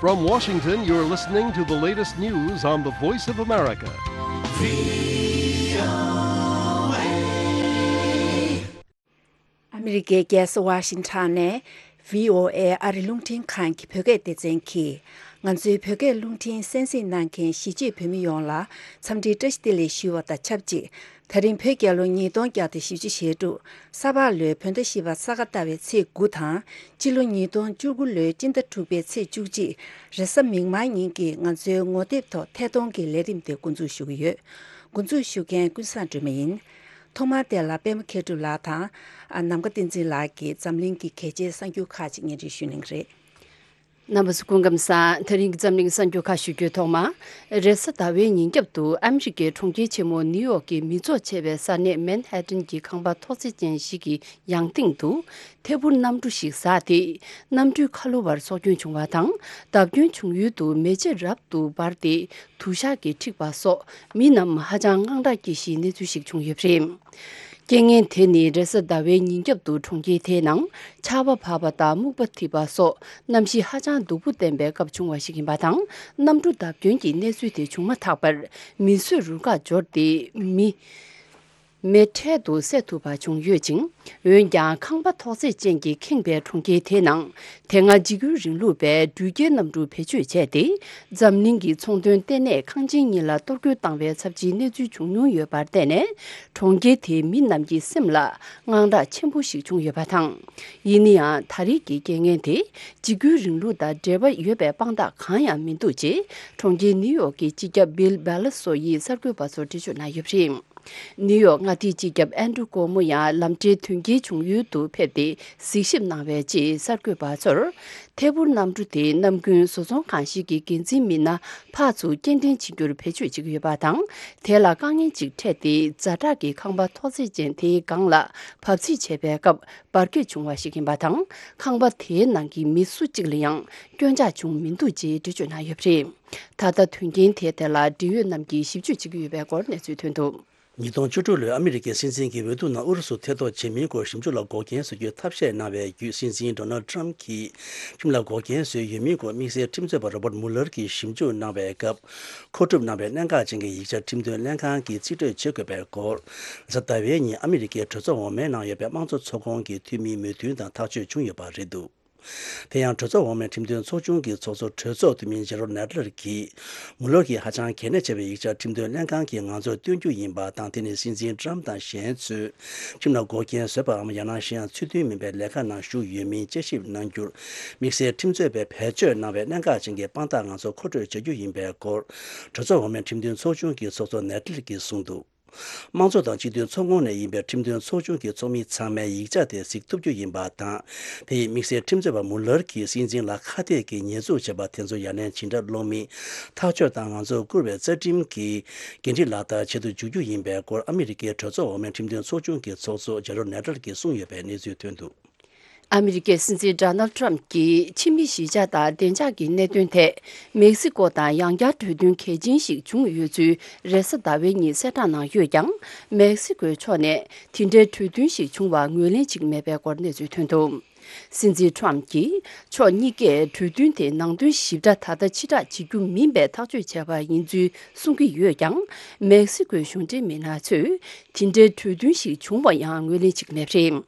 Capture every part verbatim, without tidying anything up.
From Washington, you're listening to the latest news on the Voice of America. ཨ་མི་རི་ཀའི་རྒྱལ་ས་ཝ་ཤིང་ཊོན་ནས་བྷི་ཨོ་ཨེ་ཨ་རི་རླུང་འཕྲིན་ཁང་གི་བོད་སྐད་སྡེ་ཚན་གྱིས། ང་ཚོའི་བོད་སྐད་རླུང་འཕྲིན་གསན་གཟིགས་གནང་མཁན་གཞིས་བྱེས་བོད་མི་ཡོངས་ལ་འཚམས་འདྲི་བཀྲ་ཤིས་བདེ་ལེགས་ཞུ་བ་དང་ཆབས་ཅིག་ད་རིང་བོད་རྒྱལ་ལོ་ཉིས་སྟོང་བརྒྱ་དང་བཞི་བཅུ་ཞེ་དྲུག་ས་ཕག་ལོའི་བོད་ཟླ་བཞི་པ་ས་ག་ཟླ་བའི་ཚེས་དགུ་དང་། སྤྱི་ལོ་ཉིས་སྟོང་བཅུ་དགུ་ལོའི་སྤྱི་ཟླ་དྲུག་པའི་ཚེས་བཅུ་གཅིག་རེས་གཟའ་མིག་དམར་ཉིན་གྱི་ང་ཚོའི་ངོ་དེབ་ཐོག་ཐད་གཏོང་གི་ལས་རིམ་དེ་འགོ་འཛུགས་ཞུ་གི་ཡོད། འགོ་འཛུགས་ཞུ་མཁན་ཀུན་བཟང་སྒྲོལ་མ་ཡིན། ཐོག་མར་དེ་ལ་པད་མ་མཁས་གྲུབ་ལགས་དང་། ཨ། ནམ་མཁའ་བསྟན་འཛིན་ལགས་ཀྱིས་འཛམ་གླིང་གི་གལ་ཆེའི་གསར་འགྱུར་ཁག་ཅིག་སྙན་སྒྲོན་ཞུ་གནང་གི་རེད། རྣམ་པ་ཚོ་སྐུ་ཁམས་བཟང་། ད་རིང་གི་འཛམ་གླིང་གསར་འགྱུར་ཁག་ཞུ་རྒྱུའི་ཐོག་མ། རེས་གཟའ་ཟླ་བའི་ཉིན་རྒྱབ་ཏུ་ཨ་མི་རི་ཀའི་གྲོང་ཁྱེར་ཆེན་མོ་ནིའུ་ཡོག་གི་མི་ཚོགས་ཆེ་བའི་ས་གནས་མན་ཧེ་ཏན་གྱི་ཁང་པ་ཐོག་བརྩེགས་ཅན་ཞིག་གི་ཡང་སྟེང་དུ་ཐད་འཕུར་གནམ་གྲུ་ཞིག་ཟགས་ཏེ། གནམ་གྲུའི་ཁ་ལོ་བར་སྲོག་སྐྱོན་བྱུང་བ་དང་། བརྡབ་སྐྱོན་བྱུང་ཡུལ་དུ་མེ་ལྕེ་རབ་ཏུ་འབར་ཏེ། དུ་ཞག་གིས་འཁྲིགས་པ་སོགས་མི་རྣམས་ཧ་ཅང་དངངས་སྐྲག་སྐྱེ་གཞིའི་གནས་ཚུལ་ཞིག་བྱུང་ཡོད་པ་རེད། རྐྱེན་ངན་དེ་ནི་རེས་གཟའ་ཟླ་བའི་ཉིན་རྒྱབ་ཏུ་གྲོང་ཁྱེར་དེའི་ནང་ཆར་པ་བབས་པ་དང་སྨུག་པ་འཐིབས་པ་སོགས་གནམ་གཤིས་ཧ་ཅང་སྡུག་པོ་ལྡན་པའི་སྐབས་བྱུང་བ་ཞིག་ཡིན་པ་དང་། གནམ་གྲུ་བརྡབ་སྐྱོན་གྱི་གནས་ཚུལ་དེ་བྱུང་མ་ཐག་པར་མི་གསོད་རུ་ཁག་འབྱོར་ཏེ། མི་མེ་འཕྲལ་དུ་བསད་ཐུབ་པ་བྱུང་ཡོད་ཅིང་། འོན་ཀྱང་ཁང་པ་ཐོག་བརྩེགས་ཅན་གྱིས་ཁེངས་པའི་གྲོང་ཁྱེར་དེའི་ནང་དེ་སྔ་འཇིགས་སྐུལ་རིང་ལུགས་པས་འགྲུལ་སྐྱེལ་གནམ་གྲུ་བེད་སྤྱོད་བྱས་ཏེ། འཛམ་གླིང་གི་ཚོང་དོན་ལྟེ་གནས་ཁང་ཆེན་གཉིས་ལ་གཏོར་རྒོལ་བཏང་བའི་ཚབས་ཆེའི་གནས་ཚུལ་བྱུང་མྱོང་ཡོད་པར་བརྟེན་ནས། གྲོང་ཁྱེར་དེའི་མི་རྣམས་ཀྱི་སེམས་ལ་དངངས་སྐྲག་ཆེན་པོ་ཞིག་བྱུང་ཡོད་པ་དང་། ཡིན་ན་ཡང་། ད་རེས་ཀྱི་རྐྱེན་ངན་དེ་འཇིགས་སྐུལ་རིང་ལུགས་དང་འབྲེལ་བ་ཡོད་པའི་དཔང་རྟགས་གང་ཡང་མི་འདུག་ཅེས་གྲོང་ཁྱེར་ནིའུ་ཡོག་གི་སྤྱི་ཁྱབ་བྷིལ་བྷེ་ལ་སོ་ཡིས་གསར་འགོད་པ་ཚོར་འགྲེལ་བརྗོད་གནང་ཡོད་པ་རེད། ནིའུ་ཡོག་མངའ་སྡེའི་སྤྱི་ཁྱབ་ཨན་ཌྲུ་ཀོ་མོ་ཡང་ལམ་འབྲས་དོན་རྐྱེན་བྱུང་ཡུལ་དུ་ཕེབས་ཏེ་གཟིགས་ཞིབ་གནང་བའི་རྗེས་གསར་འགོད་པ་ཚོར། ཐད་འཕུར་གནམ་གྲུ་དེ་ནམ་རྒྱུན་བཟོ་ཚོང་ཁང་ཞིག་གི་འགན་འཛིན་མི་སྣ་ཕར་ཚུར་སྐྱེལ་འདྲེན་བྱེད་རྒྱུར་བེད་སྤྱོད་བྱེད་ཀྱི་ཡོད་པ་དང་། དེ་ལ་དཀའ་ངལ་ཅིག་འཕྲད་དེ། ཛ་དྲག་གི་ཁང་པ་ཐོག་བརྩེགས་ཅན་དེའི་སྒང་ལ་བབས་ཚིགས་བྱས་པའི་སྐབས་འབར་གས་བྱུང་བ་ཞིག་ཡིན་པ་དང་། ཁང་པ་དེའི་ནང་གི་མི་སུ་གཅིག་ལ་ཡང་སྐྱོན་ཆག་བྱུང་མི་འདུག་ཅེས་འགྲེལ་བརྗོད་གནང་ཡོད་པ་རེད། ད་ལྟ་དོན་རྐྱེན་དེའི་ཐད་ལ་འབྲེལ་ཡོད་རྣམས་ཀྱིས་ཞིབ་དཔྱོད་བྱེད་ཀྱི་ཡོད་པའི་སྐོར་གནས་ཚུལ་ཐོན་འདུག། ཉིས་སྟོང་བཅུ་དྲུག་ལོའི་ཨ་མི་རི་ཀའི་སྲིད་འཛིན་གྱི་འོས་བསྡུ་ནང་ཨུ་རུ་སུ་ཐེ་གཏོགས་བྱེད་མིན་སྐོར་ཞིབ་འཇུག་ལ་འགོག་རྐྱེན་བཟོ་རྒྱུའི་ཐབས་ཤེས་གནང་བའི་བརྒྱུད། སྲིད་འཛིན་ཌོ་ནལ་ཌི་ཊརམ་གྱིས་ཁྲིམས་ལ་འགོག་རྐྱེན་བཟོས་ཡོད་མིན་སྐོར་དམིགས་བསལ་ཁྲིམས་རྩོད་པ་རོ་བར་མུ་ལར་གྱིས་ཞིབ་འཇུག་གནང་བའི་སྐབས། མཁོ་སྒྲུབ་གནང་བའི་གནད་འགག་ཅན་གྱི་ཡིག་ཆ་ཁྲིམས་དོན་ལྷན་ཁང་གིས་རྩིས་སྤྲོད་བྱེད་དགོས་པའི་སྐོར། རེས་གཟའ་ཟླ་བའི་ཉིན་ཨ་མི་རི་ཀའི་གྲོས་ཚོགས་འོག་མའི་ནང་ཡོད་པའི་དམངས་གཙོ་ཚོགས་ཁོངས་ཀྱི་འཐུས་མིའི་མོས་མཐུན་དང་ཐག་གཅོད་བྱུང་ཡོད་པ་རེད་འདུག། དེ་ཡང་གྲོས་ཚོགས་འོག་མའི་ཁྲིམས་དོན་ཚོགས་ཆུང་གི་ཚོགས་གཙོ་གྲོས་ཚོགས་འཐུས་མི་ཇེ་རོ་ནེ་ཏལ་གྱིས། མུ་ལར་གྱིས་ཧ་ཅང་གལ་གནད་ཆེ་བའི་ཡིག་ཆ་ཁྲིམས་དོན་ལྷན་ཁང་གིས་ང་ཚོར་སྟོན་རྒྱུ་ཡིན་པ་དང་། དེ་ནི་སྲིད་འཛིན་ཊརམ་དང་གཞན་ཚོས་ཁྲིམས་ལ་འགོག་རྐྱེན་བཟོས་པའམ། ཡང་ན་གཞན་ཡང་ཚུལ་མཐུན་མིན་པའི་ལས་ཀ་ནང་ཞུགས་ཡོད་མིན་དཔྱད་ཞིབ་གནང་རྒྱུར། དམིགས་བསལ་ཁྲིམས་རྩོད་པས་བེད་སྤྱོད་གནང་བའི་གནད་འགག་ཅན་གྱི་དཔང་རྟགས་ང་ཚོ་མཁོ་སྤྲོད་བྱ་རྒྱུ་ཡིན་པའི་སྐོར། གྲོས་ཚོགས་འོག་མའི་ཁྲིམས་དོན་ཚོགས་ཆུང་གི་ཚོགས་གཙོ་ནེ་ཏལ་གྱིས་གསུངས་འདུག། དམངས་གཙོ་དང་སྤྱི་མཐུན་ཚོགས་ཁོངས་ནས་ཡིན་པའི་ཁྲིམས་དོན་ཚོགས་ཆུང་གི་ཚོགས་མི་ཚང་མས་ཡིག་ཆ་དེ་གཟིགས་ཐུབ་རྒྱུ་ཡིན་པ་དང་། དེ་ཡིས་དམིགས་བསལ་ཁྲིམས་རྩོད་པ་མུ་ལར་གྱིས་སྲིད་འཛིན་ལ་ཁ་གཏད་ཀྱི་ཉེས་འཛུགས་བྱས་པ་དེ་ཚོ་ཡ་ལན་ཇི་འདྲ་སློག་མིན་ཐག་གཅོད་དང་། ང་ཚོར་བསྐུར་བའི་རྩ་ཁྲིམས་ཀྱི་འགན་འཁྲི་ལག་བསྟར་བྱེད་དུ་འཇུག་རྒྱུ་ཡིན་པའི་སྐོར། ཨ་མི་རི་ཀའི་གྲོས་ཚོགས་འོག་མའི་ཁྲིམས་དོན་ཚོགས་ཆུང་གི་ཚོགས་གཙོ་ཇེ་རོ་ནེ་ཏལ་གྱིས་གསུངས་ཡོད་པའི་གནས་ཚུལ་ཐོན་འདུག། ཨ་མི་རི་ཀའི་སྲིད་འཛིན་ཌོ་ནལ་ཌི་ཊརམ་གྱིས་ཕྱི་མི་གཞིས་ཆགས་དང་བདེ་འཇགས་ཀྱི་གནད་དོན་ཐད། མེག་སི་ཀོ་དང་ཡང་བསྐྱར་གྲོས་མཐུན་གལ་ཆེན་ཞིག་བྱུང་ཡོད་ཚུལ་རེས་གཟའ་ཟླ་བའི་ཉིན་གསལ་བསྒྲགས་གནང་ཡོད་ཀྱང་། མེག་སི་ཀོའི་ཕྱོགས་ནས་དེ་འདྲའི་གྲོས་མཐུན་ཞིག་བྱུང་བར་ངོས་ལེན་བྱེད་ཀྱི་མེད་པའི་སྐོར་གནས་ཚུལ་ཐོན་འདུག། སྲིད་འཛིན་ཊརམ་གྱིས་ཕྱོགས་གཉིས་ཀས་གྲོས་མཐུན་དེ་ནང་དོན་ཞིབ་ཕྲ་ད་ལྟ་ཕྱིར་བསྒྲགས་བྱེད་རྒྱུ་མིན་པའི་ཐག་གཅོད་བྱས་པ་ཡིན་ཚུལ་གསུང་གི་ཡོད་ཀྱང་། མེག་སི་ཀོའི་གཞུང་འབྲེལ་མི་སྣ་ཚོས་དེ་འདྲའི་གྲོས་མཐུན་ཞིག་བྱུང་བ་ཡང་ངོས་ལེན་བྱེད་ཀྱི་མེད་པ་རེད།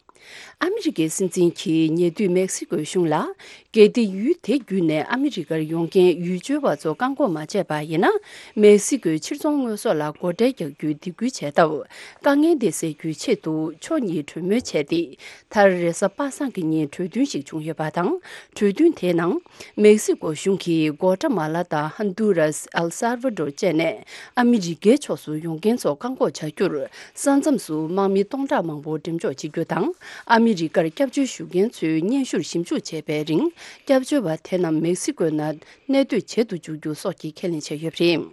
ཨ་མི་རི་ཀའི་སྲིད་འཛིན་གྱིས་ཉེ་དུས་མེག་སི་ཀོའི་གཞུང་ལ། གལ་ཏེ་ཡུལ་དེ་བརྒྱུད་ནས་ཨ་མི་རི་ཀར་ཡོང་མཁན་ཡུལ་སྐྱོད་པ་ཚོ་བཀག་འགོག་མ་བྱས་པ་ཡིན་ན། མེག་སི་ཀོའི་ཕྱིར་ཚོང་དངོས་ཟོག་ལ་སྒོ་ཁྲལ་རྒྱག་རྒྱུའི་སྡིགས་སྐུལ་བྱས་སྟབས། དཀའ་ངལ་དེ་སེལ་རྒྱུའི་ཆེད་དུ་ཕྱོགས་གཉིས་གྲོས་མོལ་བྱས་ཏེ། མཐར་རེས་གཟའ་པ་སངས་ཀྱི་ཉིན་གྲོས་མཐུན་ཞིག་བྱུང་ཡོད་པ་དང་། གྲོས་མཐུན་དེའི་ནང་། མེག་སི་ཀོ་གཞུང་གིས་གོ་ཏྲ་མ་ལ་དང་ཧན་དུ་རཱས། ཨེལ་སཱལ་ཝ་ཌོར་བཅས་ནས་ཨ་མི་རི་ཀའི་ཕྱོགས་སུ་ཡོང་མཁན་ཚོ་བཀག་འགོག་བྱ་རྒྱུར། ས་མཚམས་སུ་དམག་མི་སྟོང་ཕྲག་མང་པོ་འགྲེམས་འཇོག་བྱེད་རྒྱུ་དང་། ཨ་མི་རི་ཀར་སྐྱབས་བཅོལ་ཞུ་མཁན་ཚོའི་སྙན་ཞུར་ཞིབ་འཇུག་བྱས་པའི་རིང་། སྐྱབས་བཅོལ་བ་དེ་རྣམས་མེག་སི་ཀོའི་ནང་གནས་སྡོད་བྱེད་དུ་འཇུག་རྒྱུ་སོགས་ཀྱི་ཁས་ལེན་བྱས་ཡོད་པ་རེད།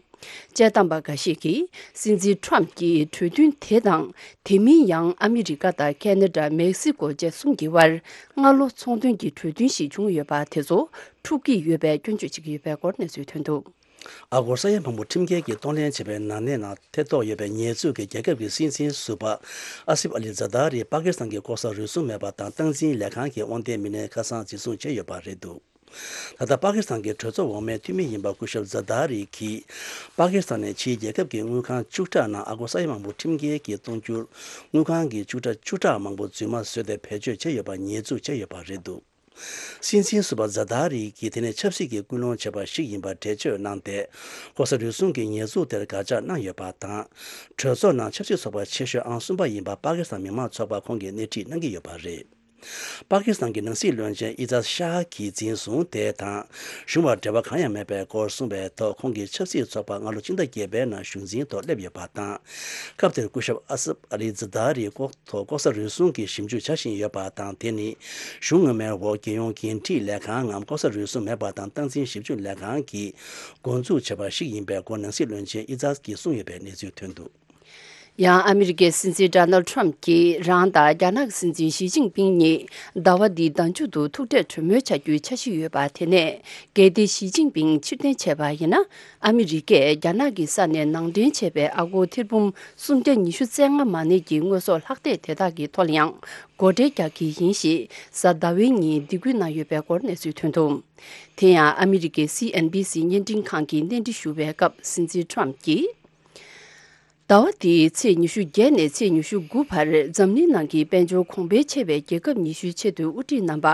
དཔྱད་གཏམ་པ་འགའ་ཞིག་གིས། སྲིད་འཛིན་ཊརམ་གྱིས་གྲོས་མཐུན་དེ་དང་། དེ་མིན་ཡང་ཨ་མི་རི་ཀ་དང་ཁེ་ན་ཌ། མེག་སི་ཀོ་བཅས་གསུམ་གྱི་དབར། སྔ་ལོ་ཚོང་དོན་གྱི་གྲོས་མཐུན་ཞིག་བྱུང་ཡོད་པ་དེ་ཚོ་འཁྲུག་གི་ཡོད་པའི་སྐྱོན་བརྗོད་བྱེད་ཀྱི་ཡོད་པའི་སྐོར་གནས་ཚུལ་ཐོན་འདུག། ཨ་སྒོར་ས་ཡ་མང་པོ་ཁྲིམས་འགལ་གྱིས་གཏོང་ལེན་བྱས་པའི་ནག་ཉེས་ནང་ཐེ་གཏོགས་ཡོད་པའི་ཉེས་འཛུགས་ཀྱིས་རྒྱལ་ཁབ་ཀྱི་སྲིད་འཛིན་ཟུར་པ་ཨ་སིབ་ཨ་ལི་ཛ་དཱ་རི་པ་ཀི་སི་ཐན་གྱི་ལྐོག་ཟ་རུལ་སུངས་མེད་པ་དང་། སྟངས་འཛིན་ལས་ཁང་གི་དབང་ལྡན་མི་སྣའི་ཁ་སང་འཛིན་བཟུང་བྱས་ཡོད་པ་རེད་འདུག། ད་ལྟ་པ་ཀི་སི་ཐན་གྱི་གྲོས་ཚོགས་འོག་མའི་འཐུས་མི་ཡིན་པ་སྐུ་ཞབས་ཛ་དཱ་རི་གིས། པ་ཀི་སི་ཐན་ནས་ཕྱིའི་རྒྱལ་ཁབ་ཀྱི་དངུལ་ཁང་བཅུ་ཕྲག་ནང་ཨ་སྒོར་ས་ཡ་མང་པོ་ཁྲིམས་འགལ་གྱིས་གཏོང་རྒྱུར། དངུལ་ཁང་གི་བཅུ་ཕྲག་བཅུ་ཕྲག་མང་པོ་རྫུན་མ་བཟོས་ཏེ་བེད་སྤྱོད་བྱས་ཡོད་པ་ཉེས་འཛུགས་བྱས་ཡོད་པ་རེད་འདུག། སྲིད་འཛིན་ཟུར་པ་ཛ་དཱ་རི་གིས་དེ་ནི་ཆབ་སྲིད་ཀྱི་ཀུན་སློང་བྱས་པ་ཞིག་ཡིན་པར་འགྲེལ་བརྗོད་གནང་སྟེ། ལྐོག་ཟ་རུལ་སུངས་ཀྱི་ཉེས་འཛུགས་དེར་དགག་བྱ་གནང་ཡོད་པ་དང་། གྲོས་ཚོགས་ནང་ཆབ་སྲིད་ཚོགས་པ་ཆེ་ཤོས་ཨང་གསུམ་པ་ཡིན་པ་པ་ཀི་སི་ཐན་མི་མང་ཚོགས་པ་ཁོང་གིས་སྣེ་ཁྲིད་གནང་གི་ཡོད་པ་རེད། པ་ཀི་སི་ཐན་གྱི་ནང་སྲིད་བློན་ཆེན་ཨི་ཛཱད་ཤཱ་གིས་འཛིན་བཟུང་དེ་དང་། གཞུང་བར་འབྲེལ་བ་གང་ཡང་མེད་པའི་སྐོར་གསུངས་པའི་ཐོག་ཁོང་གིས་ཆབ་སྲིད་ཚོགས་པ་སྔ་ལོ་སྤྱི་ཟླ་བརྒྱད་པའི་ནང་གཞུང་འཛིན་ཐོག་སླེབས་ཡོད་པ་དང་། སྐབས་དེར་སྐུ་ཞབས་ཨ་སབ་ཨ་ལི་ཛ་དཱ་རིའི་ལྐོག་ཐོག་ལྐོག་ཟ་རུལ་སུངས་ཀྱི་ཞིབ་འཇུག་བྱ་བཞིན་ཡོད་པ་དང་། དེ་ནི་གཞུང་སྔོན་མའི་འོག་རྒྱལ་ཡོངས་འགན་འཁྲི་ལས་ཁང་ངམ་ལྐོག་ཟ་རུལ་སུངས་མེད་པ་དང་སྟངས་འཛིན་ཞིབ་འཇུག་ལས་ཁང་གིས་འགོ་འཛུགས་བྱས་པ་ཞིག་ཡིན་པའི་སྐོར་ནང་སྲིད་བློན་ཆེན་ཨི་ཛཱད་ཀྱིས་གསུངས་ཡོད་པའི་གནས་ཚུལ་ཐོན་འདུག། ཡང་ཨ་མི་རི་ཀའི་སྲིད་འཛིན་ཌོ་ནལ་ཌི་ཊརམ་ཕ་གྱིས་རང་དང་རྒྱ་ནག་གི་སྲིད་འཛིན་ཞི་ཅིན་ཕིང་གཉིས་ཟླ་བ་འདིའི་ཟླ་མཇུག་ཏུ་ཐུག་འཕྲད་གྲོས་མོལ་བྱ་རྒྱུའི་འཆར་གཞི་ཡོད་པ་དེ་ནས། གལ་ཏེ་ཞི་ཅིན་ཕིང་ཕྱིར་འཐེན་བྱས་པ་ཡིན་ན། ཨ་མི་རི་ཀས་རྒྱ་ནག་གི་ས་ནས་ནང་འདྲེན་བྱས་པའི་ཨ་སྒོར་ཐེར་འབུམ་སུམ་བརྒྱ་ཉི་ཤུ་རྩ་ལྔ་མ་གནས་ཀྱི་དངོས་ཟོག་ལྷག་ཐེག་དེ་དག་གི་ཐོག་ལ་ཡང་སྒོ་ཁྲལ་རྒྱག་གི་ཡིན་ཞེས་གཟའ་ཟླ་བའི་ཉིན་སྡིགས་སྐུལ་གནང་ཡོད་པའི་སྐོར་གནས་ཚུལ་ཐོན་འདུག། དེ་ཡང་ཨ་མི་རི་ཀའི་སི་ཨེན་བྷི་སི་བརྙན་འཕྲིན་ཁང་གིས་གནས་འདྲི་ཞུ་བའི་སྐབས་སྲིད་འཛིན་ཌོ་ནལ་ཌི་ཊརམ་ཕ་གྱིས། ཟླ་བ་འདིའི་ཚེས་ཉི་ཤུ་བརྒྱད་ནས་ཚེས་ཉི་ཤུ་དགུ་བར་འཛམ་གླིང་ནང་གི་དཔལ་འབྱོར་གོང་འཕེལ་ཆེ་བའི་རྒྱལ་ཁབ་ཉི་ཤུའི་ཆེས་མཐོའི་དབུ་ཁྲིད་རྣམ་པ་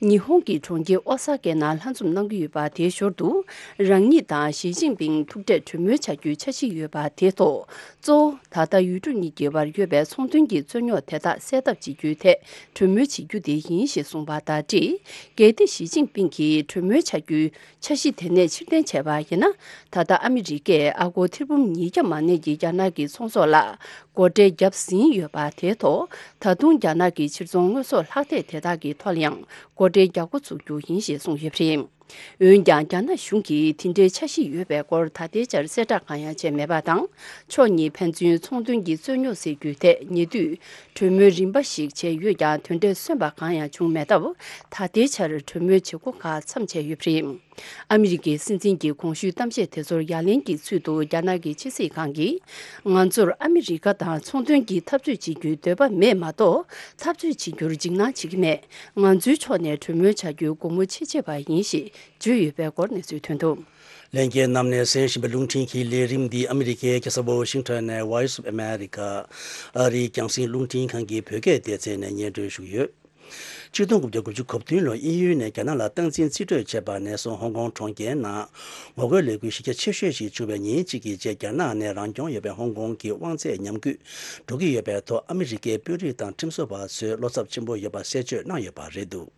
ཉི་ཧོང་གི་གྲོང་ཁྱེར་ཨོ་ས་ཀའི་ནང་ལྷན་འཛོམས་གནང་གི་ཡོད་པ། དེའི་ཞོར་དུ་རང་ཉིད་དང་ཞི་ཅིན་ཕིང་ཐུག་འཕྲད་གྲོས་མོལ་བྱ་རྒྱུའི་འཆར་གཞི་ཡོད་པ། དེའི་ཐོག་གཙོ་བོ་ད་ལྟ་ཡུལ་གྲུ་གཉིས་ཀྱི་བར་ཡོད་པའི་ཚོང་དོན་གྱི་རྩོད་རྙོག་དེ་དག་སེལ་ཐབས་བྱེད་རྒྱུའི་ཐད་གྲོས་མོལ་བྱེད་རྒྱུ་དེ་ཡིན་ཞེས་གསུངས་པ་དང་འབྲེལ། གལ་ཏེ་ཞི་ཅིན་ཕིང་གིས་གྲོས་མོལ་བྱ་རྒྱུའི་འཆར་གཞི་དེ་ནས་ཕྱིར་འཐེན་བྱས་པ་ཡིན་ན། ད་ལྟ་ཨ་མི་རི་ཀས་ཨ་སྒོར་ཐེར་འབུམ་ཉིས་བརྒྱ་མ་གནས་ཀྱི་རྒྱ་ནག་གི་ཚོང་ཟོག་ལ་སྒོ་ཁྲལ་བརྒྱབ་ཟིན་ཡོད་པ། དེའི་ཐོག་ད་དུང་རྒྱ་ནག་གི་ཕྱིར་ཚོང་དངོས་ཟོག་ལྷག་ཐེག་དེ་དག་གི་ཐོག་ལ་ཡང་སྒོ་ཁྲལ་རྒྱག་འགོ་ཚུགས་རྒྱུ་ཡིན་ཞེས་གསུངས་ཡོད་པ་རེད། འོན་ཀྱང་རྒྱ་ནག་གཞུང་གིས་དེ་འདྲའི་འཆར་གཞི་ཡོད་པའི་སྐོར་ད་ལྟའི་ཆར་གསལ་བསྒྲགས་གང་ཡང་བྱས་མེད་པ་དང་། ཕྱོགས་གཉིས་ཕན་ཚུན་ཚོང་དོན་གྱི་རྩོད་རྙོག་སེལ་རྒྱུའི་ཐད་ཉེ་དུས་གྲོས་མོལ་རིམ་པ་ཞིག་བྱས་ཡོད་ཀྱང་། དོན་འབྲས་སོན་པ་གང་ཡང་བྱུང་མེད་སྟབས། ད་ལྟའི་ཆར་གྲོས་མོལ་བྱེད་སྒོ་ཁག་མཚམས་ཆད་ཡོད་པ་རེད། ཨ་མི་རི་ཀའི་སྲིད་འཛིན་གྱི་གོང་ཞུས་གཏམ་བཤད་དེ་ཚོར་ཡ་ལན་གྱི་ཚུལ་དུ། རྒྱ་ནག་གི་ཕྱི་སྲིད་ཁང་གིས། ང་ཚོར་ཨ་མི་རི་ཀ་དང་ཚོང་དོན་གྱི་འཐབ་རྩོད་བྱེད་རྒྱུའི་འདོད་པ་མེད་མ་གཏོགས། འཐབ་རྩོད་བྱེད་རྒྱུར་འཇིགས་སྣང་བྱེད་ཀྱི་མེད། ང་ཚོའི་ཕྱོགས་ནས་གྲོས་མོལ་བྱ་རྒྱུའི་སྒོ་མོ་ཕྱེ་ཆེད་པ་ཡིན་ཞེས་བརྗོད་ཡོད་པའི་སྐོར་གནས་ཚུལ་ཐོན་འདུག། ལྷན་རྒྱས་རྣམས་ནས་གསན་བཞིན་པའི་རླུང་འཕྲིན་གྱི་ལས་རིམ་འདི་ཨ་མི་རི་ཀའི་རྒྱལ་ས་ཝོ་ཤིང་ཊོན་ནས་Voice of America ཨ་རིའི་རྒྱང་སྲིང་རླུང་འཕྲིན་ཁང་གི་བོད་སྐད་སྡེ་ཚན་ནས་སྙན་སྒྲོན་ཞུ་གི་ཡོད། ཆིག་སྟོང་དགུ་བརྒྱ་དགུ་བཅུ་གོ་བདུན་ལོར་དབྱིན་ཡུལ་ནས་རྒྱ་ནག་ལ་སྟངས་འཛིན་རྩིས་སྤྲོད་བྱས་པ་ནས་བཟུང་ཧོང་ཀོང་གྲོང་ཁྱེར་ནང་ངོ་རྒོལ་ལས་འགུལ་གཞི་རྒྱ་ཆེ་ཤོས་ཤིག་བྱུང་བའི་ཉིན་གཅིག་གི་རྗེས། རྒྱ་ནག་ནས་རང་སྐྱོང་ཡོད་པའི་ཧོང་ཀོང་གི་དབང་ཚད་ཉམས་རྒུད་འགྲོ་གི་ཡོད་པའི་ཐོག་ཨ་མི་རི་ཀའི་དཔོན་རིགས་དང་ཁྲིམས་བཟོ་བ་ཚོས་བློ་འཚབ་ཆེན་པོ་ཡོད་པ་གསལ་བརྗོད་གནང་ཡོད་པ་རེད་འདུག།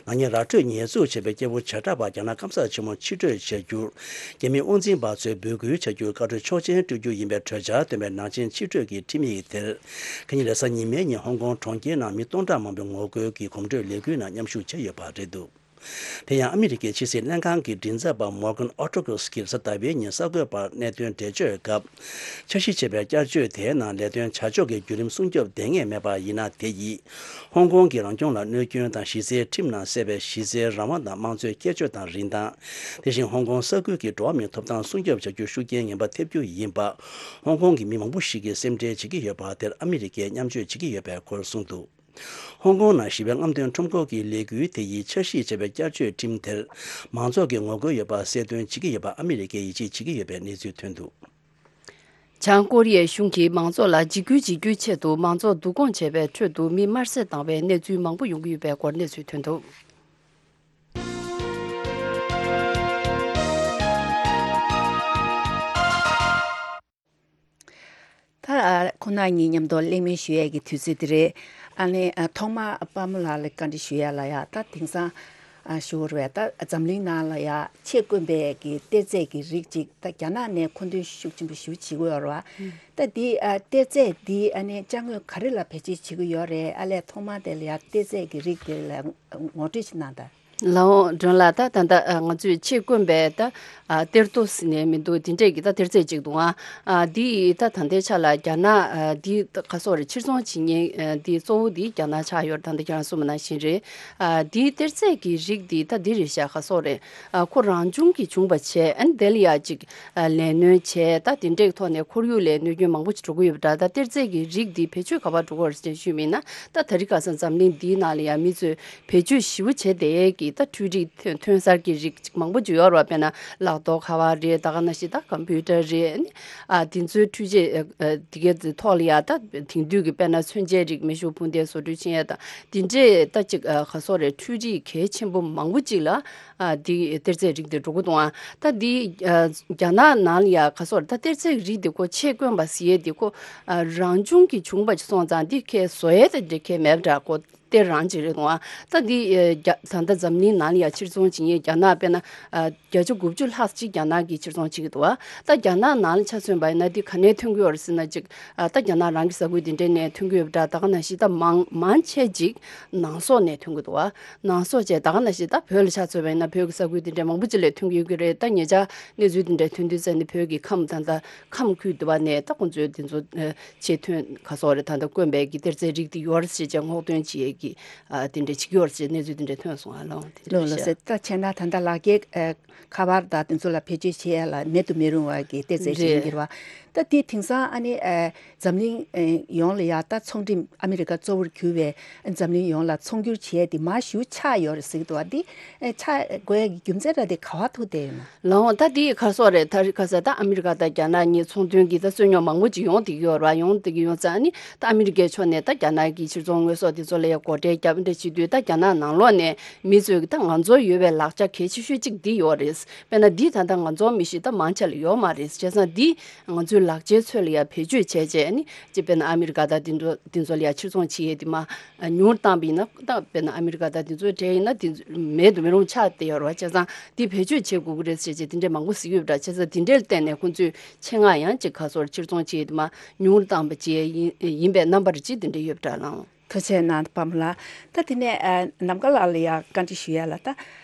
ན་ནིང་ར་སྤྲོད་ཉེས་འཛུགས་བྱས་པའི་སྐྱེས་བུ་བྱེ་བྲག་པ་རྒྱ་ནག་སྐམ་སར་ཆེན་མོར་ཕྱིར་སྤྲོད་བྱ་རྒྱུར། རྒྱ་མི་དབང་འཛིན་པ་ཚོས་འབོད་སྐུལ་བྱ་རྒྱུར་བཀའ་འཁྲོལ་ཆོག་མཆན་སྤྲོད་རྒྱུ་ཡིན་པའི་གྲོས་འཆར་བཏོན་པའི་ནང་ཆེན་ཕྱིར་སྤྲོད་ཀྱི་ཁྲིམས་ཡིག་དེར། ཁ་ཉིན་རེས་གཟའ་ཉི་མའི་ཉིན་ཧོང་ཀོང་གྲོང་ཁྱེར་ནང་མི་སྟོང་ཕྲག་མང་པོས་ངོ་རྒོལ་གྱི་གོམ་བགྲོད་ལས་འགུལ་ནང་མཉམ་ཞུགས་བྱས་ཡོད་པ་རེད་འདུག། དེ་ཡང་ཨ་མི་རི་ཀའི་ཕྱི་སྲིད་ལྷན་ཁང་གི་མགྲིན་ཚབ་པ་Morgan Ortagus གིས་རེས་གཟའ་ཟླ་བའི་ཉིན་གསར་འགོད་པར་གནད་དོན་འགྲེལ་བརྗོད་སྐབས། འཆར་གཞི་བྱས་པའི་བསྐྱར་བཅོས་དེའི་ནང་ལས་དོན་བྱ་ཕྱོགས་ཀྱི་བརྒྱུད་རིམ་སྲུང་སྐྱོབ་ལྡང་ངེས་མེད་པ་ཡིན་ན། དེ་ཡིས་ཧོང་ཀོང་གི་རང་སྐྱོང་ལ་གནོད་སྐྱོན་དང་། གཞི་རྩའི་ཁྲིམས་ནང་གསལ་བའི་གཞི་རྩའི་རང་དབང་དང་དམངས་གཙོའི་ཁྱད་ཆོས་དང་རིན་ཐང་། དེ་བཞིན་ཧོང་ཀོང་ས་ཁུལ་གྱི་འགྲོ་བ་མིའི་ཐོབ་ཐང་སྲུང་སྐྱོབ་བྱ་རྒྱུར་ཤུགས་རྐྱེན་ངན་པ་ཐེབས་རྒྱུ་ཡིན་པ། ཧོང་ཀོང་གི་མི་མང་པོ་ཞིག་གིས་སེམས་ཁྲལ་བྱེད་ཀྱི་ཡོད་པ་དེར་ཨ་མི་རི་ཀས་མཉམ་སྤྱོད་བྱེད་ཀྱི་ཡོད་པའི་སྐོར་གསུངས་འདུག། ཧོང་ཀོང་ནང་ཞི་བའི་རྔམ་སྟོན་ཁྲོམ་སྐོར་གྱི་ལས་འགུལ་དེ་ཡིས་འཆར་གཞི་བྱས་པའི་བསྐྱར་བཅོས་ཁྲིམས་དེར་མང་ཚོགས་ཀྱི་ངོ་རྒོལ་ཡོད་པ་གསལ་སྟོན་བྱེད་ཀྱི་ཡོད་པ་ཨ་མི་རི་ཀས་ཡིད་ཆེས་བྱེད་ཀྱི་ཡོད་པའི་གནས་ཚུལ་ཐོན་འདུག། བྱང་ཀོ་རི་ཡའི་གཞུང་གིས་མང་ཚོགས་ལ་འཇིགས་སྐུལ་བྱེད་རྒྱུའི་ཆེད་དུ་མང་ཚོགས་བསྡུ་སྐོང་བྱས་པའི་ཁྲོད་དུ་མི་དམར་བསད་བཏང་བའི་གནས་ཚུལ་མང་པོ་ཡོང་གི་ཡོད་པའི་སྐོར་གནས་ཚུལ་ཐོན་འདུག། ད་ཁོང་རྣམ་གཉིས་མཉམ་དུ་གླེང་མོལ་ཞུ་ཡས་ཀྱི་དུས་ཚོད་འདི་རེད། ཨ་ནི་ཨ་ཐོག་མར་དཔལ་མོ་ལགས་ལ་བཀའ་འདྲི་ཞུ་ཡ་ལ་ཡ། ད་དེང་སང་ཨ་ཞུ་བ་རེད། ད་འཛམ་གླིང་ནང་ལ་ཡ་ཆེས་དཀོན་པའི་གི་གཏེར་རྫས་ཀྱི་རིགས་ཅིག་ད་རྒྱ་ནག་ནས་མཁོ་འདོན་ཤུགས་ཆེན་པོ་ཞེ་པོ་བྱེད་ཀྱི་ཡོད་རེད་བ། ད་འདི་ཨ་གཏེར་རྫས་འདི་ཨ་ནི་ཅ་དངོས་ག་རེ་ལ་བེད་སྤྱོད་བྱེད་ཀྱི་ཡོད་རེད། ཨ་ལས་ཐོག་མར་དེ་ལ་ཡ་གཏེར་རྫས་ཀྱི་རིགས་དེ་ལ་ངོ་སྤྲོད་ཅིག་གནང་དང་། ལའོ་སྒྲོན་ལགས། ད་ད་ལྟ་ང་ཚོས་ཆེས་དཀོན་པའི་ད་གཏེར་རྡོ་ཟེར་ནས་མི་འདུག། དེ་འདྲས་ཀྱི་ད་གཏེར་རྫས་ཅིག་འདུག་ཨ། འདི་ད་ད་ལྟའི་ཆ་ལ་རྒྱ་ནག་འདི་ག་སོགས་རེད། ཕྱིར་ཚོང་བྱེད་མཁན་འདི་གཙོ་བོ་འདི་རྒྱ་ནག་ཆགས་ཡོད་རེད། ད་ལྟ་ཁྱེད་རང་གསུངས་པ་ནང་བཞིན་རེད། འདིའི་གཏེར་རྫས་ཀྱི་རིགས་འདི་ད་འདི་རེད་ཤག། ག་སོགས་རེད། ཁོ་རང་བྱུང་གིས་བྱུང་བ་བྱས། ཨ་ནི་དེ་ལ་ཡ་ཅིག་ལས་སྣོན་བྱས། ད་དེ་འདྲས་ཐོག་ནས་ཁོར་ཡུག་ལ་གནོད་སྐྱོན་མང་པོ་ཅིག་འགྲོ་གི་ཡོད་པ་འདྲ། ད་གཏེར་རྫས་ཀྱི་རིགས་འདི་བེད་སྤྱོད་ག་པར་འགྲོ་གི་ཡོད་རེད་ཟེར་ཞུས་པ་ཡིན་ན། ད་དེ་རིང་ཁ་སང་འཛམ་གླིང་འདིའི་ནང་ལ་ཡ་མི་ཚོས་བེད་སྤྱོད་ཞེ་པོ་བྱས་བསྡད་ཀྱི། ད་འཕྲུལ་རིག་ཐོན་ཐོན་གསར་གྱི་རིགས་ཅིག་མང་པོ་ཅིག་ཡོད་རེད་བ། དཔེར་ན་ལག་ཐོགས་ཁ་པར་རེད། ད་ག་ནང་བཞིན་ད་ཀམ་པུ་ཊར་རེད། ཨ་ནི་ཨ་དེ་ཚོའི་འཕྲུལ་ཆས་ཨ་ཨ་དེ་གའི་ཐོག་ལ་ཡ་ད་དེང་དུས་ཀྱི་དཔེར་ན་མཚོན་ཆའི་རིགས། མེ་ཤུགས་འཕུར་མདེལ་བཟོ་སྐྲུན་བྱེད་ཡ་དང་དེ་འདྲས་ད་ཅིག་ཨ་ག་སོགས་རེད། འཕྲུལ་རིག་གལ་ཆེན་པོ་མང་པོ་ཅིག་ལ་ཨ་དེ་གཏེར་རྫས་རིགས་དེ་འགྲོ་གི་འདུག་ཨ། ད་དེ་ཨ་རྒྱ་ནག་ནང་ལ་ཡ་ག་སོགས་རེད། ད་གཏེར་རྫས་རིགས་དེ་ཁོ་ཆེད་བསྐོན་པ་ཟེར་ཡས་དེ་ཁོ་ཨ་རང་བྱུང་གི་བྱུང་བ་ཅིག་སོང་ཙང་དེ་ཁས་བཟོ་ཡས་དེ་འདྲས་ཁས་མེད་པ་འདྲ། ཁོ་གཏེར་རང་ཅིག་རེད་འདུག་ཨ། ད་འདི་ཨ་རྒྱ་ད་ལྟ་འཛམ་གླིང་ནང་ལ་ཡ་ཕྱིར་ཚོང་བྱེད་མཁན་རྒྱ་ནག་དཔེར་ན་ཨ་བརྒྱ་ཆ་དགུ་བཅུ་ལྷག་ཅིག་རྒྱ་ནག་གིས་ཕྱིར་ཚོང་བྱེད་ཀྱི་འདུག་ཨ། ད་རྒྱ་ནག་ནང་ལ་ཆ་མཚོན་པ་ཡིན་ན་འདི་ག་ནས་ཐོན་གྱི་ཡོད་རེད་ཟེར་ན་ཅིག་ཨ་ད་རྒྱ་ནག་རང་གི་ས་ཁུལ་འདི་འདྲ་ནས་ཐོན་གྱི་ཡོད་པ་འདྲ། ད་ག་ནང་བཞིན་ད་མང་མང་ཆེ་ཅིག་ནང་སོག་ནས་ཐོན་གྱི་འདུག་ཨ། ནང་སོག་བྱས་ད་ག་ནང་བཞིན་ད་བོད་ལ་ཆ་མཚོན་པ་ཡིན་ན་བོད་ཀྱི་ས་ཁུལ་འདི་འདྲ་མང་པོ་ཅིག་ལས་ཐོན་གྱི་ཡོད་ཀྱི་རེད། ད་ཉེ་ཆར་གནས་ཚུལ་འདི་འདྲ་ཐོན་དུས་ཙམ་ནས་བོད་ཀྱི་ཁམས་ད་ལྟ་ཁམས་ཁུལ་དུ་བ་ནས་ད་ཁོང་ཚོས་དེ་ཚོ་ཨ་ཆེད་ཐོན་ག་སོགས་རེད། ད་ལྟ་དཀོན་པའི་གི་གཏེར་རྫས་རིགས་དེ་ཡོད་རེད་ཅེས་བྱས་སྔོག་འདོན་བྱེད་ཡས་ཀྱི་ཨ་དེ་འདྲ་བྱེད་ཀྱི་ཡོད་རེད་ཅེས་གནས་ཚུལ་དེ་འདྲ་ཐོན་སོང་ཨ། ལོ་དེ་ལོ་འདྲ་ལོ་ཤག་ཟེར། ད་བྱས་ན་ད་ལྟ་ལག་འཁྱེར་ཨ་ཁ་པར་དང་དེ་ཚོ་ལ་བེད་སྤྱོད་བྱེད་ཡ་ལ་མེད་དུ་མི་རུང་བ་གི་གཏེར་རྫས་ཅིག་ཡིན་རེད། གྱི་རེད་བ། ད་དེ་དེང་སང་ཨ་ནི་ཨ་འཛམ་གླིང་ཨ་ཡོངས་ལ་ཡ་ད་ཚོང་འགྲེམས། ཨ་མི་རི་ཀ་གཙོ་བོར་གྱུར་བའི་འཛམ་གླིང་ཡོངས་ལ་ཚོང་སྒྱུར་བྱེད་ཡ་དེ་མར་ཞེ་པོ་ཆག་ཡོད་རེད་ཟེར་གྱི་འདུག་བ། དེ་ཨ་ཆག་དགོས་ཡ་གི་རྒྱུ་མཚན་ར་དེ་ག་བ་ཐུག་བསྡད་ཡོད་ན། ལའོ། ད་དེ་ག་སོགས་རེད། ད་རི་ཁ་ས་ད་ཨ་མི་རི་ཀ་དང་རྒྱ་ནག་གཉིས་ཚོང་དོན་གྱི་ད་རྩོད་རྙོག་མང་པོ་ཅིག་ཡོང་བསྡད་ཀྱི་ཡོད་རེད་བ། ཡོང་བསྡད་ཀྱི་ཡོད་ཙང་ཨ་ནི་ད་ཨ་མི་རི་ཀའི་ཕྱོགས་ནས་ད་རྒྱ་ནག་གི་ཕྱིར་ཚོང་དངོས་ཟོག་དེ་ཚོ་ལ་ཡ་སྒོ་ཁྲལ་བརྒྱབ་འདྲ་བྱེད་དུས། ད་རྒྱ་ནག་ནང་ལོགས་ནས་མི་ཚོས་ཀྱི་ད་ང་ཚོར་ཡོད་པའི་ལག་ཆ་གལ་ཆེ་ཤོས་གཅིག་འདི་ཡོད་རེད། དཔེར་ན་འདི་ད་ལྟ་ང་ཚོ་མི་ཤེས། ད་མང་ཆེ་ལ་ཡོད་མ་རེད། བྱས་ཙང་འདི་ང་ཚོའི་ལག་ཆའི་ཚོད་ལ་ཡ་བེད་སྤྱོད་བྱས་བྱས་ཨ་ནི་ཅིག་དཔེར་ན་ཨ་མི་རི་ཀ་དང་དེ་ཚོ་དེ་ཚོ་ལ་ཡ་ཕྱིར་ཚོང་བྱེད་ཡས་དེ་མ་ཉུང་བཏང་བ་ཡིན་ན། ད་དཔེར་ན་ཨ་མི་རི་ཀ་དང་དེ་ཚོའི་གྲས་ཡིན་ན་དེ་ཚོ་མེད་དུ་མི་རུང་ཆགས་བསྡད་ཡོད་རེད་བ། བྱས་ཙང་དེ་བེད་སྤྱོད་བྱེད་དགོས་ཀྱི་རེད་ཟེར་བྱས་དེ་འདྲས་མང་པོ་གཟིགས་ཡོད་པ་འདྲ། བྱས་ཙང་དེ་འདྲས་ལ་བརྟེན་ནས་ཁོང་ཚོས་ཆེད་མངགས་ཡང་ཅིག་ག་སོགས་ཕྱིར་ཚོང་བྱེད་ཡས་དེ་མ་ཉུང་བཏང་བ་བྱས་ཡིན་ཡིན་པའི་རྣམ་པར་ཅིག་དེ་འདྲས་ཡོད་པ་འདྲ་ལགས། ཐུགས་རྗེ་གནང་པ་མོ་ལགས། ད་དེ་ནས་ཨ་ནམ་མཁའ་ལགས་ལ་ཡང་བཀའ་འདྲི་ཞུ་ཡ་ལ། ད་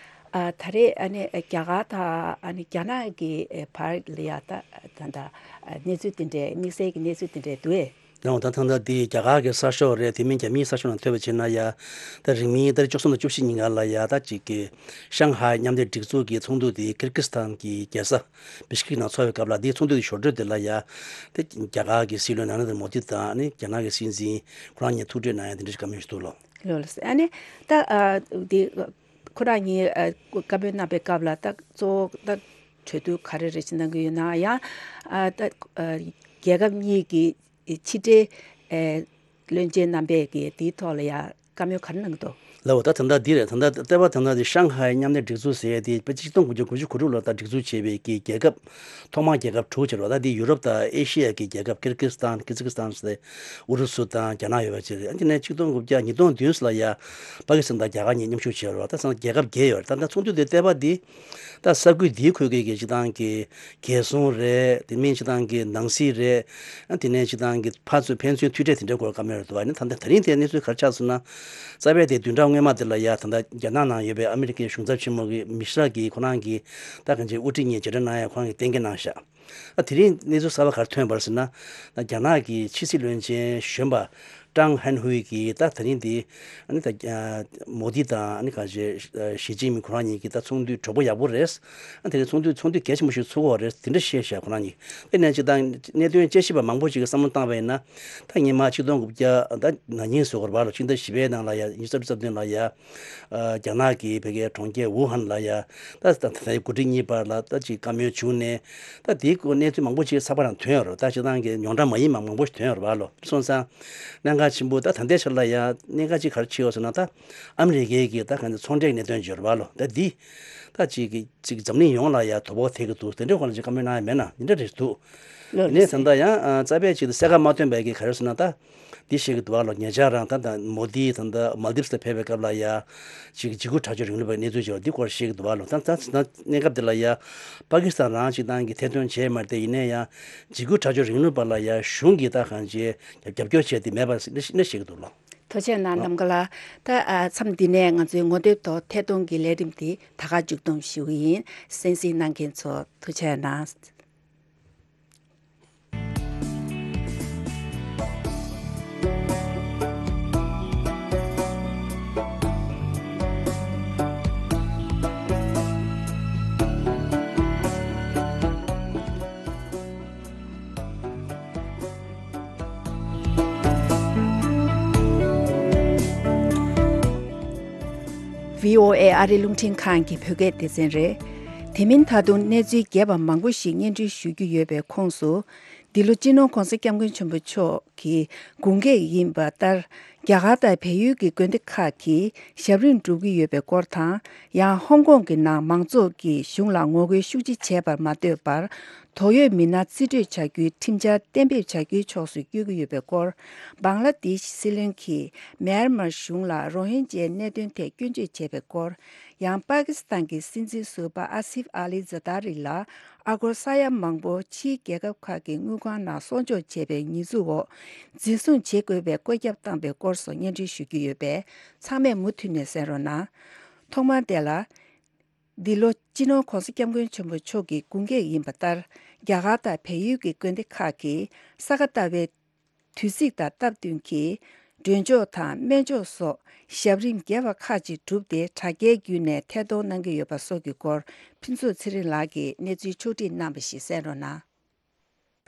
ཨ་ད་རེས་ཨ་ནི་རྒྱ་གར་དང་ཨ་ནི་རྒྱ་ནག་གི་ཨ་བར་ལ་ཡ་ད་ད་ད་ཨ་གནས་ཚུལ་དེ་འདྲས་དམིགས་བསལ་གྱི་གནས་ཚུལ་དེ་འདྲས་འདུག་ཨེ། ཡང་ད་ཐེངས་ད་འདི་རྒྱ་གར་གྱི་གསར་ཤོག་རེད། དེ་མིན་རྒྱ་མིའི་གསར་ཤོག་ནང་ཐོས་པ་བྱས་ན་ཡ། ད་རིང་མིན་ཟླ་བཅུ་གསུམ་དང་བཅུ་བཞི་ཉིན་ག་ལ་ཡ་ད་ཅིག་གི་ཤང་ཧའེ་མཉམ་འབྲེལ་སྒྲིག་འཛུགས་ཀྱི་ཚོགས་འདུ་དེ་ཀིར་ཀིར་སི་ཐན་གྱི་རྒྱལ་ས་བི་ཤ་ཀིག་ནང་འཚོགས་པའི་སྐབས་ལ། དེའི་ཚོགས་འདུ་དེ་ཞོར་འཕྲོས་དེ་ལ་ཡ། དེ་རྒྱ་གར་གྱི་སྲིད་བློན་ནཱ་རེན་དྲ་མོ་དི་དང་ཨ་ནི་རྒྱ་ནག་གི་སྲིད་འཛིན་ཁོ་རང་གཉིས་ཐུག་འཕྲད་གནང་ཡ་དེ་འདྲ་ཞིག་བཀའ་མོལ་ཞིག་འདུག་ལོ། ལོ་ལ་ཟེར། ཨ་ནི་ད་ཨ་དེ་ཁོ་རང་གཉིས་ཨ་བཀའ་མོལ་གནང་པའི་སྐབས་ལ་ད་གཙོ་བོ་ད་གྲོས་བསྡུར་ག་རེ་རེ་བྱེད་གནང་གི་ཡོད་ན། ཡང་ཨ་ད་ཨ་རྒྱལ་ཁབ་གཉིས་ཀྱི་ཕྱི་འབྲེལ་ཨ་བློན་ཆེན་རྣམ་པས་ཀྱི་དེའི་ཐོག་ལ་ཡང་བཀའ་མོལ་ག་རེ་གནང་གི་འདུག་ལའོ། ད་ད་ལྟ་འདི་རེད། ད་ལྟ་ལྟེ་བ་ད་ལྟ་འདི་ཤང་ཧའེ་མཉམ་ལས་སྒྲིག་འཛུགས་ཟེར་ཡས་དེ་དཔེ་ཆ་གཅིག་སྟོང་དགུ་བརྒྱ་དགུ་བཅུ་གོ་དྲུག་ལོ་ད་སྒྲིག་འཛུགས་བྱས་པའི་གི་རྒྱལ་ཁབ། ཐོག་མར་རྒྱལ་ཁབ་དྲུག་བྱས་རེད་བ། ད་འདི་ཡུ་རོབ་དང་ཨེ་ཤི་ཡ་གི་རྒྱལ་ཁབ་ཀིར་ཀིར་སི་ཐན། ཀི་ཛི་ཀི་སི་ཐན་ཟེར། ཨུ་རུ་སུ་དང་རྒྱ་ནག་ཡོད་པ་བྱས་རེད། ཨ་དེ་ནས་ཆིག་སྟོང་དགུ་བརྒྱ་ཉིས་སྟོང་བདུན་ལ་ཡ་པ་ཀི་སི་ཐན་དང་རྒྱ་གར་གཉིས་མཉམ་ཞུགས་བྱས་རེད་བ། ད་ཚང་རྒྱལ་ཁབ་བརྒྱད་ཡོད་རེད། ད་ད་ཚོགས་འདུ་དེ་ལྟེ་བ་འདི་ད་ས་ཁུལ་འདིའི་ཁུལ་གྱི་གི་སྤྱི་བཏང་གི་རྒྱལ་སྲུང་རེད། དེ་མིན་སྤྱི་བཏང་གི་ནང་སྲིད་རེད། ཨ་དེ་ནས་སྤྱི་བཏང་གི་ཕར་ཚུར་ཕན་ཚུན་མཐུད་སྦྲེལ་དེ་འདྲའི་སྐོར་བཀའ་མོལ་རེད་འདུག་བ། ཨ་ནི་ད་ལྟ་ད་རིང་དེ་གནས་ཚུལ་ག་རེ་ཆགས་སོང་ན། རྩ་བའི་དེ་བདུན་ཕྲག་སྔོན་མ་དེ་ལ་ཡ་ད་ལྟ་རྒྱ་ནག་ནང་ཡོད་པའི་ཨ་མི་རི་ཀའི་གཞུང་ཚབ་ཆེན་མོ་གི་མི་ཤི་ར་གིས་ཁོ་རང་གི་ད་གང་ཅིའི་དབུ་ཁྲིད་གཉིས་མཇལ་འཕྲད་གནང་ཡ་ཁོ་རང་གིས་གཏན་འཁེལ་གནང་ཤག་ཨ་དེ་རིང་གནས་ཚུལ་གསར་པ་ག་རེ་ཐོན་པ་རེད་ཟེར་ན། རྒྱ་ནག་གི་ཕྱི་སྲིད་བློན་ཆེན་གཞོན་པ་ཀྲང་ཧན་ཧུའེ་གིས་ད་ད་རིང་འདི་ཨ་ནི་ད་མོ་དི་དང་ཨ་ནི་གང་ཞེ་ཞི་ཅིན་ཕིང་ཁོ་རང་གཉིས་ཀྱི་ད་ཚོགས་འདུ་གྲོགས་པོ་ཡག་པོ་རེད། ཨ་དེ་རིང་ཚོགས་འདུ་ཚོགས་འདུ་གལ་ཆེན་པོ་ཞིག་ཚུགས་ཀྱི་ཡོད་རེད། དེ་འདྲ་བཤད་ཤག་ཁོ་རང་གཉིས། དེ་ནས་སྤྱི་བཏང་གནད་དོན་དཔྱད་ཞིབ་པ་མང་པོ་ཞིག་གིས་བསམ་བློ་བཏང་བ་ཡིན་ན། ད་སྔོན་མ་ཆིག་སྟོང་དགུ་བརྒྱ་ད་ན་ཉིན་བཟོ་དགོས་རེད་བ་ལོ། ཕྱི་ཟླ་བཞི་པའི་ནང་ལ་ཡ་ཉི་ཤུ་རྩ་བདུན་ལ་ཡ། ཨ་རྒྱ་ནག་གི་བོད་སྐད་གྲོང་ཁྱེར་ཝུ་ཧན་ལ་ཡ། ད་ད་ད་ལྟའི་འགོ་ཁྲིད་གཉིས་བར་ལ་ད་ཅིག་བཀའ་མོལ་བྱུང་ནས། ད་དེའི་སྐོར་གནས་ཚུལ་མང་པོ་ཅིག་ཚགས་པར་ནང་ཐོན་ཡོད་རེད། ད་སྤྱིར་བཏང་གི་རྙོག་དྲ་མ་ཡིན་པ་མང་པོ་ཞིག་ཐོན་ཡོད་རེད་བ་ལོ། སོང་ཙང་གནད་འགག་ཆེན་པོ་ད་ད་ལྟའི་ཆར་ལ་ཡ་གནད་འགག་ཅིག་ག་རེ་ཆགས་ཡོད་ཟེར་ན། ད་ཨ་མི་རི་ཀའི་གི་ད་གང་ཚོང་འབྲེལ་གནད་དོན་ཅིག་ཡོད་རེད་བ་ལོ། ད་འདི་ད་ཅིག་གི་ཅིག་འཛམ་གླིང་ཡོངས་ལ་ཡ་དོ་ཕོག་ཐེབས་ཀྱི་འདུག་དེ་འདྲའི་སྐོར་ལ་ཅིག་བཀའ་མོལ་གནང་ཡ་མེད་ན་འདི་འདྲ་རེད་འདུག་ལོ་ཡིན་ནའི་ད་ལྟ་ཡང་ཨ་རྩ་བའི་ཆེད་དུ་གསལ་ཁ་མ་ཐོན་པའི་གི་ག་རེ་ཟེར་ན། ད་འདི་བཤད་ཀྱི་འདུག་བ་ལོ། ཉེ་ཆར་རང་ད་ད་མོ་དི་ད་ད་མལ་དིབ་ལ་ཕེབས་པའི་སྐབས་ལ་ཡ་ཅིག་འཇིགས་སྐུལ་དྲག་སྤྱོད་རིང་ལུགས་པའི་གནས་ཚུལ་ཅིག་ཡོད་རེད། འདི་སྐོར་བཤད་ཀྱི་འདུག་བ་ལོ། ད་ད་ད་གནས་སྐབས་འདི་ལ་ཡ་པ་ཀི་སི་ཐན་རང་སྤྱི་བཏང་གི་ཐེར་འདོན་བྱས་མ་རེད་དེ། ཡིན་ནའི་ཡང་འཇིགས་སྐུལ་དྲག་སྤྱོད་རིང་ལུགས་པ་ལ་ཡ་གཞུང་གིས་ད་གང་ཅི་རྒྱབ་སྐྱོར་བྱས་ཏེ་མེད་པ་ཞིག་བཤད་ཀྱི་འདུག་ལོ། ཐུགས་རྗེ་གནང་། ནམ་མཁའ་ལགས། ད་ཨ་མཚམས་འདི་ནས་ང་ཚོའི་ངོ་དེབ་ཐོག་ཐད་གཏོང་གི་ལས་རིམ་འདི་ད་ག་མཇུག་བསྡོམས་ཞུ་གི་ཡིན། གསན་གཟིགས་གནང་མཁན་ཚོ་ཐུགས་རྗེ་གནང་། ཝི་ཨོ་ཨེ་ཨ་རིའི་རླུང་འཕྲིན་ཁང་གི་བོད་སྐད་སྡེ་ཚན་རེད། དེ་མིན་ད་དུང་གནས་ཚུལ་རྒྱས་པ་མང་པོ་ཞིག་སྙན་སྒྲོན་ཞུ་རྒྱུ་ཡོད་པའི་ཁོངས་སུ། འདི་ལོ་སྤྱི་ནོར་༧གོང་ས་༧སྐྱབས་མགོན་ཆེན་པོ་མཆོག་གི་དགུང་གྲངས་ཡིན་པ་ལྟར། རྒྱ་གར་དང་བལ་ཡུལ་གྱི་དགོན་སྡེ་ཁག་གིས་ཞབས་རིམ་སྒྲུབ་ཀྱི་ཡོད་པའི་སྐོར་དང་། ཡང་ཧོང་ཀོང་གི་ནང་མང་ཚོགས་ཀྱིས་གཞུང་ལ་ངོ་རྒོལ་ཤུགས་ཆེ་བྱས་པར་མ་ལྟོས་པར། དོགས་ཡོད་མི་སྣ་རྩིས་སྤྲོད་བྱ་རྒྱུའི་ཁྲིམས་འཆར་གཏན་འབེབས་བྱ་རྒྱུའི་ཕྱོགས་སུ་བསྐྱོད་ཀྱི་ཡོད་པའི་སྐོར། བང་ལ་དེཤ་སྲིད་བློན་གྱིས་མེན་མར་གཞུང་ལ་རོ་ཧིན་ཇའི་གནད་དོན་ཐད་སྐྱོན་བརྗོད་བྱས་པའི་སྐོར། ཡང་པ་ཀི་སི་ཐན་གྱི་སྲིད་འཛིན་ཟུར་པ་ཨ་སིབ་ཨ་ལི་ཛ་ཏཱ་རི་ལ་ཨ་སྒོར་ས་ཡ་མང་པོ་ཕྱིའི་རྒྱལ་ཁབ་ཁག་གི་དངུལ་ཁང་ནང་གསོག་འཇོག་བྱས་པའི་ཉེས་འཛུགས་འོག་འཛིན་བཟུང་བྱེད་དགོས་པའི་བཀོད་ཁྱབ་བཏང་པའི་སྐོར་སོགས་སྙན་སྒྲོན་ཞུ་རྒྱུ་ཡོད་པས། ཚང་མས་མུ་མཐུད་ནས་གསན་རོགས་གནང་། ཐོག་མར་དེ་ལ། འདི་ལོ་སྤྱི་ནོར་༧གོང་ས་༧སྐྱབས་མགོན་ཆེན་པོ་མཆོག་གི་དགུང་གྲངས་ཡིན་པ་ལྟར། རྒྱ་གར་དང་བལ་ཡུལ་གྱི་དགོན་སྡེ་ཁག་གིས་ས་ག་ཟླ་བའི་དུས་ཚིགས་དང་སྟབས་བསྟུན་གྱིས་མགྲོན་ཆོག་དང་སྨན་ཆོག་སོགས་ཞབས་རིམ་རྒྱས་པ་ཁག་ཅིག་བསྒྲུབས་ཏེ། དྲ་རྒྱའི་བརྒྱུད་ནས་ཐད་གཏོང་གནང་གི་ཡོད་པ་སོགས་ཀྱི་སྐོར། ཕུན་ཚོགས་ཚེ་རིང་ལགས་ཀྱིས་གནས་ཚུལ་ཕྱོགས་བསྒྲིགས་གནང་བ་ཞིག་གསན་རོགས་གནང་།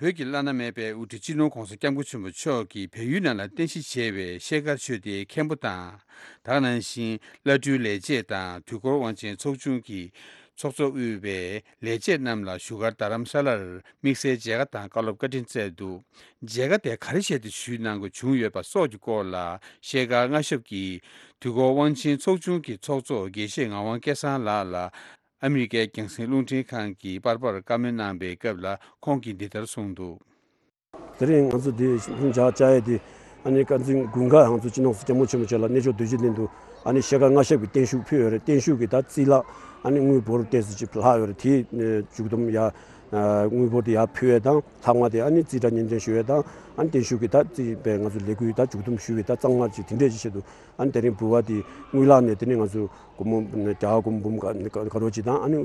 བོད་ཀྱི་བླ་ན་མེད་པའི་དབུ་ཁྲིད་སྤྱི་ནོར་༧གོང་ས་༧སྐྱབས་མགོན་ཆེན་པོ་མཆོག་གིས་བལ་ཡུལ་ནང་ལ་རྟེན་གཞི་བྱས་པའི་ཤེལ་དཀར་ཆོས་སྡེའི་མཁན་པོ་དང་། ད་ག་ནང་བཞིན་བླ་སྤྲུལ་ལས་བྱེད་དང་དུས་འཁོར་དབང་ཆེན་ཚོགས་ཆུང་གི་ཚོགས་གཙོ་དབུས་པའི་ལས་བྱེད་རྣམས་ལ་བཞུགས་སྒར་རྡ་རམ་ས་ལར་དམིགས་བསལ་མཇལ་ཁ་དང་བཀའ་སློབ་བཀའ་དྲིན་སྩལ་འདུག། མཇལ་ཁ་དེ་ག་རེ་བྱས་ཏེ་ཞུས་གནང་དགོས་བྱུང་ཡོད་པ་སོགས་ཀྱི་སྐོར་ལ། ཤེལ་དཀར་མངའ་ཞབས་ཀྱིས་དུས་འཁོར་དབང་ཆེན་ཚོགས་ཆུང་གི་ཚོགས་གཙོ་དགེ་བཤེས་ངག་དབང་སྐལ་བཟང་ལགས་ལ། ཨ་མི་རི་ཀའི་རྒྱང་སྲིང་རླུང་འཕྲིན་ཁང་གི་པར་པར་བཀའ་མོལ་གནང་པའི་སྐབས་ལ། ཁོང་གིས་འདི་ལྟར་གསུངས་འདུག། དེ་རིང་ང་ཚོ་འདི་ལྷིང་འཇགས་བཅའ་ཡས་དེ། ཨ་ནི་བཀའ་འཛིན་དགུན་ཁ་ང་ཚོ་སྤྱི་ནོར་༧སྐྱབས་མགོན་ཆེན་པོ་མཆོག་ལ་གནས་མཆོག་དུས་ཆེན་སྟེང་དུ། ཨ་ནི་ཤེལ་དཀར་མངའ་ཞབས་ཀྱིས་བརྟན་བཞུགས་ཕུལ་ཡོད་རེད། བརྟན་བཞུགས་ཀྱི་ད་རྩིས་ལག་ཨ་ནི་དངུལ་འབོར་ཏོག་ཙམ་ཅིག་ལྷག་ཡོད་རེད། དེའི་མཇུག་བསྡོམས་ཡ། དངུལ་འབོར་དེ་ཡར་ཕུལ་ཡས་དང་། ལྷག་མ་དེ་ཨ་ནི་རྩིས་ཁྲ་སྙན་སྒྲོན་ཞུ་ཡས་དང་། ཨ་ནི་བརྟན་བཞུགས་ཀྱི་ད་རྩིས་པའི་ང་ཚོ་ལས་འགུལ་ད་མཇུག་བསྡོམས་ཞུ་བའི་ད་གཙང་མ་ཅིག་དེ་འདྲས་ཅིག་བྱེད་དུ། ཨ་ནི་དེ་རིང་འབུལ་བ་དེ་དངུལ་ལག་ནས་དེ་ནི་ང་ཚོ་སྒོར་མོ་རྒྱ་གར་སྒོར་མོ་འབུམ་ག་ག་རོ་ཅིག་དང་། ཨ་ནི་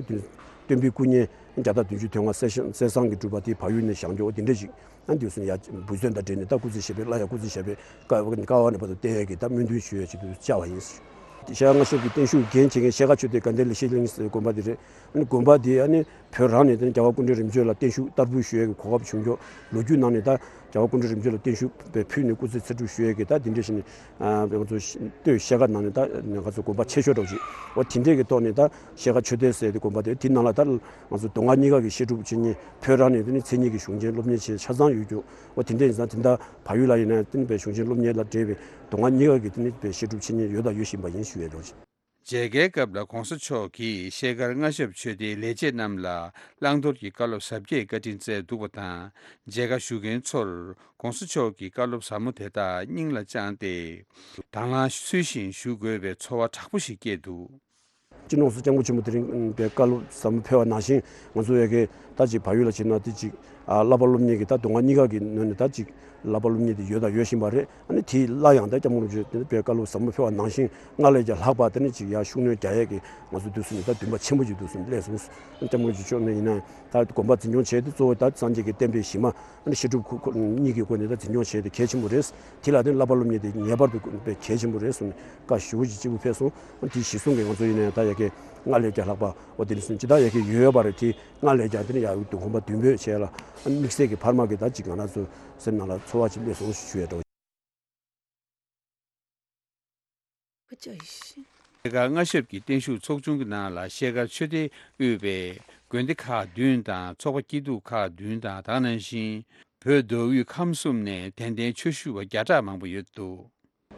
སྟོན་པའི་སྐུ་བརྙན་བརྒྱ་དང་བདུན་ཅུ་དོན་ལྔ་གསེར་ཞང་གསེར་ཟངས་ཀྱིས་གྲུབ་པ་དེ་བལ་ཡུལ་ནས་བཞེངས་རྒྱུ། འོ་དེ་འདྲས་ཅིག་ཨ་ནི་དུས་སུ་ཡ་འབུལ་ཚོད་དང་འབྲེལ་ནས་ད་སྐུ་ཚེ་ཞབས་པད། སླར་ཡང་སྐུ་ཚེ་ཞབས་པད་དཀའ་བ་ནས་བར་དུ་བརྟན་ཡས་ཀྱི་ད་སྨོན་འདུན་ཞུ་ཡས་ཆེད་དུ་བཅར་བ་ཡིན། ཤེལ་དཀར་མངའ་ཞབས་ཀྱི་བརྟན་བཞུགས་འགན་བྱེད་མཁན་ཤེལ་དཀར་ཆོས་སྡེ་དགའ་ལྡན་ལེགས་བཤད་གླིང་ཟེར་དགོན་པ་དེ་རེད། ཨ་ནི་དགོན་པ་དེ་ཨ་ནི་བོད་རང་ནས་དེ་ནི་རྒྱལ་བ་སྐུ་ཕྲེང་རིམ་བྱོན་ལ་བརྟན་བཞུགས་བསྟར་འབུལ་ཞུ་ཡས་ཀྱི་གོ་སྐབས་བྱུང་ཀྱོག། ལོ་རྒྱུས་ནང་ནས་ད་རྒྱལ་བ་སྐུ་ཕྲེང་རིམ་བྱོན་ལ་བརྟན་བཞུགས་ཕུལ་ནས་སྐུ་ཚེ་ཚེ་སྒྲུབ་ཞུ་ཡས་ཀྱི་ད་དེ་འདྲས་ཞིག་ནི། ཨ་ང་ཚོ་སྟོད་ཤེལ་དཀར་ནང་ནས་ད་ང་ཚོ་དགོན་པ་ཆེ་ཤོས་འདྲ་བོ་ཞིག། འོ་དེ་འདྲས་ཀྱི་ཐོག་ནས་ད་ཤེལ་དཀར་ཆོས་སྡེ་ཟེར་དེ་དགོན་པ་དེ་དེ་ནང་ལ་ད་ང་ཚོ་མདོ་སྔགས་གཉིས་ཀ་གི་བཤད་སྒྲུབ་བྱེད་མཁན་བོད་རང་ནས་དེ་ནི་མཚན་ཉིད་ཀྱི་གཞུང་ཆེན་སློབ་གཉེར་བྱེད་ཆ་ཚང་ཡོད་ཀྱོག། འོ་དེ་འདྲས་ཡིན་ཙང་དེ་འདྲ་བལ་ཡུལ་ལ་ཡིན་ན་དེ་ནི་བའི་གཞུང་ཆེན་སློབ་གཉེར་ལ་འབྲེལ་བའི་མདོ་སྔགས་གཉིས་ཀ་གི་དེ་ནི་བའི་བཤད་སྒྲུབ་བྱེད་མཁན་ཡོད་དང་ཡོད་བཞིན་པ་ཡིན་ཞུ་ཡས་འདྲ་བོ་ཞིག། མཇལ་ཁའི་སྐབས་ལ་༧གོང་ས་མཆོག་གིས་ཤེལ་དཀར་མངའ་ཞབས་ཆོས་སྡེའི་ལས་བྱེད་རྣམས་ལ་བླང་དོར་གྱི་བཀའ་སློབ་ཟབ་རྒྱས་བཀའ་དྲིན་སྩལ་འདུག་པ་དང་། མཇལ་ཁ་ཞུ་མཁན་ཚོར་༧གོང་ས་མཆོག་གི་བཀའ་སློབ་ཟབ་མོ་དེ་དག་སྙིང་ལ་བཅངས་ཏེ། དང་བླངས་ཚུལ་བཞིན་ཞུ་དགོས་པའི་ཚོར་བ་དྲག་པོ་ཞིག་སྐྱེས་འདུག། སྤྱི་ནོར་༧གོང་ས་༧སྐྱབས་མགོན་ཆེན་པོ་དེ་རིང་བའི་བཀའ་སློབ་ཟབ་མོ་ཕེབས་པ་ནང་བཞིན། ང་ཚོ་ཡ་གི་ད་ཅིག་བལ་ཡུལ་ལ་ཕྱིན་ན་དེ་ཅིག་ཨ་བསླབ་པ་སློབ་གཉེར་གྱི་ད་མདོ་སྔགས་གཉིས་ཀ་གི་ནང་ནས་ད་ཅིག་བསླབ་པ་སློབ་གཉེར་དེ་ཡོད་དང་ཡོད་བཞིན་པ་རེད། ཨ་ནི་དེ་སླར་ཡང་ད་སྐྱབས་མགོན་རིན་པོ་ཆེ་དེ་ནི་བའི་བཀའ་སློབ་ཟབ་མོ་ཕེབས་པ་ནང་བཞིན་སྔར་ལས་ཀྱང་ལྷག་པ་དེ་ནི་ཅིག་ཡར་ཤུགས་སྣོན་རྒྱག་ཡས་ཀྱི་ང་ཚོ་འདུག་སེ་ནས་ད་འདུན་པ་ཆེན་པོ་ཅིག་འདུག་སེ་སླེབས་སོང་། སྐྱབས་མགོན་རིན་པོ་ཆེ་མཆོག་ནས་ཡིན་ན་ད་དགོན་པ་འཛིན་སྐྱོང་བྱས་ཏེ་གཙོ་བོ་ད་སངས་རྒྱས་ཀྱི་བསྟན་པའི་གཞི་མ། ཨ་ནི་བཤད་སྒྲུབ་ཁོ་ཁོ་གཉིས་ཀྱི་སྒོ་ནས་ད་འཛིན་སྐྱོང་བྱས་ཏེ་གལ་ཆེན་པོ་རེད། དེ་ལ་ནི་བསླབ་པ་སློབ་གཉེར་དེ་ངེས་པར་དུ་དགོས་པའི་གལ་ཆེན་པོ་རེད་གསུངས་ནས་བཀའ་ཞེ་པོ་ཅིག་གཅིག་པུ་ཕེབས་སོང་། ཨ་ནི་དེ་གཞི་བཟུང་གིས་ང་ཚོ་ཡིན་ནའི་ད་ཡ་གི་སྔར་ལས་ཀྱང་ལྷག་པ་འོ་དེ་ནི་སུན་ཅི་ད་ཡ་གི་ཡོད་ཡོད་པ་རེད། དེ་སྔར་ལས་ཀྱང་དེ་ནི་ཡ་དགོན་པ་འདུན་སྤོས་བྱས་ལ། ཨ་ནི་དམིགས་བསལ་གྱི་འཕར་མ་གི་ད་ཅིག་ང་རང་ཚོ་སེམས་ནང་ལ་ཚོར་བ་ཅིག་སླེབས་སོང་ཞུ་ཡས་འདྲ་བོ། ཤེལ་དཀར་མངའ་ཞབས་ཀྱི་བརྟན་བཞུགས་ཚོགས་ཆུང་གི་ནང་ལ་ཤེལ་དཀར་ཆོས་སྡེ་དབུས་པའི་དགོན་སྡེ་ཁག་བདུན་དང་ཚོགས་པ་སྐྱིད་སྡུག་ཁག་བདུན་དང་། ད་ག་ནང་བཞིན་བོད་མདོ་དབུས་ཁམས་གསུམ་ནས་དད་ལྡན་ཆོས་ཞུ་བ་བརྒྱ་ཕྲག་མང་པོ་ཡོད་འདུག།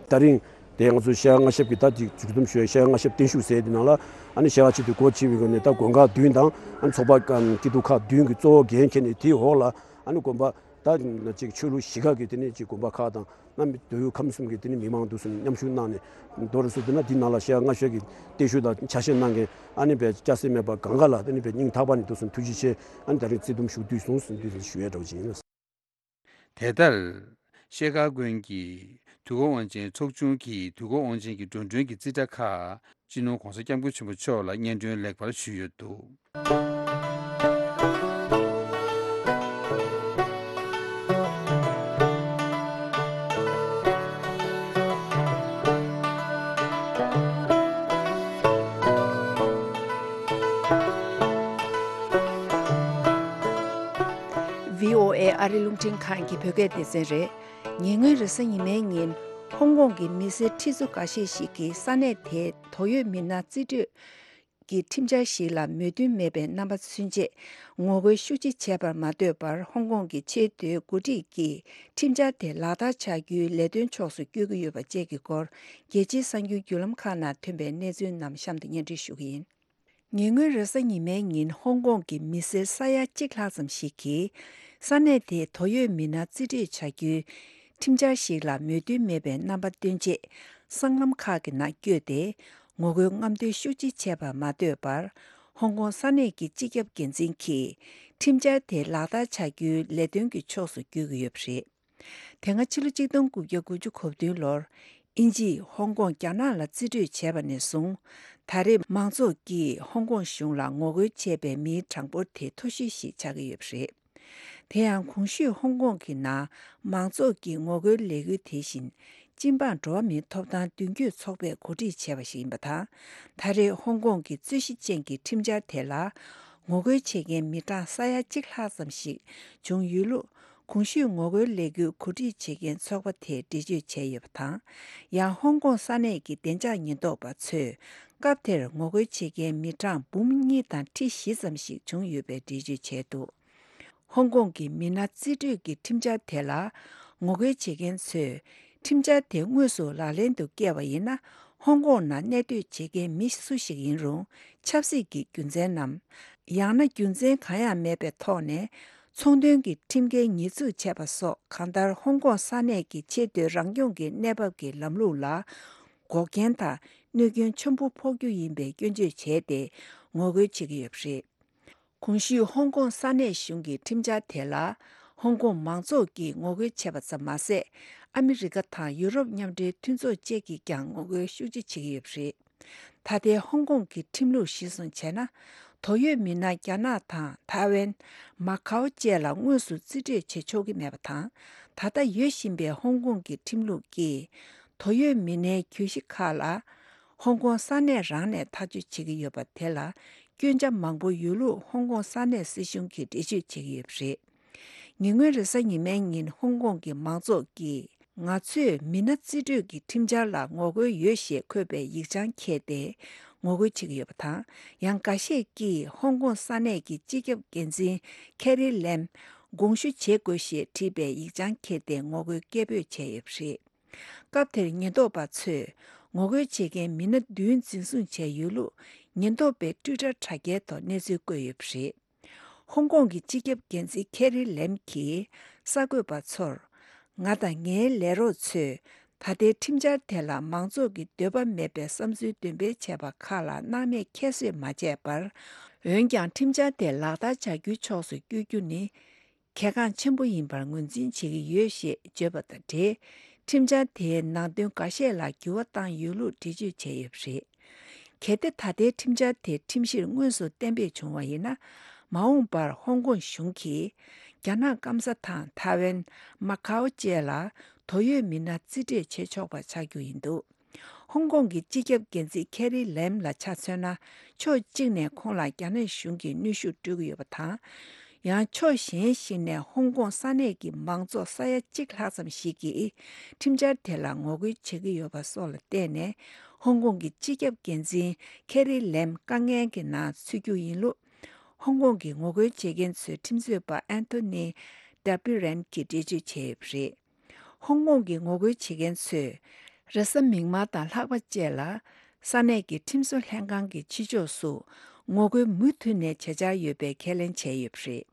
ད་རིང་དེ་ང་ཚོ་ཤེལ་དཀར་མངའ་ཞབས་ཀྱི་ད་ཅིག་མཇུག་བསྡོམས་ཞུ་ཡ་ཤེལ་དཀར་མངའ་ཞབས་བརྟན་བཞུགས་ཟེར་དེ་ནང་ལ། ཨ་ནི་ཤེལ་དཀར་ཆོས་སྡེ་སྒོ་ཕྱེ་བའི་སྒོ་ནས་ད་དགོན་ཁག་བདུན་དང་། ཨ་ནི་ཚོགས་པ་སྐྱིད་སྡུག་ཁག་བདུན་གྱི་གཙོ་བོ་འགན་འཁྱེར་ནས་དེའི་འོག་ལ་ཨ་ནི་དགོན་པ་ད་ཅིག་ཆོས་ལུགས་གཞི་ཁག་གི་དེ་ནས་ཅིག་དགོན་པ་ཁག་དང་། ཨ་ནི་མདོ་དབུས་ཁམས་གསུམ་གྱི་དེ་ནི་མི་མང་འདུག་སེ་མཉམ་ཞུགས་གནང་ནས། མདོར་བསྡུས་ན་འདི་ནང་ལ་ཤེལ་དཀར་མངའ་ཞབས་ཀྱི་བརྟན་བཞུགས་དང་ཕྱག་བཞེས་གནང་མཁན་ཨ་ནི་བས་སྐྱ་སེར་མེད་པ་གང་ག་ལ་དེ་ནི་བས་སྙིང་ཐག་པ་ནས་འདུག་སེ་ཐུགས་རྗེ་ཆེ། ཨ་ནི་ད་རིང་བརྩི་འདུམ་ཞུ་དུས་སོང་ཟེར་འདི་ཞུ་ཡས་འདྲ་བོ་ཅིག་ཡིན། དེ་ལྟར། ཤེལ་དཀར་དགོན་གྱི་དུས་འཁོར་དབང་ཆེན་ཚོགས་ཆུང་གིས་དུས་འཁོར་དབང་ཆེན་གྱི་འགྲོ་གྲོན་གྱི་རྩིས་ཁྲ་ཁག་སྤྱི་ནོར་༧གོང་ས་༧སྐྱབས་མགོན་ཆེན་པོ་མཆོག་ལ་སྙན་སྒྲོན་ལེགས་པར་ཞུས་ཡོད་འདུག། ཝི་ཨོ་ཨེ་ཨ་རི་རླུང་འཕྲིན་ཁང་གི་བོད་སྐད་སྡེ་ཚན་རེད། ཉེ་སྔོན་རེས་གཟའ་ཉི་མའི་ཉིན་ ཧོང་ཀོང་གི་མི་སེར་ཁྲི་ཚོ་འགའ་ཤས་ཤིག་གིས་ས་གནས་དེའི་དོ་ཡོད་མི་སྣ་རྩིས་སྤྲོད་ཀྱི་ཁྲིམས་འཆར་ཞིག་ལ་མོས་མཐུན་མེད་པའི་རྣམ་པ་མཚོན་ཆེད་ངོ་རྒོལ་ཤུགས་ཆེ་བྱས་པར་མ་ལྟོས་པར། ཧོང་ཀོང་གི་ཆེས་མཐོའི་འགོ་ཁྲིད་ཀྱིས་ཁྲིམས་འཆར་དེ་ལག་བསྟར་བྱ་རྒྱུའི་ལས་དོན་ཕྱོགས་སུ་བསྐྱོད་ཀྱི་ཡོད་པ་བཅས་ཀྱི་སྐོར། རྒྱལ་སྤྱིའི་གསར་འགྱུར་བརྒྱུད་ལམ་ཁག་ནང་ཐོན་པའི་གནས་ཚུལ་རྣམས་གཤམ་དུ་སྙན་སྒྲོན་ཞུ་གི་ཡིན། ཉེ་སྔོན་རེས་གཟའ་ཉི་མའི་ཉིན་ཧོང་ཀོང་གི་མི་སེར་ས་ཡ་གཅིག་ལྷག་ཙམ་ཞིག་གིས་ས་གནས་དེའི་དོ་ཡོད་མི་སྣ་རྩིས་སྤྲོད་བྱ་རྒྱུའི་ཁྲིམས་འཆར་ཞིག་ལ་མོས་མཐུན་མེད་པའི་རྣམ་པ་སྟོན་ཆེད་སྲང་ལམ་ཁག་གི་ནང་བསྐྱོད་དེ་ངོ་རྒོལ་རྔམ་སྟོན་ཤུགས་ཆེ་བྱས་པར་མ་ལྟོས་པར། ཧོང་ཀོང་ས་གནས་ཀྱི་སྤྱི་ཁྱབ་འགན་འཛིན་གྱིས་ཁྲིམས་འཆར་དེ་ལག་བསྟར་བྱ་རྒྱུའི་ལས་དོན་གྱི་ཕྱོགས་སུ་བསྐྱོད་ཀྱི་ཡོད་པ་རེད། དེ་སྔ་ཕྱི་ལོ་གཅིག་སྟོང་དགུ་བརྒྱ་དགུ་བཅུ་གོ་བདུན་ལོར་དབྱིན་ཇིས་ཧོང་ཀོང་རྒྱ་ནག་ལ་རྩིས་སྤྲོད་བྱས་པ་ནས་བཟུང་། ད་རེས་མང་ཚོགས་ཀྱིས་ཧོང་ཀོང་གཞུང་ལ་ངོ་རྒོལ་བྱས་པའི་མིའི་གྲངས་འབོར་དེ་མཐོ་ཤོས་ཤིག་ཆགས་ཀྱི་ཡོད་པ་རེད། དེ་ཡང་གོང་ཞུས་ཧོང་ཀོང་གི་ནང་མང་ཚོགས་ཀྱི་ངོ་རྒོལ་ལས་འགུལ་དེ་བཞིན་སྤྱི་འབངས་འགྲོ་བ་མིའི་ཐོབ་ཐང་མདུན་སྐྱོད་ཚོགས་པས་གོ་སྒྲིག་བྱས་པ་ཞིག་ཡིན་པ་དང་། ད་རེས་ཧོང་ཀོང་གི་རྩོད་གཞི་ཅན་གྱི་ཁྲིམས་འཆར་དེ་ལ་ངོ་རྒོལ་བྱེད་མཁན་མི་གྲངས་ས་ཡ་གཅིག་ལྷག་ཙམ་ཞིག་བྱུང་ཡོད་ལུགས། གོང་ཞུས་ངོ་རྒོལ་ལས་འགུལ་གོ་སྒྲིག་བྱེད་མཁན་ཚོགས་པ་དེས་འགྲེལ་བརྗོད་བྱས་ཡོད་པ་དང་། ཡང་ཧོང་ཀོང་ས་གནས་ཀྱི་བདེ་འཇགས་ཉེན་རྟོག་པ་ཚོས་སྐབས་དེར་ངོ་རྒོལ་བྱེད་མཁན་མི་གྲངས་འབུམ་གཉིས་དང་ཁྲི་བཞི་ཙམ་ཞིག་བྱུང་ཡོད་པའི་འགྲེལ་བརྗོད་བྱས་འདུག་ཧོང་ཀོང་གི་མི་སྣ་རྩིས་སྤྲོད་ཀྱི་ཁྲིམས་འཆར་དེ་ལ་ངོ་རྒོལ་བྱེད་མཁན་ཚོས། ཁྲིམས་འཆར་དེ་དངོས་སུ་ལག་ལེན་དུ་བཀལ་བ་ཡིན་ན། ཧོང་ཀོང་ནང་གནས་སྡོད་བྱེད་མཁན་མི་སུ་ཞིག་ཡིན་རུང་། ཆབ་སྲིད་ཀྱི་རྒྱུ་མཚན་ནམ། ཡང་ན་རྒྱུ་མཚན་གང་ཡང་མེད་པའི་ཐོག་ནས། ཚོང་དོན་གྱི་ཁྲིམས་འགལ་ཉེས་འཛུགས་བྱས་པ་སོགས། གང་ལྟར་ཧོང་ཀོང་ས་གནས་ཀྱི་ཆེས་མཐོའི་རང་སྐྱོང་གི་གནས་བབ་ཀྱི་ལམ་ལུགས་ལ་འགོག་རྐྱེན་དང་གནོད་སྐྱོན་ཆེན་པོ་ཕོག་རྒྱུ་ཡིན་པའི་སྐྱོན་བརྗོད་བྱས་ཏེ་ངོ་རྒོལ་བྱེད་ཀྱི་ཡོད་པ་རེད། གོང་ཞུས་ཧོང་ཀོང་ས་གནས་གཞུང་གི་ཁྲིམས་འཆར་དེ་ལ་ཧོང་ཀོང་མང་ཚོགས་ཀྱིས་ངོ་རྒོལ་བྱས་པ་ཙམ་མ་ཟད། ཨ་མི་རི་ཀ་དང་ཡུ་རོབ་མཉམ་འབྲེལ་མཐུན་ཚོགས་བཅས་ཀྱིས་ཀྱང་ངོ་རྒོལ་ཤུགས་ཆེ་བྱེད་ཀྱི་ཡོད་པ་རེད། ད་ལྟའི་ཧོང་ཀོང་གི་ཁྲིམས་ལུགས་གཞིར་བཟུང་བྱས་ན། དོ་ཡོད་མི་སྣ་རྒྱ་ནག་དང་ཐའེ་ཝན། མ་ཁའོ་བཅས་ལ་དངོས་སུ་རྩིས་སྤྲོད་བྱེད་ཆོག་གི་མེད་པ་དང་། ད་ལྟ་ཡོད་བཞིན་པའི་ཧོང་ཀོང་གི་ཁྲིམས་ལུགས་ཀྱིས་དོ་ཡོད་མི་སྣའི་གྱོད་གཞི་ཁག་ལ། ཧོང་ཀོང་ས་གནས་རང་ནས་ཐག་གཅོད་བྱེད་ཀྱི་ཡོད་པ་དེ་ལ་སྐྱོན་ཆ་མང་པོ་ཡོད་ལུགས་ཧོང་ཀོང་ས་གནས་སྲིད་གཞུང་གིས་འགྲེལ་བརྗོད་བྱེད་ཀྱི་ཡོད་པ་རེད། ཉེ་སྔོན་རེས་གཟའ་ཉི་མའི་ཉིན་ཧོང་ཀོང་གི་མང་ཚོགས་ཀྱིས། ང་ཚོས་མི་སྣ་རྩིས་སྤྲོད་ཀྱི་ཁྲིམས་འཆར་ལ་ངོ་རྒོལ་ཡོད་ཞེས་འཁོད་པའི་ཡིག་ཆ་འཁྱེར་ཏེ་ངོ་རྒོལ་བྱེད་ཀྱི་ཡོད་པ་དང་། ཡང་འགའ་ཤས་ཀྱིས་ཧོང་ཀོང་ས་གནས་ཀྱི་སྤྱི་ཁྱབ་འགན་འཛིན་ཁེ་རི་ལེམ་དགོངས་ཞུ་བྱེད་དགོས་ཞེས་བྲིས་པའི་ཡིག་ཆ་འཁྱེར་ཏེ་ངོ་རྒོལ་སྐད་འབོད་བྱས་ཡོད་པ་རེད། སྐབས་དེར་ཉེན་རྟོག་པ་ཚོས་ངོ་རྒོལ་བྱེད་མཁན་མི་སྣ་བདུན་འཛིན་བཟུང་བྱས་ཡོད་ལུགས་ཉེན་རྟོག་པའི་ཊུའི་ཊར་དྲ་རྒྱའི་ཐོག་གནས་ཚུལ་བཀོད་ཡོད་པ་རེད། ཧོང་ཀོང་གི་སྤྱི་ཁྱབ་འགན་འཛིན་ཁེ་རི་ལེམ་གྱིས་གསར་འགོད་པ་ཚོར། ང་དང་ངའི་ལས་རོགས་ཚོས་ད་ལྟའི་ཁྲིམས་འཆར་དེ་ལ་མང་ཚོགས་ཀྱི་འདོད་པ་མེད་པའི་བསམ་ཚུལ་འདོན་སྤེལ་བྱས་པ་ཁག་ལ་སྣང་མེད་ཁྱད་གསོད་མ་བྱས་པར། འོན་ཀྱང་ཁྲིམས་འཆར་དེ་ལག་བསྟར་བྱ་རྒྱུའི་ཕྱོགས་སུ་བསྐྱོད་རྒྱུ་ནི། གལ་འགངས་ཆེན་པོ་ཡིན་པར་ངོས་འཛིན་བྱེད་ཀྱི་ཡོད་ཞེས་བརྗོད་པ་དང་འབྲེལ། ཁྲིམས་འཆར་དེའི་ནང་དོན་འགའ་ཤས་ལ་འགྱུར་བ་བཏང་ཡོད་ལུགས་འགྲེལ་བརྗོད་བྱས་ཡོད་པ་རེད། གལ་ཏེ་ད་ལྟའི་ཁྲིམས་འཆར་དེ་ཁྲིམས་གཞིར་དངོས་སུ་གཏན་འབེབས་བྱུང་བ་ཡིན་ན། མ་འོངས་པར་ཧོང་ཀོང་གཞུང་གིས་རྒྱ་ནག་སྐམ་ས་དང་ཐའེ་ཝན། མ་ཁའོ་བཅས་ལ་དོ་ཡོད་མི་སྣ་རྩིས་སྤྲོད་བྱེད་ཆོག་པ་ཆགས་རྒྱུ་ཡིན་འདུག་ཧོང་ཀོང་གི་སྤྱི་ཁྱབ་འགན་འཛིན་ཁེ་རི་ལེམ་ལ་ཆ་མཚོན་ན། ཕྱོགས་གཅིག་ནས་ཁོང་ལ་རྒྱ་ནག་གཞུང་གིས་གནོན་ཤུགས་སྤྲོད་ཀྱི་ཡོད་པ་དང་། ཡང་ཕྱོགས་གཞན་ཞིག་ནས་ཧོང་ཀོང་ས་གནས་ཀྱི་མང་ཚོགས་ས་ཡ་གཅིག་ལྷག་ཙམ་ཞིག་གིས་ཁྲིམས་འཆར་དེ་ལ་ངོ་རྒོལ་བྱེད་ཀྱི་ཡོད་པ་སོགས་ལ་བརྟེན་ནས། ཧོང་ཀོང་གི་སྤྱི་ཁྱབ་འགན་འཛིན་ཁེ་རི་ལེམ་དཀའ་ངལ་གྱི་ནང་ཚུད་རྒྱུ་ཡིན་ལུགས། ཧོང་ཀོང་གི་ངོ་རྒོལ་བྱེད་མཁན་ཚོའི་ཁྲིམས་རྩོད་པ་ཨན་ཐོ་ནི་ཌ་པི་རན་གྱིས་འགྲེལ་བརྗོད་བྱས་ཡོད་པ་རེད། ཧོང་ཀོང་གི་ངོ་རྒོལ་བྱེད་མཁན་ཚོས་རེས་གཟའ་མིག་དམར་དང་ལྷག་པ་བཅས་ལ་ས་གནས་ཀྱི་ཁྲིམས་བཟོ་ལྷན་ཁང་གི་ཕྱི་ཕྱོགས་སུ་ངོ་རྒོལ་མུ་མཐུད་ནས་བྱེད་འཆར་ཡོད་པའི་ཁས་ལེན་བྱས་ཡོད་པ་རེད།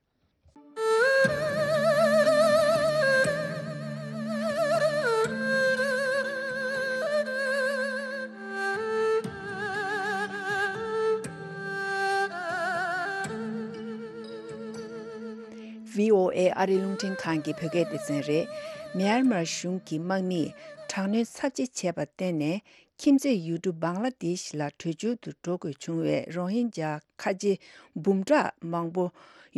བྷི་ཨོ་ཨེ་ཨ་རིའི་རླུང་འཕྲིན་ཁང་གི་བོད་སྐད་སྡེ་ཚན་རེད། མྱན་མར་གཞུང་གི་དམག་མིས་དྲག་གནོན་ཚབས་ཆེ་བྱས་པར་བརྟེན་ནས། ཁྱིམ་མཚེས་ཡུལ་གྲུ་བང་ལ་དེཤ་ལ་བྲོས་བྱོལ་དུ་འགྲོ་དགོས་བྱུང་བའི་རོ་ཧིན་ཇཱ་ཁ་ཆེ་འབུམ་ཕྲག་མང་པོ་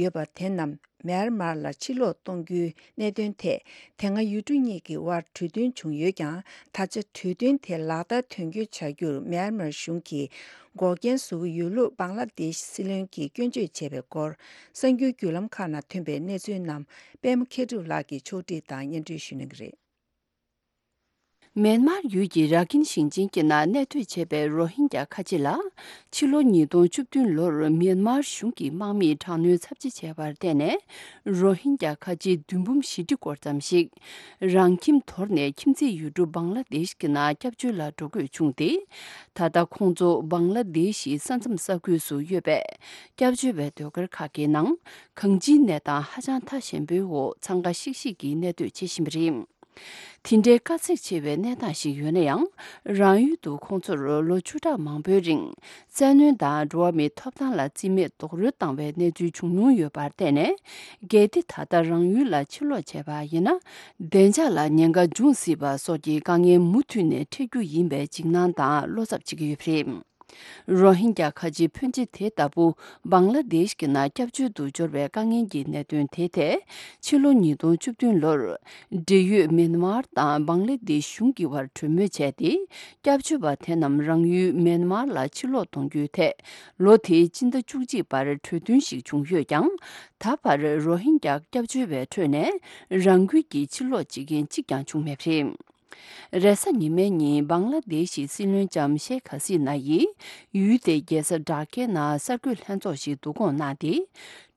ཡོད་པ་དེ་རྣམས་མྱན་མར་ལ་ཕྱིར་ལོག་གཏོང་རྒྱུའི་གནད་དོན་ཐད། དེ་སྔ་ཡུལ་གྲུ་གཉིས་ཀྱི་དབར་གྲོས་མཐུན་བྱུང་ཡོད་ཀྱང་། ད་ཆ་གྲོས་མཐུན་དེ་ལག་བསྟར་དོན་འཁྱོལ་བྱ་རྒྱུར་མྱན་མར་གཞུང་གིས་འགོག་རྐྱེན་བཟོ་གི་ཡོད་ལུགས་བང་ལ་དེཤ་སྲིད་བློན་གྱིས་སྐྱོན་བརྗོད་བྱས་པའི་སྐོར། གསར་འགྱུར་བརྒྱུད་ལམ་ཁག་ནང་ཐོན་པའི་གནས་ཚུལ་རྣམས་པད་མ་མཁས་གྲུབ་ལགས་ཀྱིས་ཕྱོགས་སྒྲིག་དང་སྙན་སྒྲོན་ཞུ་གནང་གི་རེད། མེན་མར་ཡུལ་གྱི་ར་ཁིན་ཞིང་ཆེན་གྱི་ནང་གནས་སྡོད་བྱས་པའི་རོ་ཧིན་གྱ་ཁ་ཆེ་ལ། ཕྱི་ལོ་ཉིས་སྟོང་བཅུ་བདུན་ལོར་མེན་མར་གཞུང་གིས་དམག་མིས་དྲག་གནོན་ཚབས་ཆེ་བྱས་པར་བརྟེན་ནས། རོ་ཧིན་གྱ་ཁ་ཆེ་བདུན་འབུམ་བཞི་ཁྲི་སྐོར་ཙམ་ཞིག་རང་ཁྱིམ་དོར་ནས་ཁྱིམ་མཚེས་ཡུལ་གྲུ་བང་ལ་དེཤ་གྱི་ནང་སྐྱབས་བཅོལ་ལ་འགྲོ་དགོས་བྱུང་སྟེ། ད་ལྟ་ཁོང་ཚོ་བང་ལ་དེཤ་ཡི་ས་མཚམས་ས་ཁུལ་སུ་ཡོད་པའི་སྐྱབས་བཅོལ་བའི་ཟློས་གར་ཁག་གི་ནང་། གང་ཅིའི་གནས་སྟངས་ཧ་ཅང་ཐ་ཞན་པོའི་འོག་འཚང་ཁ་ཤིག་ཤིག་གིས་གནས་སྡོད་བྱེད་བཞིན་པ་རེད། དེ་འདྲའི་དཀའ་ཚེགས་ཆེ་བའི་གནས་སྟངས་ཤིག་ཡོད་ན་ཡང་། རང་ཡུལ་དུ་ཁོང་ཚོར་ལོ་བཅུ་ཕྲག་མང་པོའི་རིང་། བཙན་གནོན་དང་འགྲོ་བ་མིའི་ཐོབ་ཐང་ལ་རྩིས་མེད་རྡོག་རོལ་བཏང་བའི་གནས་ཚུལ་བྱུང་མྱོང་ཡོད་པར་བརྟེན་ནས། གལ་ཏེ་ད་ལྟ་རང་ཡུལ་ལ་ཕྱིར་ལོག་བྱས་པ་ཡིན་ན། བདེ་འཇགས་ལ་ཉེན་ཁ་འབྱུང་སྲིད་པ་སོགས་ཀྱི་དཀའ་ངལ་མུ་མཐུད་ནས་འཕྲད་རྒྱུ་ཡིན་པའི་འཇིགས་སྣང་དང་བློ་འཚབ་བྱེད་ཀྱི་ཡོད་པ་རེད། རོ་ཧིན་གྱ་ཁ་ཆེ་ཕོན་ཆེ་དེ་ལྟ་བུ་བང་ལ་དེཤ་གྱི་ནང་སྐྱབས་བཅོལ་དུ་འབྱོར་བའི་དཀའ་ངལ་གྱི་གནད་དོན་དེ་ཐད། ཕྱི་ལོ་ཉིས་སྟོང་བཅུ་བདུན་ལོར། འབྲེལ་ཡོད་མེན་མར་དང་བང་ལ་དེཤ་གཞུང་གི་བར་གྲོས་མོལ་བྱས་ཏེ། སྐྱབས་བཅོལ་བ་དེ་རྣམས་རང་ཡུལ་མེན་མར་ལ་ཕྱིར་ལོག་གཏོང་རྒྱུའི་ཐད། ལོ་དེའི་སྤྱི་ཟླ་བཅུ་གཅིག་བར་གྲོས་མཐུན་ཞིག་བྱུང་ཡོད་ཀྱང་། ད་བར་རོ་ཧིན་གྱ་སྐྱབས་བཅོལ་བའི་ཁྲོད་ནས་རང་འགུལ་གྱིས་ཕྱིར་ལོག་བྱེད་མཁན་གཅིག་ཀྱང་བྱུང་མེད་པ་རེད། རེས་གཟའ་ཉི་མའི་ཉིན་བང་ལ་དེཤ་ཡི་སྲིད་བློན་ལྕམ་ཤེག་ཧ་སི་ན་ཡིས་ཡུལ་དེའི་རྒྱལ་ས་ཌ་ཀའི་ནང་གསར་འགོད་ལྷན་ཚོགས་ཤིག་བསྡུ་སྐོང་གནང་སྟེ།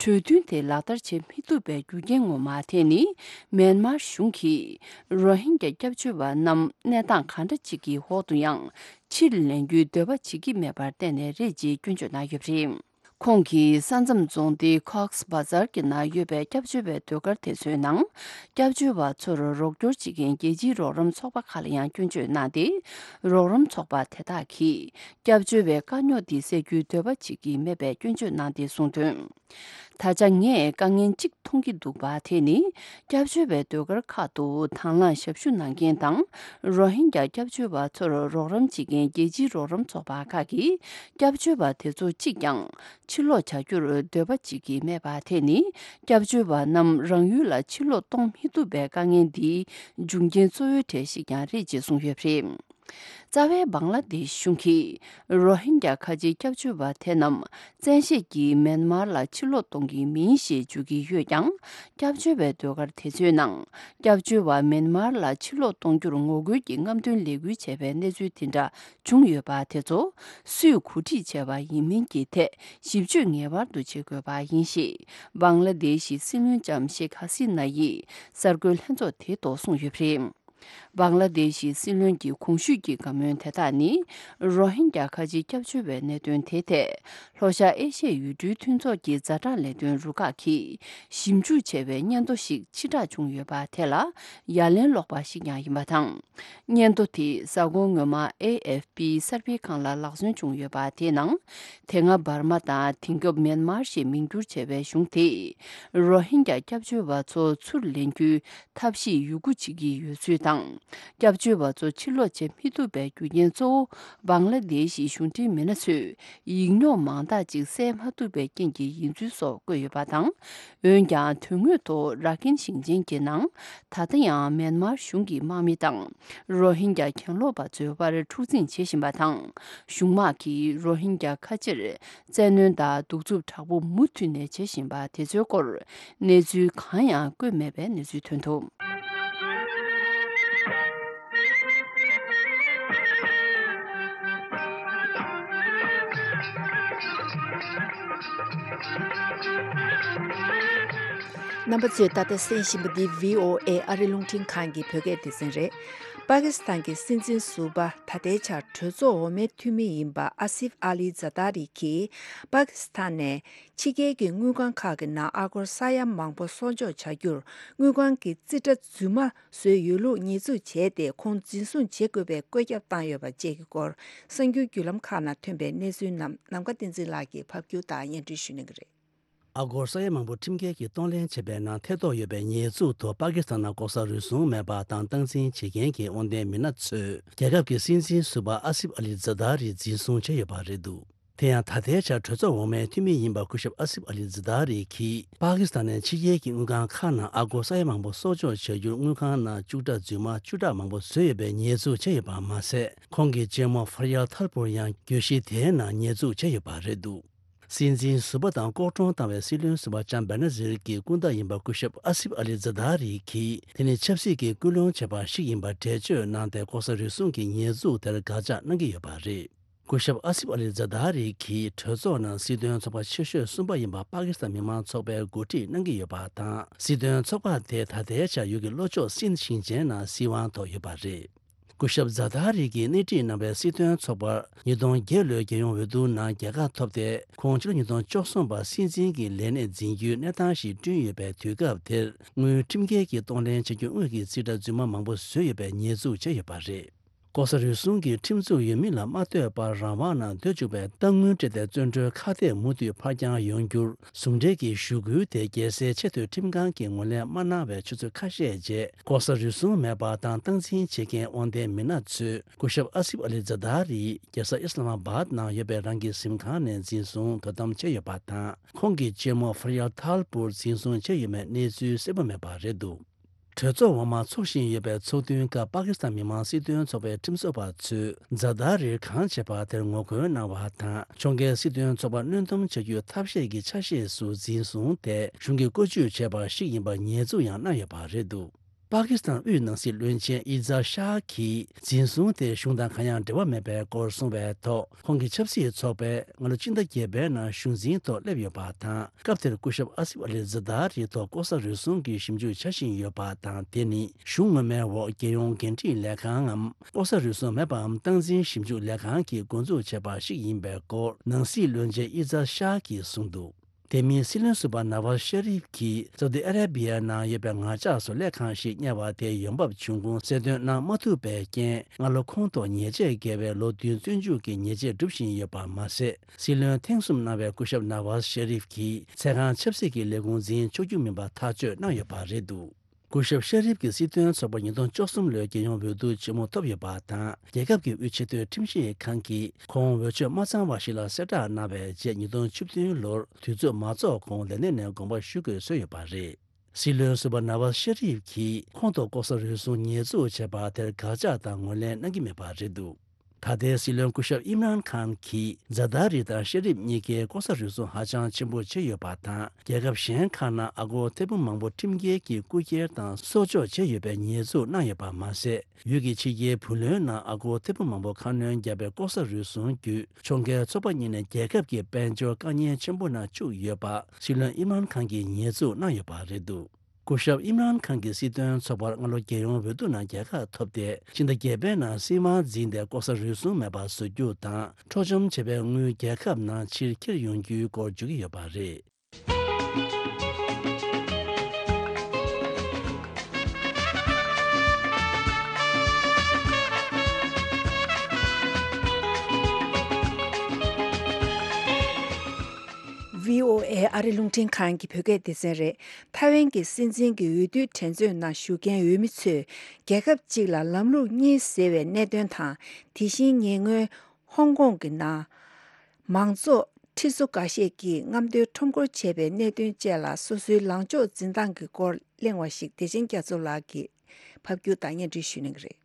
གྲོས་མཐུན་དེ་ལག་བསྟར་བྱེད་མི་ཐུབ་པའི་རྒྱུ་རྐྱེན་ངོ་མ་དེ་ནི། མེན་མར་གཞུང་གིས་རོ་ཧིན་གྱ་སྐྱབས་བཅོལ་བ་རྣམས་གནས་སྟངས་གང་འདྲ་ཅིག་གི་འོག་ཏུ་ཡང་ཕྱིར་ལེན་རྒྱུའི་འདོད་པ་བྱེད་ཀྱི་མེད་པར་བརྟེན་ནས་རེད་ཅེས་སྐྱོན་བརྗོད་གནང་ཡོད་པ་རེད། ཁོང་གིས་ས་མཚམས་རྫོང་སྡེ་ཁོག་སི་བ་ཛར་གྱི་ནང་ཡོད་པའི་སྐྱབས་བཅོལ་བའི་ཟློས་གར་དེ་ཚོའི་ནང་། སྐྱབས་བཅོལ་བ་ཚོར་རོགས་སྐྱོར་བྱེད་མཁན་རྒྱལ་སྤྱིའི་རོགས་རམ་ཚོགས་པ་ཁག་ལ་ཡང་སྐྱོན་བརྗོད་གནང་སྟེ། རོགས་རམ་ཚོགས་པ་དེ་དག་གིས་སྐྱབས་བཅོལ་བའི་དཀའ་རྙོག་འདི་སེལ་རྒྱུའི་འདོད་པ་བྱེད་ཀྱི་མེད་པའི་སྐྱོན་བརྗོད་གནང་སྟེ་གསུངས་དོན། ད་ཆ་ངས་དཀའ་ངལ་གཅིག་མཐོང་གི་འདུག་པ། དེ་ནི་སྐྱབས་བཅོལ་བའི་ཟློས་གར་ཁག་ཏུ་དང་བླངས་ཞབས་ཞུ་གནང་མཁན་དང་། རོ་ཧིན་གྱ་སྐྱབས་བཅོལ་བ་ཚོར་རོགས་རམ་བྱེད་མཁན་རྒྱལ་སྤྱིའི་རོགས་རམ་ཚོགས་པ་ཁག་གིས། སྐྱབས་བཅོལ་བ་དེ་ཚོ་གཅིག་ཀྱང་ཕྱིར་ལོག་བྱ་རྒྱུར་འདོད་པ་བྱེད་ཀྱི་མེད་པ། དེ་ནི་སྐྱབས་བཅོལ་བ་རྣམས་རང་ཡུལ་ལ་ཕྱིར་ལོག་གཏོང་མི་ཐུབ་པའི་དཀའ་ངལ་འདིའི་འབྱུང་རྐྱེན་གཙོ་བོའི་གྲས་ཤིག་ཀྱང་རེད་ཅེས་གསུངས་ཡོད་པ་རེད། རྩ་བའི་བང་ལ་དེཤ་གཞུང་གིས་རོ་ཧིན་གྱ་ཁ་ཆེ་སྐྱབས་བཅོལ་བ་དེ་རྣམས་བཙན་ཤེད་ཀྱིས་མེན་མར་ལ་ཕྱིར་ལོག་གཏོང་གི་མིན་ཞེས་བརྗོད་ཀྱི་ཡོད་ཀྱང་། སྐྱབས་བཅོལ་བའི་ཟློས་གར་དེ་ཚོའི་ནང་། སྐྱབས་བཅོལ་བ་མེན་མར་ལ་ཕྱིར་ལོག་གཏོང་རྒྱུར་ངོ་རྒོལ་གྱི་རྔམ་སྟོན་ལས་འགུལ་བྱས་པའི་གནས་ཚུལ་དེ་འདྲ་བྱུང་ཡོད་པ་དེ་ཚོ། སུས་གོ་སྒྲིག་བྱས་པ་ཡིན་མིན་གྱི་ཐད་ཞིབ་དཔྱོད་ངེས་པར་དུ་བྱེད་དགོས་པ་ཡིན་ཞེས། བང་ལ་དེཤ་ཡི་སྲིད་བློན་ལྕམ་ཤེག་ཧ་སི་ན་ཡིས་གསར་འགོད་ལྷན་ཚོགས་དེའི་ཐོག་གསུངས་ཡོད་པ་རེད། བང་ལ་དེཤ་ཡི་སྲིད་བློན་གྱི་གོང་ཞུས་ཀྱི་བཀའ་མོལ་དེ་དག་ནི། རོ་ཧིན་གྱ་ཁ་ཆེ་སྐྱབས་བཅོལ་བའི་གནད་དོན་དེ་ཐད། ལྷོ་ཤར་ཨེ་ཤི་ཡའི་ཡུལ་གྲུའི་མཐུན་ཚོགས་ཀྱི་ཛ་དྲག་ལས་དོན་རུ་ཁག་གིས་ཞིབ་འཇུག་བྱས་པའི་སྙན་ཐོ་ཞིག་ཕྱིར་བསྒྲགས་བྱུང་ཡོད་པ་དེ་ལ་ཡ་ལན་སློག་པ་ཞིག་ཀྱང་ཡིན་པ་དང་། སྙན་ཐོ་དེ་གཟའ་འཁོར་སྔོན་མ་ཨེ་ཨེཕ་པི་གསར་སྤེལ་ཁང་ལ་ལག་སོན་བྱུང་ཡོད་པ། དེའི་ནང་། དེ་སྔ་འབར་མ་དང་དེང་སྐབས་མེན་མར་ཞེས་མིང་བསྒྱུར་བྱས་པའི་གཞུང་དེས། རོ་ཧིན་གྱ་སྐྱབས་བཅོལ་བ་ཚོ་ཚུར་ལེན་རྒྱུའི་ཐབས་ཤེས་ཡོད་རྒུ་བྱེད་ཀྱི་ཡོད་ཚུལ་དང་། སྐྱབས་བཅོལ་བ་ཚོ་ཕྱིར་ལོག་བྱེད་མི་ཐུབ་པའི་རྒྱུ་རྐྱེན་གཙོ་བོ། བང་ལ་དེཤ་ཡི་གཞུང་འབྲེལ་མི་སྣ་ཚོས་ཡིག་རྙོག་མང་དག་ཅིག་བསལ་མ་ཐུབ་པའི་རྐྱེན་གྱིས་ཡིན་ཚུལ་སོགས་བཀོད་ཡོད་པ་དང་། འོན་ཀྱང་། དོན་དངོས་ཐོག་ར་ཁིན་ཞིང་ཆེན་གྱི་ནང་། ད་ལྟ་ཡང་མེན་མར་གཞུང་གི་དམག་མི་དང་། རོ་ཧིན་གྱ་གྱེན་ལོག་པ་ཚོའི་དབར་འཁྲུག་འཛིང་བྱེད་བཞིན་པ་དང་། གཞུང་དམག་གིས་རོ་ཧིན་གྱ་ཁ་ཆེར་བཙན་གནོན་དང་གདུག་རྩུབ་དྲག་པོ་མུ་མཐུད་ནས་བྱེད་བཞིན་པ་དེ་ཚོའི་སྐོར། གནས་ཚུལ་གང་ཡང་བཀོད་མེད་པའི་གནས་ཚུལ་ཐོན་འདུག། རྣམ་པ་ཚོས་ད་ལྟ་གསན་བཞིན་པ་འདི་བྷི་ཨོ་ཨེ་ཨ་རི་རླུང་འཕྲིན་ཁང་གི་བོད་སྐད་སྡེ་ཚན་རེད། པ་ཀི་སི་ཐན་གྱི་སྲིད་འཛིན་ཟུར་པ་ད་ལྟའི་ཆར་གྲོས་ཚོགས་འོག་མའི་འཐུས་མི་ཡིན་པ་ཨ་སིབ་ཨ་ལི་ཛ་ད་རི་གིས་པ་ཀི་སི་ཐན་ནས་ཕྱི་རྒྱལ་གྱི་དངུལ་ཁང་ཁག་གི་ནང་ཨ་སྒོར་ས་ཡ་མང་པོ་གསོག་འཇོག་བྱ་རྒྱུར་དངུལ་ཁང་གི་རྩིས་ཁྲ་རྫུན་མ་བཟོས་ཡོད་ལུགས་ཉེས་འཛུགས་བྱས་ཏེ། ཁོང་འཛིན་བཟུང་བྱེད་དགོས་པའི་བཀོད་ཁྱབ་བཏང་ཡོད་པ་བཅས་ཀྱི་སྐོར། གསར་འགྱུར་བརྒྱུད་ལམ་ཁག་ནང་ཐོན་པའི་གནས་ཚུལ་རྣམས་ནམ་མཁའ་བསྟན་འཛིན་ལགས་ཀྱིས་ཕབ་སྒྱུར་དང་སྙན་སྒྲོན་ཞུ་གནང་གི་རེད། ཨ་སྒོར་ས་ཡ་མང་པོ་ཁྲིམས་འགལ་གྱིས་གཏོང་ལེན་བྱས་པའི་ནང་ཐེ་གཏོགས་ཡོད་པའི་ཉེས་འཛུགས་ཐོག་པ་ཀི་སི་ཐན་ནང་ལྐོག་ཟ་རུལ་སུངས་མེད་པ་དང་སྟངས་འཛིན་བྱེད་མཁན་གྱི་དབང་ལྡན་མི་སྣ་ཚོས་རྒྱལ་ཁབ་ཀྱི་སྲིད་འཛིན་ཟུར་པ་ཨ་སིབ་ཨ་ལི་ཛ་ད་རི་འཛིན་བཟུང་བྱས་ཡོད་པ་རེད་འདུག། དེ་ཡང་ད་ལྟའི་ཆར་གྲོས་ཚོགས་འོག་མའི་འཐུས་མི་ཡིན་པ་སྐུ་ཞབས་ཨ་སིབ་ཨ་ལི་ཛ་ད་རི་གིས་པ་ཀི་སི་ཐན་ནས་ཕྱི་རྒྱལ་གྱི་དངུལ་ཁང་ཁག་ནང་ཨ་སྒོར་ས་ཡ་མང་པོ་གསོག་འཇོག་བྱ་རྒྱུར་དངུལ་ཁང་ནང་བཅུག་ཁྲ་རྫུན་མ་བཅུ་ཕྲག་མང་པོ་བཟོས་ཡོད་པའི་ཉེས་འཛུགས་བྱས་ཡོད་པ་མ་ཟད། ཁོང་གི་གཅེན་མོ་ཧྥ་ཡལ་ཐལ་པུར་ཡང་གྱོད་གཞི་དེའི་ནང་ཉེས་འཛུགས་བྱས་ཡོད་པ་རེད་འདུག། སྲིད་འཛིན་ཟུར་པ་དང་ལྐོག་གྲོངས་བཏང་བའི་སྲིད་བློན་ཟུར་པ་ལྕམ་བེ་ན་ཛིར་གྱི་སྐུ་ཟླ་ཡིན་པ་སྐུ་ཞབས་ཨ་སིབ་ཨ་ལི་ཛ་དཱ་རི་གིས་དེ་ནི་ཆབ་སྲིད་ཀྱི་སྐུལ་སློང་བྱས་པ་ཞིག་ཡིན་པ་འགྲེལ་བརྗོད་གནང་སྟེ། ལྐོག་ཟ་རུལ་སུངས་ཀྱི་ཉེས་འཛུགས་དེར་དགག་བྱ་གནང་གི་ཡོད་པ་རེད། སྐུ་ཞབས་ཨ་སིབ་ཨ་ལི་ཛ་དཱ་རི་གིས་གྲོས་ཚོགས་ནང་སྲིད་དོན་ཚོགས་པ་ཆེ་ཤོས་གསུམ་པ་ཡིན་པ་པ་ཀི་སི་ཐན་མི་མང་ཚོགས་པའི་འགོ་ཁྲིད་གནང་གི་ཡོད་པ་དང་། སྲིད་དོན་ཚོགས་པ་དེ་ད་ལྟའི་ཆར་ཡུལ་གྱི་ལྷོ་ཕྱོགས་སིན་ཞིང་ཆེན་ནང་སྲིད་དབང་ཐོབ་ཡོད་པ་རེད། སྐུ་ཞབས་ཛ་དཱ་རི་གིས་སྣེ་ཁྲིད་གནང་བའི་སྲིད་དོན་ཚོགས་པར་ཉིས་སྟོང་བརྒྱད་ལོའི་རྒྱལ་ཡོངས་འོས་བསྡུ་ནང་རྒྱལ་ཁ་ཐོབ་སྟེ། ཁོང་ཕྱི་ལོ་ཉིས་སྟོང་བཅུ་གསུམ་པར་སྲིད་འཛིན་གྱི་ལས་གནས་འཛིན་རྒྱུའི་གནས་སྟངས་ཤིག་བསྐྲུན་ཡོད་པའི་དུས་སྐབས་དེར། དངུལ་ཁྲིམས་འགལ་གྱིས་གཏོང་ལེན་བྱ་རྒྱུ་དངོས་ཀྱི་རྩིས་ཁྲ་རྫུན་མ་མང་པོ་བཟོས་ཡོད་པའི་ཉེས་འཛུགས་བྱས་ཡོད་པ་རེད། ལྐོག་ཟ་རུལ་སུངས་ཀྱི་ཁྲིམས་འཛུགས་ཡོད་མིན་ལ་མ་ལྟོས་པར་རང་དབང་ནང་སྡོད་བཅུག་པའི་གཏའ་དངུལ་སྤྲད་དེ་བཙོན་གྲོལ་ཁ་གཏད་མུ་མཐུད་ཕར་འགྱངས་ཡོང་རྒྱུར་ཟུང་འབྲེལ་གྱི་ཞུ་སྐུལ་དེ་རྒྱལ་སའི་ཆེས་མཐོའི་ཁྲིམས་ཁང་གིས་ངོས་ལེན་མ་གནང་བའི་ཆུ་ཚོད་ཁ་ཤས་རྗེས། ལྐོག་ཟ་རུལ་སུངས་མེད་པ་དང་སྟངས་འཛིན་བྱེད་མཁན་དབང་ལྡན་མི་སྣ་ཚོས་སྐུ་ཞབས་ཨ་སིབ་ཨ་ལི་ཛ་དཱ་རིའི་རྒྱལ་ས་ཨི་སི་ལ་མ་བཱད་ནང་ཡོད་པའི་རང་གི་གཟིམ་ཁང་ནས་འཛིན་བཟུང་དོ་དམ་བྱས་ཡོད་པ་དང་། ཁོང་གི་གཅེན་མོ་ཧྥ་ཡལ་ཐཱལ་པུར་འཛིན་བཟུང་བྱས་ཡོད་མེད་གནས་ཚུལ་གསལ་པོ་མེད་པ་རེད་འདུག་གྲོས་ཚོགས་འོག་མ་འཚོགས་བཞིན་ཡོད་པའི་ཚོགས་ཐུན་སྐབས་པ་ཀི་སི་ཐན་མི་མང་སྲིད་དོན་ཚོགས་པའི་ཁྲིམས་བཟོ་བ་ཚོས་ཛ་དཱ་རིར་གང་བྱས་པ་དེར་ངོ་རྒོལ་གནང་བ་དང་། ཕྱོགས་འགལ་སྲིད་དོན་ཚོགས་པ་གནོན་སྡོམ་བྱ་རྒྱུའི་ཐབས་ཤེས་ཀྱི་ཆ་ཤས་སུ་འཛིན་བཟུང་དེ་གཞུང་གིས་བཀོལ་སྤྱོད་བྱས་པ་ཞིག་ཡིན་པར་ཉེས་འཛུགས་ཡང་གནང་ཡོད་པ་རེད་འདུག་པ་ཀི་སི་ཐན་དབུས་ནང་སྲིད་བློན་ཆེན་ཨི་ཛ་ཤཱ་གིས་འཛིན་བཟུང་དེ་གཞུང་དང་གང་ཡང་འབྲེལ་བ་མེད་པའི་སྐོར་གསུངས་པའི་ཐོག་ཁོང་གི་ཆབ་སྲིད་ཚོགས་པས་སྔ་ལོ་སྤྱི་ཟླ་བརྒྱད་པའི་ནང་གཞུང་འཛིན་ཐོག་སླེབས་ཡོད་པ་དང་། སྐབས་དེར་སྐུ་ཞབས་ཨ་སིབ་ཨ་ལི་ཛ་དཱ་རིའི་ཐོག་ལྐོག་ཟ་རུལ་སུངས་ཀྱི་ཞིབ་འཇུག་བྱ་བཞིན་ཡོད་པ་དང་། དེ་ནི་གཞུང་ངོ་མའི་འོག་རྒྱལ་ཡོངས་འགན་འཁྲི་ལས་ཁང་ངམ་ལྐོག་ཟ་རུལ་སུངས་མེད་པའམ་སྟངས་འཛིན་ཞིབ་འཇུག་ལས་ཁང་གིས་འགོ་འཛུགས་བྱས་པ་ཞིག་ཡིན་པའི་སྐོར་ནང་སྲིད་བློན་ཆེན་ཨི་ཛ་ཤཱ་གིས་གསུངས་འདུག་དེ་མིན་སྲིད་བློན་ཟུར་པ་ནཱ་ཝཱ་ཤ་རིབ་ཀྱིས་སའུ་ཏི་ཨ་ར་བི་ཡ་ནང་ཡོད་པའི་ངར་ལྕགས་བཟོ་ལས་ཁང་ཞིག་གཉེར་བ་དེའི་ཡོང་འབབ་བྱུང་ཁུངས་གསལ་སྟོན་གནང་མ་ཐུབ་པའི་རྐྱེན། སྔ་ལོ་ཁོང་ཐོག་ཉེས་ཆད་འགེལ་བའི་ལོ་བདུན་བཙོན་འཇུག་གི་ཉེས་ཆད་སྒྲུབ་བཞིན་ཡོད་པ་མ་ཟད། སྲིད་བློན་ཐེངས་གསུམ་གནང་བའི་སྐུ་ཞབས་ནཱ་ཝཱ་ཤ་རིབ་ཀྱིས་ཚེ་གང་ཆབ་སྲིད་ཀྱི་ལས་ཁུངས་འཛིན་ཆོག་རྒྱུ་མིན་པ་ཐག་གཅོད་གནང་ཡོད་པ་རེད་འདུག་སྐུ་ཞབས་ཤ་རིབ་ཀྱི་སྲིད་དོན་ཚོགས་པ་ཉིས་སྟོང་བཅུ་གསུམ་ལོའི་རྒྱལ་ཡོངས་འོས་བསྡུ་ཆེན་མོ་ཐོབ་ཡོད་པ་དང་། རྒྱལ་ཁབ་ཀྱི་དབུས་ཆེས་མཐོའི་ཁྲིམས་ཞིབ་ཁང་གིས་ཁོང་འོས་ཆོས་མ་ཚང་བ་ཞིག་ལ་གསལ་བསྒྲགས་གནང་བའི་རྗེས། ཉིས་སྟོང་བཅུ་བདུན་ལོར་དུས་ཚོད་མ་རྫོགས་གོང་ལས་གནས་ནས་དགོངས་པ་ཞུ་དགོས་བཟོས་ཡོད་པ་རེད། སྲིད་བློན་ཟུར་པ་ནཱ་ཝཱ་ཤ་རིབ་ཀྱིས་ཁོང་ཐོག་ལྐོག་ཟ་རུལ་སུངས་ཉེས་འཛུགས་བྱས་པ་དེར་དགག་བྱ་དང་ངོས་ལེན་གནང་གི་མེད་པ་རེད་འདུག་ད་ལྟའི་སྲིད་བློན་སྐུ་ཞབས་ཨིམ་རཱན་ཁཱན་གྱིས་ཛ་དཱ་རི་དང་ཤ་རིབ་གཉིས་ཀས་ལྐོག་ཟ་རུལ་སུངས་ཧ་ཅང་ཆེན་པོ་བྱས་ཡོད་པ་དང་། རྒྱལ་ཁབ་གཞན་ཁག་ནང་ཨ་སྒོར་ཐེར་འབུམ་མང་པོ་ཁྲིམས་འགལ་གྱིས་རྐུ་འཁྱེར་དང་སྲོག་སྐྱོབ་བྱས་ཡོད་པའི་ཉེས་འཛུགས་གནང་ཡོད་པ་མ་ཟད། ཡུལ་གྱི་ཕྱི་རྒྱལ་བུ་ལོན་ནང་ཨ་སྒོར་ཐེར་འབུམ་མང་པོ་ཁ་སྣོན་བརྒྱབ་པའི་ལྐོག་ཟ་རུལ་སུངས་བརྒྱུད། ཕྱོགས་འགལ་ཚོགས་པ་གཉིས་ནས་རྒྱལ་ཁབ་ཀྱི་དཔལ་འབྱོར་དཀའ་ངལ་ཆེན་པོ་ནང་བཅུག་ཡོད་པ་སྲིད་བློན་ཨིམ་རཱན་ཁཱན་གྱིས་ཉེས་འཛུགས་གནང་ཡོད་པ་རེད་འདུག་སྐུ་ཞབས་ཨིམ་རཱན་ཁཱན་གྱི་སྲིད་དོན་ཚོགས་པར་སྔ་ལོ་རྒྱལ་ཡོངས་འོས་བསྡུ་ནང་རྒྱལ་ཁ་ཐོབ་སྟེ། ཕྱི་ཟླ་བརྒྱད་པའི་ནང་སྲིད་དབང་འཛིན་ཏེ་ལྐོག་ཟ་རུལ་སུངས་མེད་པ་བཟོ་རྒྱུ་དང་། འཕྲོག་བཅོམ་བྱས་པའི་དངུལ་རྒྱལ་ཁབ་ནང་ཕྱིར་འཁྱེར་ཡོང་རྒྱུའི་སྐོར་བརྗོད་ཀྱི་ཡོད་པ་རེད། བྷི་ཨོ་ཨེ་ཨ་རི་རླུང་འཕྲིན་ཁང་གི་བོད་སྐད་སྡེ་ཚན་རེད། ཐའེ་ཝན་གྱི་སྲིད་འཛིན་གྱི་འོས་བསྡུའི་འགྲན་རྩོད་ནང་ཞུགས་མཁན་འོས་མི་ཚོས་རྒྱལ་ཁབ་གཅིག་ལ་ལམ་ལུགས་གཉིས་ཟེར་བའི་གནད་དོན་དང་། དེ་བཞིན་ཉེ་སྔོན་ཧོང་ཀོང་གི་ནང་མང་གཙོ་ཁྲི་ཚོ་འགའ་ཤས་ཀྱིས་རྔམ་སྟོན་ཁྲོམ་སྐོར་བྱས་པའི་གནད་དོན་བཅས་ལ་སོ་སོའི་ལངས་ཕྱོགས་འཛིན་སྟངས་ཀྱི་སྐོར་གླེང་བ་ཞིག་བདེ་ཆེན་རྒྱ་མཚོ་ལགས་ཀྱིས་ཕབ་སྒྱུར་དང་སྙན་སྒྲོན་ཞུ་གནང་གི་རེད།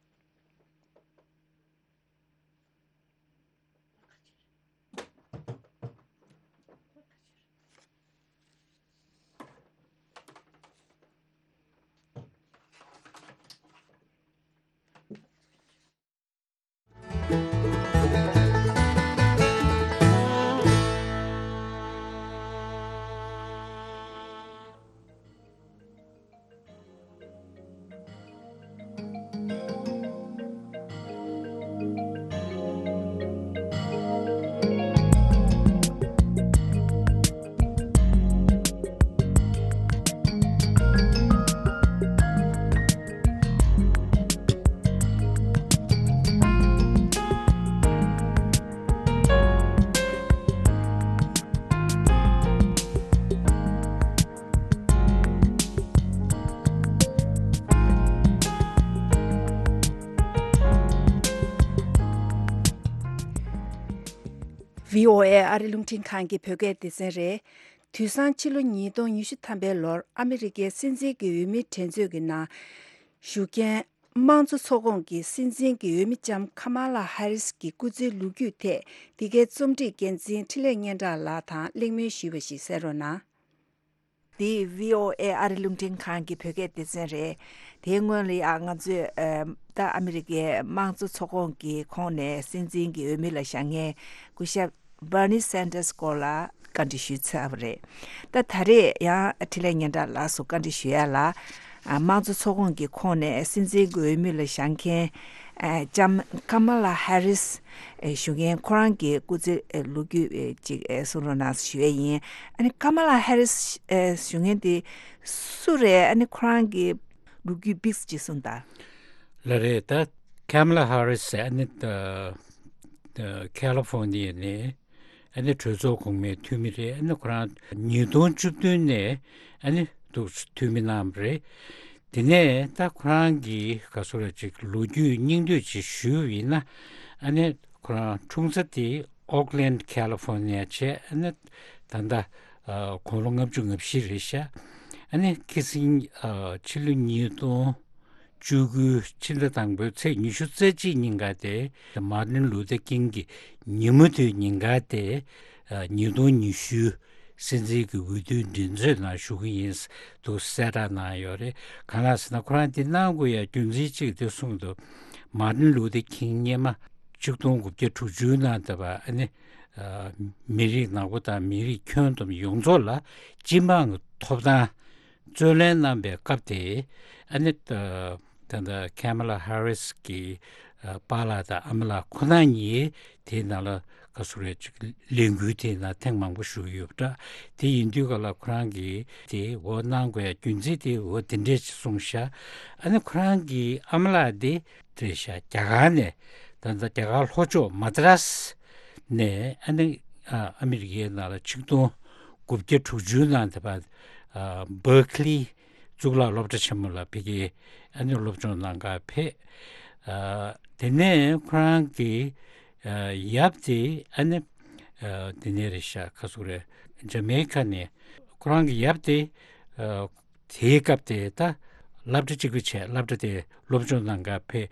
བྷི་ཨོ་ཨེ་ཨ་རི་རླུང་འཕྲིན་ཁང་གི་བོད་སྐད་སྡེ་ཚན་རེད། དུས་སང་ཕྱི་ལོ་ཉིས་སྟོང་ཉི་ཤུ་ཐམ་པའི་ལོར་ཨ་མི་རི་ཀའི་སྲིད་འཛིན་གྱི་འོས་མིའི་འགྲན་རྩོད་ཀྱི་ནང་ཞུགས་མཁན། དམངས་གཙོ་ཚོགས་ཁོངས་ཀྱི་སྲིད་འཛིན་གྱི་འོས་མི་ལྕམ་ཁ་མ་ལ་ཧ་རིས་ཀྱི་སྐུ་ཚེའི་ལོ་རྒྱུས་ཐད་འདི་གའི་རྩོམ་སྒྲིག་འགན་འཛིན་འཕྲིན་ལས་སྙན་གྲགས་ལགས་དང་གླེང་མོལ་ཞུས་པ་ཞིག་གསན་རོགས་གནང་། འདི་བྷི་ཨོ་ཨེ་ཨ་རི་རླུང་འཕྲིན་ཁང་གི་བོད་སྐད་སྡེ་ཚན་རེད། དེའི་སྔོན་ལ་ཡང་ང་ཚོས་ཨ་ད་ཨ་མི་རི་ཀའི་དམངས་གཙོ་ཚོགས་ཁོངས་ཀྱི་ཁོངས་ནས་སྲིད་འཛིན་གྱི་འོས་མི་ལ་བཞེངས་མཁན་སྐུ་ཞབས་Bernie Sanders་སྐོར་ལ་བཀའ་འདྲི་ཞུས་ཚར་བ་རེད། ད་ད་རེས་ཡང་འཕྲིན་ལས་སྙན་གྲགས་ལགས་སུ་བཀའ་འདྲི་ཞུ་ཡ་ལ། ཨ་དམངས་གཙོ་ཚོགས་ཁོངས་ཀྱི་ཁོངས་ནས་སྲིད་འཛིན་གྱི་འོས་མི་ལ་བཞེངས་མཁན་ཨ་ལྕམ་ཀ་མ་ལ་ཧ་རིས་ཨེ་ཞུ་མཁན་ཁོ་རང་གི་སྐུ་ཚེ་ཨེ་ལོ་རྒྱུས་ཨེ་ཅིག་ཨེ་གསུང་རོགས་གནང་ཞུ་ཡས་ཡིན། ཨ་ནི་ཀ་མ་ལ་ཧ་རིས་ཨེ་ཞུ་མཁན་དེ་སུ་རེད། ཨ་ནི་ཁོ་རང་གི་ལོ་རྒྱུས་པིགས་ཅིག་གསུངས་དང་། ལ་རེད། ད་ཀ་མ་ལ་ཧ་རིས་ཟེར་ཨ་ནི་ད་ད་ཁ་ལི་ཧྥོ་ནི་ཡ་ནས་ཨ་ནི་གྲོས་ཚོགས་གོང་མའི་འཐུས་མི་རེད། ཨ་ནི་ཁོ་རང་ཉིས་སྟོང་བཅུ་བདུན་ནས་ཨ་ནི་འདུག་འཐུས་མི་གནང་བ་རེད། དེ་ནས་ད་ཁོ་རང་གི་ག་སོ་ར་ཅིག་ལོ་རྒྱུས་སྙིང་བསྡུས་ཅིག་ཞུས་པ་ཡིན་ན། ཨ་ནི་ཁོ་རང་འཁྲུངས་ས་དེ་ཨོག་ལན་ཁ་ལི་ཧྥོ་ནི་ཡ་བྱས། ཨ་ནི་ད་ལྟ་ཨ་དགུང་ལོ་ལྔ་བཅུ་ང་བཞི་རེད་ཤག་ཨ་ནི་ཁི་སིང་ཨ་ཕྱི་ལོ་ཉིས་སྟོང་བཅུ་དགུ་ཕྱི་ཟླ་དང་པོའི་ཚེས་ཉི་ཤུ་རྩ་གཅིག་ཉིན་ག་དེ་མར་ཏིན་ལུ་ཐར་ཀིང་གི་ཉིན་མོ་དེའི་ཉིན་ག་དེ་ཨ་ཉིས་སྟོང་ཉི་ཤུ་སྲིད་འཛིན་གྱི་འོས་བསྡུའི་མགྲིན་ཚབ་ནང་ཞུགས་ཀྱི་ཡིན་འདུག་གསལ་བསྒྲགས་གནང་ཡོད་རེད། གང་ལགས་ཟེར་ན་ཁོ་རང་དེ་གནང་དགོས་ཡ་རྒྱུ་མཚན་གཅིག་དེ་གསུངས་འདུག་མར་ཏིན་ལུ་ཐར་ཀིང་སྔོན་མ་ཆིག་སྟོང་དགུ་བརྒྱ་དྲུག་ཅུ་ནང་དེ་བ་ཨ་ནི་ཨ་མི་རིགས་ནག་པོ་དང་མི་རིགས་ཁྱོན་བསྡོམས་ཡོངས་རྫོགས་ལ་སྤྱི་འབངས་ཀྱི་ཐོབ་ཐང་རྩོད་ལེན་གནང་པའི་སྐབས་དེ་ཨ་ནི་ད་ད་ལྟ་ཁ་མ་ལ་ཧ་རིས་ཀྱི་ཨ་པཱ་ལགས་དང་ཨ་མ་ལགས་ཁོ་ན་གཉིས་དེའི་ནང་ལ་ག་སུ་རེད་ཅིག་ལས་འགུལ་དེའི་ནང་ཐེངས་མང་པོ་ཞུགས་ཡོད་པ་འདྲ། དེ་ཡིན་དུས་ག་ལ་ཁོ་རང་གིས་དེ་འོ་གནང་དགོས་ཡ་རྒྱུ་མཚན་དེ་འོ་དེ་འདྲས་ཅིག་གསུངས་ཤག་ཨ་ནི་ཁོ་རང་གི་ཨ་མ་ལགས་དེ་རེད་ཤག་རྒྱ་གར་ནས་ད་ལྟ་རྒྱ་གར་ལྷོ་ཕྱོགས་མ་དྲ་སི་ནས་ཨ་ནི་ཨ་ཨ་མི་རི་ཀའི་ནང་ལ་ཆིག་སྟོང་དགུ་བརྒྱ་དྲུག་ཅུ་ནང་དེ་བར་ཨ་བར་ཁི་ལི་གཙུག་ལག་སློབ་གྲྭ་ཆེན་མོ་ལ་ཕ་གིའི་ཨ་ནི་སློབ་སྦྱོང་གནང་ག་ཕེབས། ཨ་དེ་ནས་ཁོ་རང་གི་ཨ་ཡབ་དེ་ཨ་ནི་ཨ་དེ་ནས་རེད་ཤག་ག་སུ་རེད། ཇ་མེ་ཀ་ནས་ཁོ་རང་གི་ཡབ་དེ་ཨ་དེའི་སྐབས་དེ་ད་སློབ་གྲྭ་གཅིག་པུ་བྱས། སློབ་གྲྭ་དེ་སློབ་སྦྱོང་གནང་ག་ཕེབས།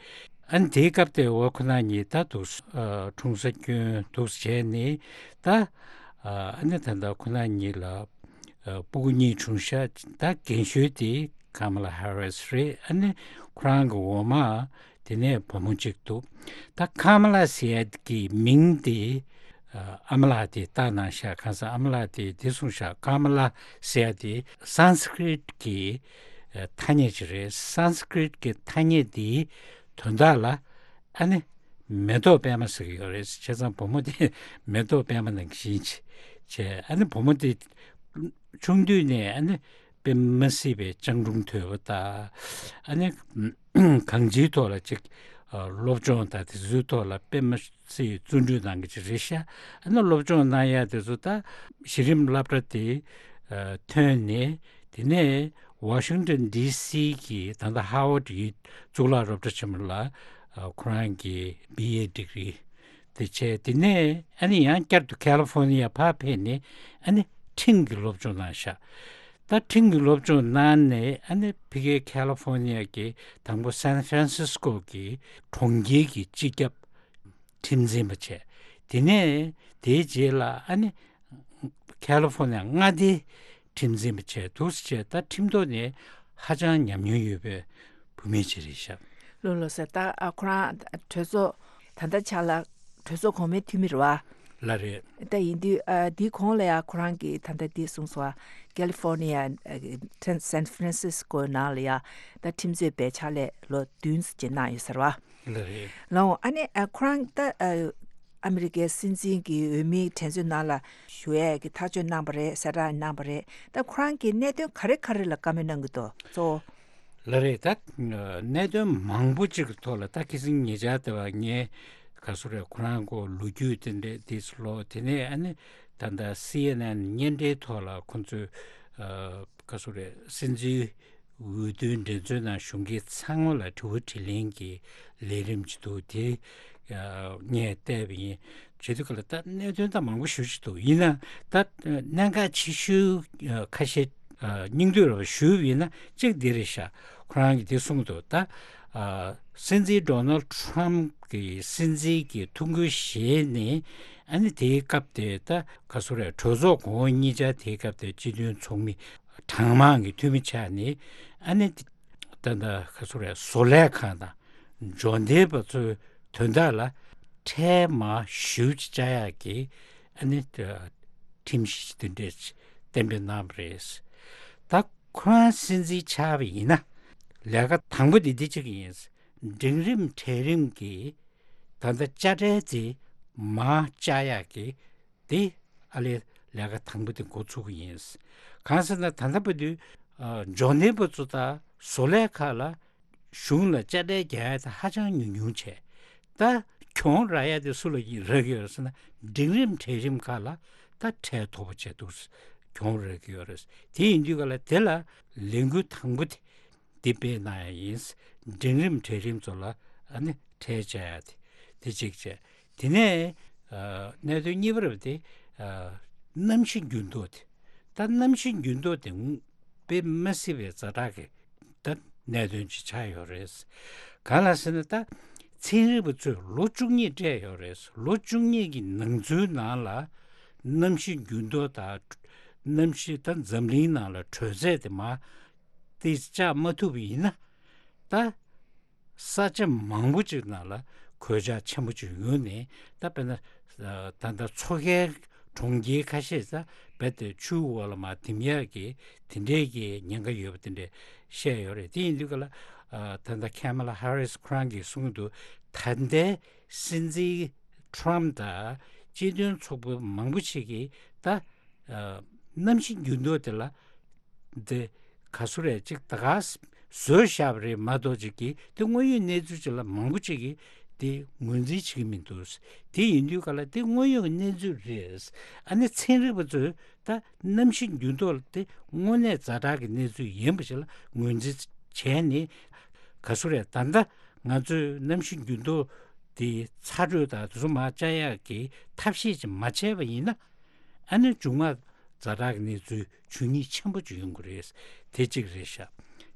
ཨ་ནི་དེའི་སྐབས་དེ་འོ་ཁོ་ན་གཉིས་ད་འདུག་ཨ་འཁྲུངས་ས་སྐྱོན་འདུག་བྱས་ནས་ད་ཨ་ནི་ད་ལྟ་ཁོ་ན་གཉིས་ལ་ཨ་སྤུ་གུ་གཉིས་བྱུང་ཤག་ད་རྒན་ཤོས་དེ་ཀ་མ་ལ་ཧ་རིས་རེད། ཨ་ནི་ཁོ་རང་གི་འོག་མ་དེ་ནས་བུ་མོ་གཅིག་འདུག་ད་ཀ་མ་ལ་ཟེར་ཡ་གི་མིང་དེ་ཨ་ཨ་མ་ལགས་དེས་བཏགས་གནང་ཤག་གང་ཟེར་ཨ་མ་ལགས་དེས་དེ་གསུངས་ཤག་ཀ་མ་ལ་ཟེར་ཡ་དེ་སཾ་སྐྲྀཏ་གི་ཨ་ཐ་སྙད་ཅིག་རེད། སཾ་སྐྲྀཏ་གི་ཐ་སྙད་དེའི་དོན་དག་ལ་ཨ་ནི་མེ་ཏོག་པད་མ་ཟེར་གྱི་ཡོད་རེད། བྱས་ཙང་བུ་མོ་དེ་མེ་ཏོག་པད་མ་ནང་བཞིན་བྱས། ཨ་ནི་བུ་མོ་དེ་ཆུང་དུས་ནས་ཨ་ནི་དཔེ་མ་སྲིད་པའི་སྤྱང་གྲུང་དོད་པོ་དང་། ཨ་ནི་གང་ཅིའི་ཐོག་ལ་ཅིག་ཨ་སློབ་སྦྱོང་དང་དེ་ཚོའི་ཐོག་ལ་དཔེ་མ་སྲིད་བརྩོན་འགྲུས་གནང་གི་ཅིག་རེད་ཤག་ཨ་ནི་སློབ་སྦྱོང་གནང་ཡ་དེ་ཚོ་ད་གཞི་རིམ་སློབ་གྲྭ་དེ་ཨ་ཐོན་ནས། དེ་ནས་ཝ་ཤིང་ཏོན་ཌི་སི་གི་ད་ལྟ་ཧ་ཝར་ཌི་ཡི་གཙུག་ལག་སློབ་གྲྭ་ཆེན་མོ་ལ་ཨ་ཁོ་རང་གི་བི་ཨེ་ཌི་གི་རི་དེ་བྱས། དེ་ནས་ཨ་ནི་ཡང་བསྐྱར་དུ་ཁ་ལི་ཧྥོ་ནི་ཡ་ཕར་ཕེབས་ནས་ཨ་ནི་ཁྲིམས་ཀྱི་སློབ་སྦྱོང་གནང་ཤག་ད་ཁྲིམས་ཀྱི་སློབ་སྦྱོང་གནང་ནས་ཨ་ནི་ཕ་གིའི་ཁ་ལི་ཧྥོ་ནི་ཡ་གི་དང་པོ་སན་ཧྥ་རན་སིས་ཀོ་གི་གྲོང་ཁྱེར་གྱི་སྤྱི་ཁྱབ་ཁྲིམས་འཛིན་པ་བྱས། དེ་ནས་དེའི་རྗེས་ལ་ཨ་ནི་ཁ་ལི་ཧྥོ་ནི་ཡ་མངའ་སྡེའི་ཁྲིམས་འཛིན་པ་བྱས་འདུག་སེ་བྱས། ད་ཁྲིམས་ཐོག་ནས་ཧ་ཅང་ཉམས་མྱོང་ཡོད་པའི་བུད་མེད་ཅིག་རེད་ཤག་ལགས་ལགས་སོ། ད་ཨ་ཁོ་རང་གྲོས་ཚོགས་ད་ལྟ་ཆ་ལ་གྲོས་ཚོགས་གོང་མའི་འཐུས་མི་རེད་བ། ལགས་རེད། ད་ཡིན་དུས་ཨ་འདིའི་གོང་ལ་ཡ་ཁོ་རང་གིས་ད་ལྟ་འདི་གསུངས་སོང་བ། ཁ་ལི་ཧྥོ་ནི་ཡ་ཨ་སན་ཧྥ་རན་སིས་ཀོ་ནང་ལ་ཡ་ད་ཁྲིམས་རྩོད་པའི་ཕྱག་ལས་ལོ་བདུན་ཙམ་ཅིག་གནང་ཡོད་ཟེར་བ། ལགས་རེད། ལགས་འོང་། ཨ་ནི་ཨ་ཁོ་རང་ད་ཨ་ཨ་མི་རི་ཀའི་སྲིད་འཛིན་གྱི་འོས་མིའི་དྲན་གསོའི་ནང་ལ་ཞུགས་ཡས་ཀྱི་ཐག་གཅོད་གནང་པ་རེད། གསལ་བསྒྲགས་གནང་པ་རེད། ད་ཁོ་རང་གིས་གནད་དོན་ག་རེ་ག་རེ་ལ་བཀའ་མོལ་གནང་གི་འདུག་གཙོ་བོ། ལགས་རེད། ད་གནད་དོན་མང་པོ་ཅིག་གི་ཐོག་ལ་ད་ཁ་སང་ཉེ་ཆར་དེ་བ་ངས་ག་སུ་རེད། ཁོ་རང་གོ་ལོ་རྒྱུས་དེ་འདྲས་དེ་ཚོ་ཀློག་དེ་ནས་ཨ་ནི་ད་ལྟ་སི་ཨེན་ཨེན་བརྙན་འཕྲིན་ཐོག་ལ་ཁོ་ཚོས་ཨ་ག་སུ་རེད། སྲིད་འཛིན་འོས་བསྡུའི་འགྲན་རྩོད་ནང་ཞུགས་མཁན་ཚང་མ་ལ་དྲི་བ་དྲིས་ལན་གྱི་ལས་རིམ་ཅིག་འདུག་དེ་ཨ་ངས་བལྟས་པ་ཡིན། བྱེད་དུས་ག་ལ་ད་གནད་དོན་ད་མང་པོ་ཞེ་ཅིག་འདུག་ཡིན་ན་ད་གནད་འགག་ཆེ་ཤོས་ཨ་ཁ་ཤས་ཨ་སྙིང་བསྡུས་ར་ཞུས་པ་ཡིན་ན་གཅིག་འདི་རེད་ཤག་ཁོ་རང་གིས་དེ་གསུངས་འདུག་ད་ཨ་སྲིད་འཛིན་ཌོ་ནལ་ཌི་ཊརམ་གྱི་སྲིད་འཛིན་གྱི་ཐུགས་འགན་བཞེས་ནས། ཨ་ནི་དེའི་སྐབས་དེ་ད་ག་སུ་རེད། གྲོས་ཚོགས་གོང་འོག་གཉིས་ཆར་དེའི་སྐབས་དེ་སྤྱི་མཐུན་ཚོགས་མི་གྲངས་མང་གི་འཐུས་མི་ཆགས་ནས། ཨ་ནི་ད་ད་ག་སུ་རེད། བཟོ་ལས་ཁང་དང་འབྱོར་ལྡན་པ་ཚོའི་དོན་དག་ལ་ཁྲལ་མར་ཞེ་པོ་ཅིག་བཅག་ཡག་གི་ཨ་ནི་ཁྲིམས་གཞི་དེ་འདྲས་གཏན་འབེབས་གནང་བ་རེད། ད་ཁོ་རང་སྲིད་འཛིན་ཆགས་པ་ཡིན་ན། ལས་ཀ་དང་པོ་དེ་འདི་གཅིག་ཡིན། འབྲིང་རིམ་གྲལ་རིམ་གྱི་ད་ལྟ་དཔྱ་ཁྲལ་དེ་མར་བཅག་ཡག་གི་དེ་ཨ་ལས་ལས་ཀ་དང་པོ་དེ་འགོ་ཚུགས་ཀྱི་ཡིན། གང་ཟེར་ན། ད་ལྟ་བར་དུ་ཨ་འབྱོར་ལྡན་པ་ཚོ་དང་བཟོ་ལས་ཁག་ལ་གཞུང་ལ་དཔྱ་ཁྲལ་རྒྱག་ཡ་དེ་ཧ་ཅང་ཉུང་ཉུང་བྱས། ད་གྱོང་རག་ཡ་དེ་སུ་ལ་རག་གི་ཡོད་ཟེར་ན། འབྲིང་རིམ་གྲལ་རིམ་ཁག་ལ་ད་ཁྲལ་མཐོ་པོ་བྱས་འདུག་གྱོང་རག་གི་ཡོད་རེད། དེ་ཡིན་དུས་ག་ལ་དེ་ལ་ལས་འགུལ་དང་པོ་དེ་འདི་སྤེལ་གནང་ཡ་ཡིན། འབྲིང་རིམ་གྲལ་རིམ་ཚོ་ལ་ཨ་ནི་ཁྲལ་བཅག་ཡ་དེ་དེ་གཅིག་བྱས། དེ་ནས་ཨ་གནད་དོན་གཉིས་པ་རེད་པ། དེ་ཨ་གནམ་གཤིས་འགྱུར་ལྡོག་དེ། ད་གནམ་གཤིས་འགྱུར་ལྡོག་དེ་དཔེ་མི་སྲིད་པའི་ཛ་དྲག་གི་ད་གནད་དོན་ཅིག་ཆགས་ཡོད་རེད། གང་ལ་ཟེར་ན། ད་ཚན་རིག་པ་ཚོས་ལོ་བཅུ་གཉིས་སྤྲད་ཡོད་རེད། ལོ་བཅུ་གཉིས་ཀྱི་ནང་ཚུད་ནང་ལ་གནམ་གཤིས་འགྱུར་ལྡོག་དང་། གནམ་གཤིས་ད་འཛམ་གླིང་ནང་ལ་དྲོད་ཚད་དེ་མར་ཏོག་ཙམ་བཅག་མ་ཐུབ་པ་ཡིན་ན། ད་ས་ཆ་མང་པོ་ཅིག་ནང་ལ་གོད་ཆག་ཆེན་པོ་ཅིག་ཡོང་ནས། ད་དཔེར་ན་ད་ལྟ་མཚོ་ཁའི་གྲོང་ཁྱེར་ཁ་ཤས་ད་རྦད་དེ་ཆུའི་འོག་ལ་མར་ཐིམ་ཡག་གི་དེ་འདྲའི་གི་ཉེན་ཁ་ཡོད་པ་དེ་འདྲ་བཤད་ཡོད་རེད། དེ་ཡིན་དུས་ག་ལ་ཨ་ད་ལྟ་ཁེ་མ་ལ་ཧ་རིས་ཁོ་རང་གིས་གསུངས་འདུག་ད་ལྟའི་སྲིད་འཛིན་ཊརམ་དང་སྤྱི་མཐུན་ཚོགས་པ་མང་པོ་ཞིག་གིས་ད་ཨ་གནམ་གཤིས་འགྱུར་ལྡོག་དེ་ལ་དེ་ག་སུ་རེད། ཅིག་ད་ག་བཟོས་བཞག་པ་རེད་མ་གཏོགས། ཅིག་གིས་དེ་དངོས་ཡོད་གནས་ཚུལ་ཅིག་ལ་མང་པོ་ཅིག་གིས་དེ་ངོས་འཛིན་བྱེད་ཀྱི་མི་འདུག་དེ་ཡིན་དུས་ག་ལ་དེ་དངོས་ཡོད་ཀྱི་གནས་ཚུལ་རེད། ཨ་ནི་ཚན་རིག་པ་ཚོས་ད་གནམ་གཤིས་འགྱུར་ལྡོག་དེ་དངོས་གནས་ཛ་དྲག་གི་གནས་ཚུལ་ཡིན་པ་ཞིག་ལ་ངོས་འཛིན་བྱས་ནས། ག་སུ་རེད། ད་ལྟ་ང་ཚོས་གནམ་གཤིས་འགྱུར་ལྡོག་དེ་ཚ་དྲོད་དང་དེ་ཚོ་མར་བཅག་ཡག་གི་ཐབས་ཤེས་ཅིག་མ་བྱས་པ་ཡིན་ན། ཨ་ནི་མཇུག་མ་ཛ་དྲག་གི་གནས་ཚུལ་འབྱུང་ཉེན་ཆེན་པོ་ཅིག་ཡོང་གི་རེད། དེ་གཅིག་རེད་ཤག་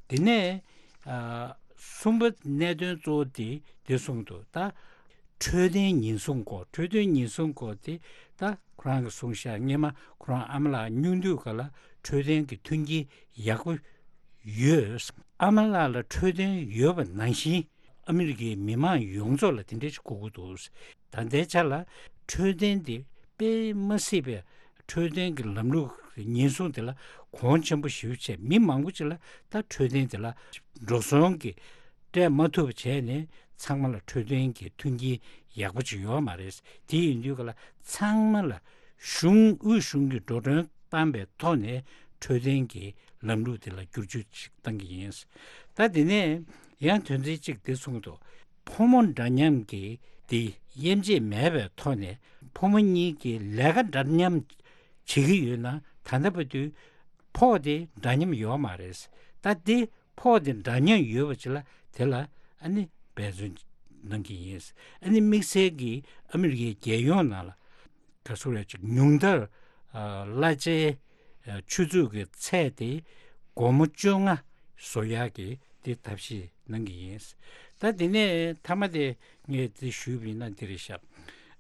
དེ་ནས་ཨ་གསུམ་པ་གནད་དོན་གཙོ་བོ་དེ་དེ་གསུངས་འདུག་ད་འཕྲོད་བསྟེན་ཉེན་སྲུང་སྐོར། འཕྲོད་བསྟེན་ཉེན་སྲུང་སྐོར་དེ་ད་ཁོ་རང་གིས་གསུངས་ཤག་སྔོན་མ་ཁོ་རང་ཨ་མ་ལགས་སྙུང་དུས་ག་ལ་འཕྲོད་བསྟེན་གྱི་མཐུན་རྐྱེན་ཡག་པོ་ཡོད། ཨ་མ་ལགས་ལ་འཕྲོད་བསྟེན་ཡོད་པ་ནང་བཞིན་ཨ་མི་རི་ཀའི་མི་མང་ཡོངས་རྫོགས་ལ་དེ་འདྲ་ཞིག་དགོས་ཀྱི་འདུག་ད་ལྟའི་ཆ་ལ་འཕྲོད་བསྟེན་དེ་དཔེ་མ་སྲིད་པའི། འཕྲོད་བསྟེན་གྱི་ལམ་ལུགས་ཉེན་སྲུང་དེ་ལ་གོང་ཆེན་པོ་ཞེ་པོ་བྱས། མི་མང་པོ་ཅིག་ལ་ད་འཕྲོད་བསྟེན་དེ་ལ་འགྲོ་སོང་གི་སྤྲད་མ་ཐུབ་པ་བྱས་ནས། ཚང་མ་ལ་འཕྲོད་བསྟེན་གྱི་མཐུན་རྐྱེན་ཡག་པོ་ཅིག་ཡོད་མ་རེད། དེ་ཡིན་དུས་ག་ལ་ཚང་མ་ལ་གཞུང་། དབུས་གཞུང་གིས་འགྲོ་གྲོན་བཏང་པའི་ཐོག་ནས་འཕྲོད་བསྟེན་གྱི་ལམ་ལུགས་དེ་ལ་བསྒྱུར་བཅོས་ཅིག་བཏང་གི་ཡིན། ད་དེ་ནས་ཡང་དོན་ཚན་གཅིག་དེ་གསུངས་འདུག་ཕོ་མོ་འདྲ་མཉམ་གྱི་དེ་དབྱེ་འབྱེད་མེད་པའི་ཐོག་ནས། ཕོ་མོ་གཉིས་ཀྱིས་ལས་ཀ་འདྲ་མཉམ་བྱེད་ཀྱི་ཡོད་ན། ད་ལྟ་བར་དུ་ཕོགས་དེ་འདྲ་མཉམ་ཡོད་མ་རེད། ད་དེ་ཕོགས་དེ་འདྲ་མཉམ་ཡོད་པ་ཅིག་ལ་དེ་ལ་ཨ་ནི་འབད་བརྩོན་གནང་གི་ཡིན། ཨ་ནི་དམིགས་བསལ་གྱིས་ཨ་མི་རི་ཀའི་རྒྱལ་ཡོངས་ནང་ལ་ག་ཚོད་རེད། ཅིག་ཉུང་མཐར་ཨ་གླ་ཆའི་ཨ་ཆུ་ཚོད་ཀྱི་ཚད་དེ་སྒོར་མོ་བཅོ་ལྔ་བཟོ་ཡག་གི་དེ་ཐབས་ཤེས་གནང་གི་ཡིན། ད་དེ་ནས་མཐའ་མ་དེ་ངས་དེ་ཞུས་པ་ཡིན་ན་འདི་རེད་ཤག་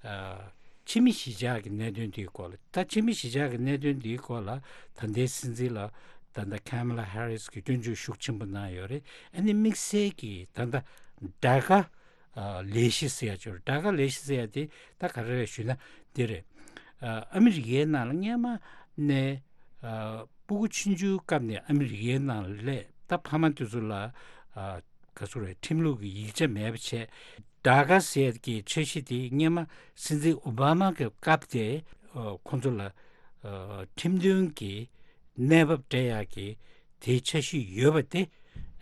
ཨ་ཕྱི་མི་གཞིས་ཆགས་ཀྱི་གནད་དོན་དེའི་སྐོར་ལ། ད་ཕྱི་མི་གཞིས་ཆགས་ཀྱི་གནད་དོན་དེའི་སྐོར་ལ་ད་ལྟའི་སྲིད་འཛིན་ལ་ད་ལྟ་ཁ་མ་ལ་ཧ་རིས་ཀྱིས་སྐྱོན་བརྗོད་ཤུགས་ཆེན་པོ་གནང་ཡོད་རེད། ཨ་ནི་དམིགས་བསལ་གྱིས་ད་ལྟ་ཌ་ཀ་ཨ་ལས་གཞི་ཟེར་ཡ་ཅིག་ཡོད་རེད། ཌ་ཀ་ལས་གཞི་ཟེར་ཡ་དེ་ད་ག་རེ་རེད་ཞུས་ན་འདི་རེད། ཨ་ཨ་མི་རི་ཀའི་ནང་ལ་སྔོན་མ་ནས་ཨ་སྤུ་གུ་ཆུང་ཆུང་སྐབས་ནས་ཨ་མི་རི་ཀའི་ནང་ལ་སླེབས། ད་ཕ་མ་དེ་ཚོ་ལ་ཨ་ག་ཚོད་རེད། ཁྲིམས་ལུགས་ཀྱི་ཡིག་ཆ་མེད་པ་བྱས། ཌ་ཀ་ཟེར་གྱི་འཆར་གཞི་དེ་སྔོན་མ་སྲིད་འཛིན་ཨོ་བྷ་མ་གི་སྐབས་དེ་ཨ་ཁོང་ཚོ་ལ་ཨ་ཁྲིམས་མཐུན་གྱི་གནས་བབ་སྤྲད་ཡག་གི་དེའི་འཆར་གཞི་ཡོད་པ་དེ།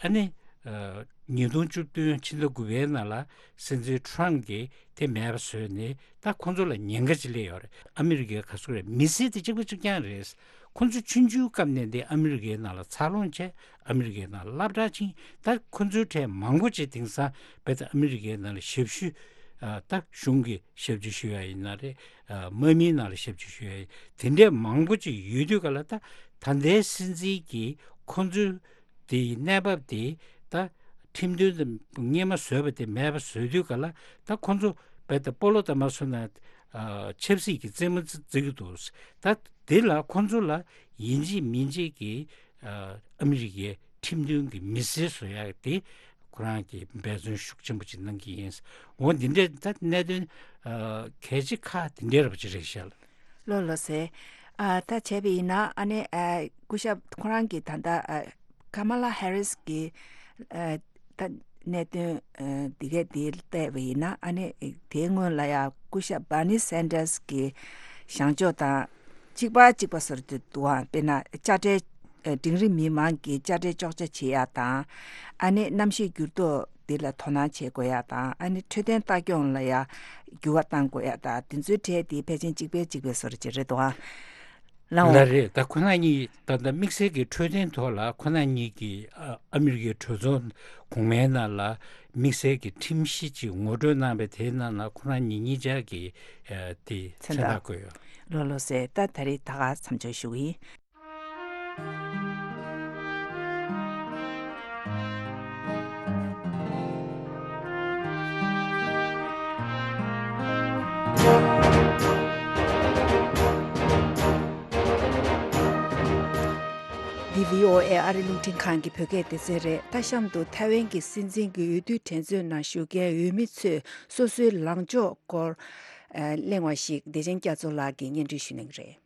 ཨ་ནི་ཨ་ཉིས་སྟོང་བཅུ་བདུན་ཕྱི་ཟླ་དགུ་པའི་ནང་ལ་སྲིད་འཛིན་ཊརམ་གྱིས་དེ་མེད་པ་བཟོས་ནས། ད་ཁོང་ཚོ་ལ་ཉེན་ཁ་ཅིག་སླེབས་ཡོད་རེད། ཨ་མི་རི་ཀའི་ག་ཚོད་རེད། མི་སེར་དེ་གཅིག་པ་གཅིག་རྐྱང་རེད། ཁོང་ཚོ་ཆུང་ཆུང་སྐབས་ནས་དེ་ཨ་མི་རི་ཀའི་ནང་ལ་འཚར་ལོངས་བྱས། ཨ་མི་རི་ཀའི་ནང་ལ་སློབ་གྲྭ་ཕྱིན། ད་ཁོ་ཚོའི་གྲས་མང་པོ་ཅིག་དེང་སང་རྦད་དེ་ཨ་མི་རི་ཀའི་ནང་ལ་ཞབས་ཞུ། ཨ་ད་གཞུང་གི་ཞབས་ཕྱི་ཞུ་ཡ་ཡིན་ན་རེད། ཨ་དམག་མིའི་ནང་ལ་ཞབས་ཕྱི་ཞུ་ཡ་ཡིན། དེ་འདྲས་མང་པོ་ཅིག་ཡོད་དུས་ག་ལ། ད་ད་ལྟའི་སྲིད་འཛིན་གྱིས་ཁོ་ཚོའི་དེའི་གནས་བབ་དེ་ ད་ཁྲིམས་མཐུན་དུ་སྔོན་མ་བཟོས་པ་དེ་མེད་པ་བཟོས་དུས་ག་ལ། ད་ཁོ་ཚོ་རྦད་དེ་སྤོ་ལོ་ལྟ་མ་བཟོས་ན་ཆབ་སྲིད་ཀྱི་རྩེད་མོ་རྩེ་གི་འདུག་ད་དེ་ལ་ཁོ་ཚོ་ལ་ཡིན་གཅིག་མིན་གཅིག་གི་ཨ་མི་རི་ཀའི་ཁྲིམས་མཐུན་གྱི་མི་སེར་བཟོ་ཡག་དེ་ཁོ་རང་གིས་འབད་བརྩོན་ཤུགས་ཆེན་པོ་ཅིག་གནང་གི་ཡིན། འོ་འདི་འདྲའི་ད་གནད་དོན་ཨ་གལ་ཆེ་ཁག་དེ་འདྲའི་ར་བ་ཅིག་རེད་ཤག་ལགས། ལགས་ལགས་སེ། ཨ་ད་བྱས་པ་ཡིན་ན་ཨ་ནི་ཨ་སྐུ་ཞབས་ཁོ་རང་གིས་ད་ལྟ་ཨ་ཀ་མ་ལ་ཧེ་རིས་ཀྱི་ཨ་ད་གནད་དོན་ཨ་འདི་གས་འདི་བལྟས་པ་ཡིན་ན་ཨ་ནི་དེའི་སྔོན་ལ་ཡང་སྐུ་ཞབས་བྷར་ནི་སན་ཌར་སི་གི་བཞེངས་ཕྱོགས་དང་གཅིག་པ་གཅིག་པ་བཟོ་འདུག་ཨ། དཔེར་ན་དཔྱ་ཁྲལ་ཨ་འབྲིང་རིམ་མི་མང་གི་དཔྱ་ཁྲལ་གཅོག་ཆ་བྱེད་ཡག་དང་ཨ་ནི་གནམ་གཤིས་འགྱུར་ལྡོག་འདི་ལ་དོ་སྣང་བྱེད་དགོས་ཡག་དང་ཨ་ནི་འཕྲོད་བསྟེན་ལྟ་སྐྱོང་ལ་ཡང་འགྱུར་བ་གཏང་དགོས་ཡག་དང་དེ་ཚོའི་གྲས་དེ་ཕལ་ཆེར་གཅིག་པའི་གཅིག་པའི་བཟོ་འདྲ་ཅིག་རེད་འདུག་ཨ། ལགས་འོང་། ལགས་རེད། ད་ཁོ་ན་གཉིས་ད་ལྟ་དམིགས་བསལ་གྱི་འཕྲོད་བསྟེན་ཐོག་ལ་ཁོ་ན་གཉིས་ཀྱིས་ཨ་ཨ་མི་རི་ཀའི་གྲོས་ཚོགས་གོང་མའི་ནང་ལ་དམིགས་བསལ་གྱི་ཁྲིམས་གཞི་ཅིག་ངོ་སྤྲོད་གནང་བའི་དེའི་ནང་ལ་ཁོ་ན་གཉིས་གཉིས་ཆ་གི་ཨ་དེ་མཚན་མཚན་རྟགས་རྟགས་བཀོད་ཡོད། ལགས་ལགས་སེ། ད་ད་རེས་ད་ག་མཚམས་འཇོག་ཞུ་གི་ཡིན། འདི་བྷི་ཨོ་ཨེ་ཨ་རི་རླུང་འཕྲིན་ཁང་གི་བོད་སྐད་སྡེ་ཚན་རེད། ད་གཤམ་དུ་ཐའེ་ཝན་གྱི་སྲིད་འཛིན་གྱི་འོས་བསྡུའི་འགྲན་རྩོད་ནང་ཞུགས་མཁན་འོས་མི་ཚོས་སོ་སོའི་ལངས་ཕྱོགས་སྐོར་ཨ་གླེང་བ་ཞིག་བདེ་ཆེན་རྒྱ་མཚོ་ལགས་ཀྱིས་སྙན་སྒྲོན་ཞུ་གནང་གི་རེད།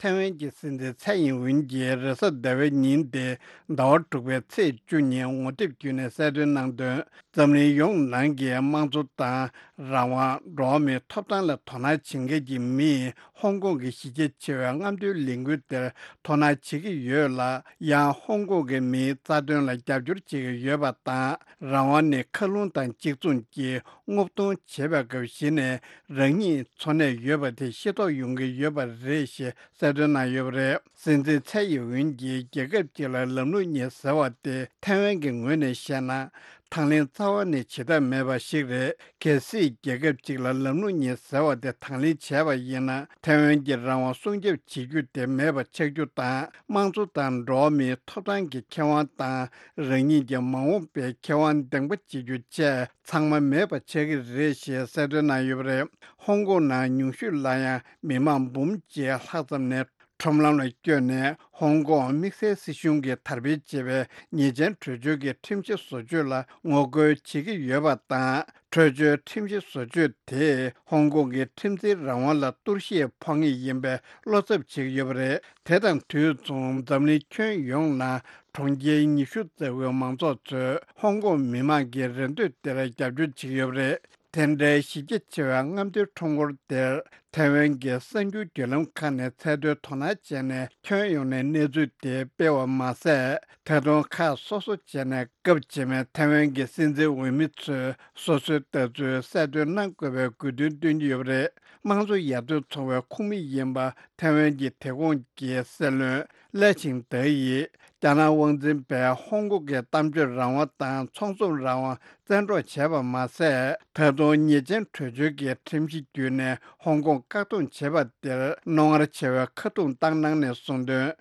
ཐའེ་ཝན་གྱི་སྲིད་འཛིན་ཚའེ་ཡིན་ཝུན་གྱིས་རེས་གཟའ་ཟླ་བའི་ཉིན་ཏེ་ཟླ་བ་དྲུག་པའི་ཚེས་བཅུ་ཉིན་ངོ་དེབ་བརྒྱུད་ནས་གསལ་སྟོན་གནང་དོན། འཛམ་གླིང་ཡོངས་ནང་གི་དམངས་གཙོ་དང་རང་དབང་། འགྲོ་བ་མིའི་ཐོབ་ཐང་ལ་དོ་སྣང་བྱེད་མཁན་གྱི་མིས་ཧོང་ཀོང་གི་གཞི་རྒྱ་ཆེ་བའི་རྔམ་སྟོན་ལས་འགུལ་དེར་དོ་སྣང་བྱེད་ཀྱི་ཡོད་ལ། ཡང་ཧོང་ཀོང་གི་མིའི་རྩ་དོན་ལ་རྒྱབ་སྐྱོར་བྱེད་ཀྱི་ཡོད་པ་དང་། རང་དབང་ནི་མཁའ་རླུང་དང་གཅིག་མཚུངས་ཀྱིས་སྔོག་འདོན་བྱེད་པའི་སྐབས་གཞི་ནས་རང་ཉིད་འཚོ་གནས་ཡོད་པ་དེ་ཤེས་རྟོགས་ཡོང་གི་ཡོད་པ་རེད་ཞེས་གསལ་སྟོན་གནང་ཡོད་པ་རེད། སྲིད་འཛིན་ཚའེ་ཡིན་ཝུན་གྱིས་རྒྱལ་ཁབ་ཅིག་ལ་ལམ་ལུགས་གཉིས་ཟེར་བ་དེ་ཐའེ་ཝན་གྱི་ངོས་ནས་བཤད་ན། དང་ལེན་རྩ་བ་ནས་བྱེད་ཐབས་མེད་པ་ཞིག་རེད། གལ་སྲིད་རྒྱལ་ཁབ་ཅིག་ལ་ལམ་ལུགས་གཉིས་ཟེར་བ་དེ་དང་ལེན་བྱས་པ་ཡིན་ན། ཐའེ་ཝན་གྱི་རང་དབང་སྲུང་སྐྱོབ་བྱེད་རྒྱུ་དེ་མེད་པ་ཆགས་རྒྱུ་དང་། དམངས་གཙོ་དང་འགྲོ་བ་མིའི་ཐོབ་ཐང་གི་ཁེ་དབང་དང་། རང་ཉིད་ཀྱི་མ་འོངས་པའི་ཁེ་དབང་འདེང་པ་བྱེད་རྒྱུ་བཅས་ཚང་མ་མེད་པ་ཆགས་ཀྱི་རེད་ཞེས་གསལ་སྟོན་གནང་ཡོད་པ་རེད། ཧོང་ཀོང་ནང་ཉུང་ཤོས་ལ་ཡང་མི་མང་འབུམ་གཅིག་ལྷག་ཙམ་ནས་ཁྲོམ་ལམ་ལ་བསྐྱོད་ནས། ཧོང་ཀོང་དམིགས་བསལ་སྲིད་གཞུང་གིས་དར་སྤེལ་བྱེད་པའི་ཉེས་ཅན་བྲོས་བྱོལ་གྱི་ཁྲིམས་གཞི་བཟོ་བཅོས་ལ་ངོ་རྒོལ་བྱེད་ཀྱི་ཡོད་པ་དང་། བྲོས་བྱོལ་ཁྲིམས་གཞི་བཟོ་བཅོས་དེས་ཧོང་ཀོང་གི་ཁྲིམས་འཛིན་རང་དབང་ལ་གཏོར་བཤིག་ཕོག་ངེས་ཡིན་པའི་བློ་འཚབ་བྱེད་ཀྱི་ཡོད་པ་རེད། དེ་དང་དུས་མཚུངས་འཛམ་གླིང་ཁྱོན་ཡོངས་ནང་གྲོང་ཁྱེར་ཉི་ཤུ་ཙམ་གྱི་མང་ཚོགས་ཚོས་ཧོང་ཀོང་མི་མང་གི་རེ་འདོད་དེར་རྒྱབ་སྐྱོར་བྱེད་ཀྱི་ཡོད་པ་རེད། དེ་འདྲའི་གཞི་རྒྱ་ཆེ་བའི་རྔམ་སྟོན་ཁྲོམ་སྐོར་དེར་ཐའེ་ཝན་གྱི་གསར་འགྱུར་བརྒྱུད་ལམ་ཁག་ནས་ཚད་མཐོའི་དོ་སྣང་བྱས་ནས་ཁྱོན་ཡོངས་ནས་གནས་ཚུལ་དེ་སྤེལ་བ་མ་ཟད། ད་དུང་ཁག་སོ་སོ་བྱས་ནས་སྐབས་རྗེས་མའི་ཐའེ་ཝན་གྱི་སྲིད་འཛིན་འོས་མི་ཚོས་སོ་སོའི་ལྟ་ཚུལ་གསལ་སྟོན་གནང་དགོས་པའི་དགོས་འདུན་བཏོན་གྱི་ཡོད་པ་རེད། དམངས་གཙོ་ཡར་ཐོན་ཚོགས་པའི་ཁོངས་མི་ཡིན་པ་ཐའེ་ཝན་གྱི་དེ་གོང་གི་སྲིད་བློན་ལེ་ཆིང་ཏེ་ཡིས། རྒྱ་ནག་དབང་འཛིན་པས་ཧོང་ཀོང་གི་གཏམ་བརྗོད་རང་དབང་དང་ཚོགས་འཛོམས་རང་དབང་བཙན་འཕྲོག་བྱས་པ་མ་ཟད། ད་དུང་ཉེས་ཅན་བྲོས་བྱོལ་གྱི་ཁྲིམས་གཞི་བརྒྱུད་ནས་ཧོང་ཀོང་བཀག་སྡོམ་བྱས་པ་དེར་རྣོ་ངར་ཆེ་བའི་ཁ་རྡུང་བཏང་གནང་ནས་གསུངས་དོན།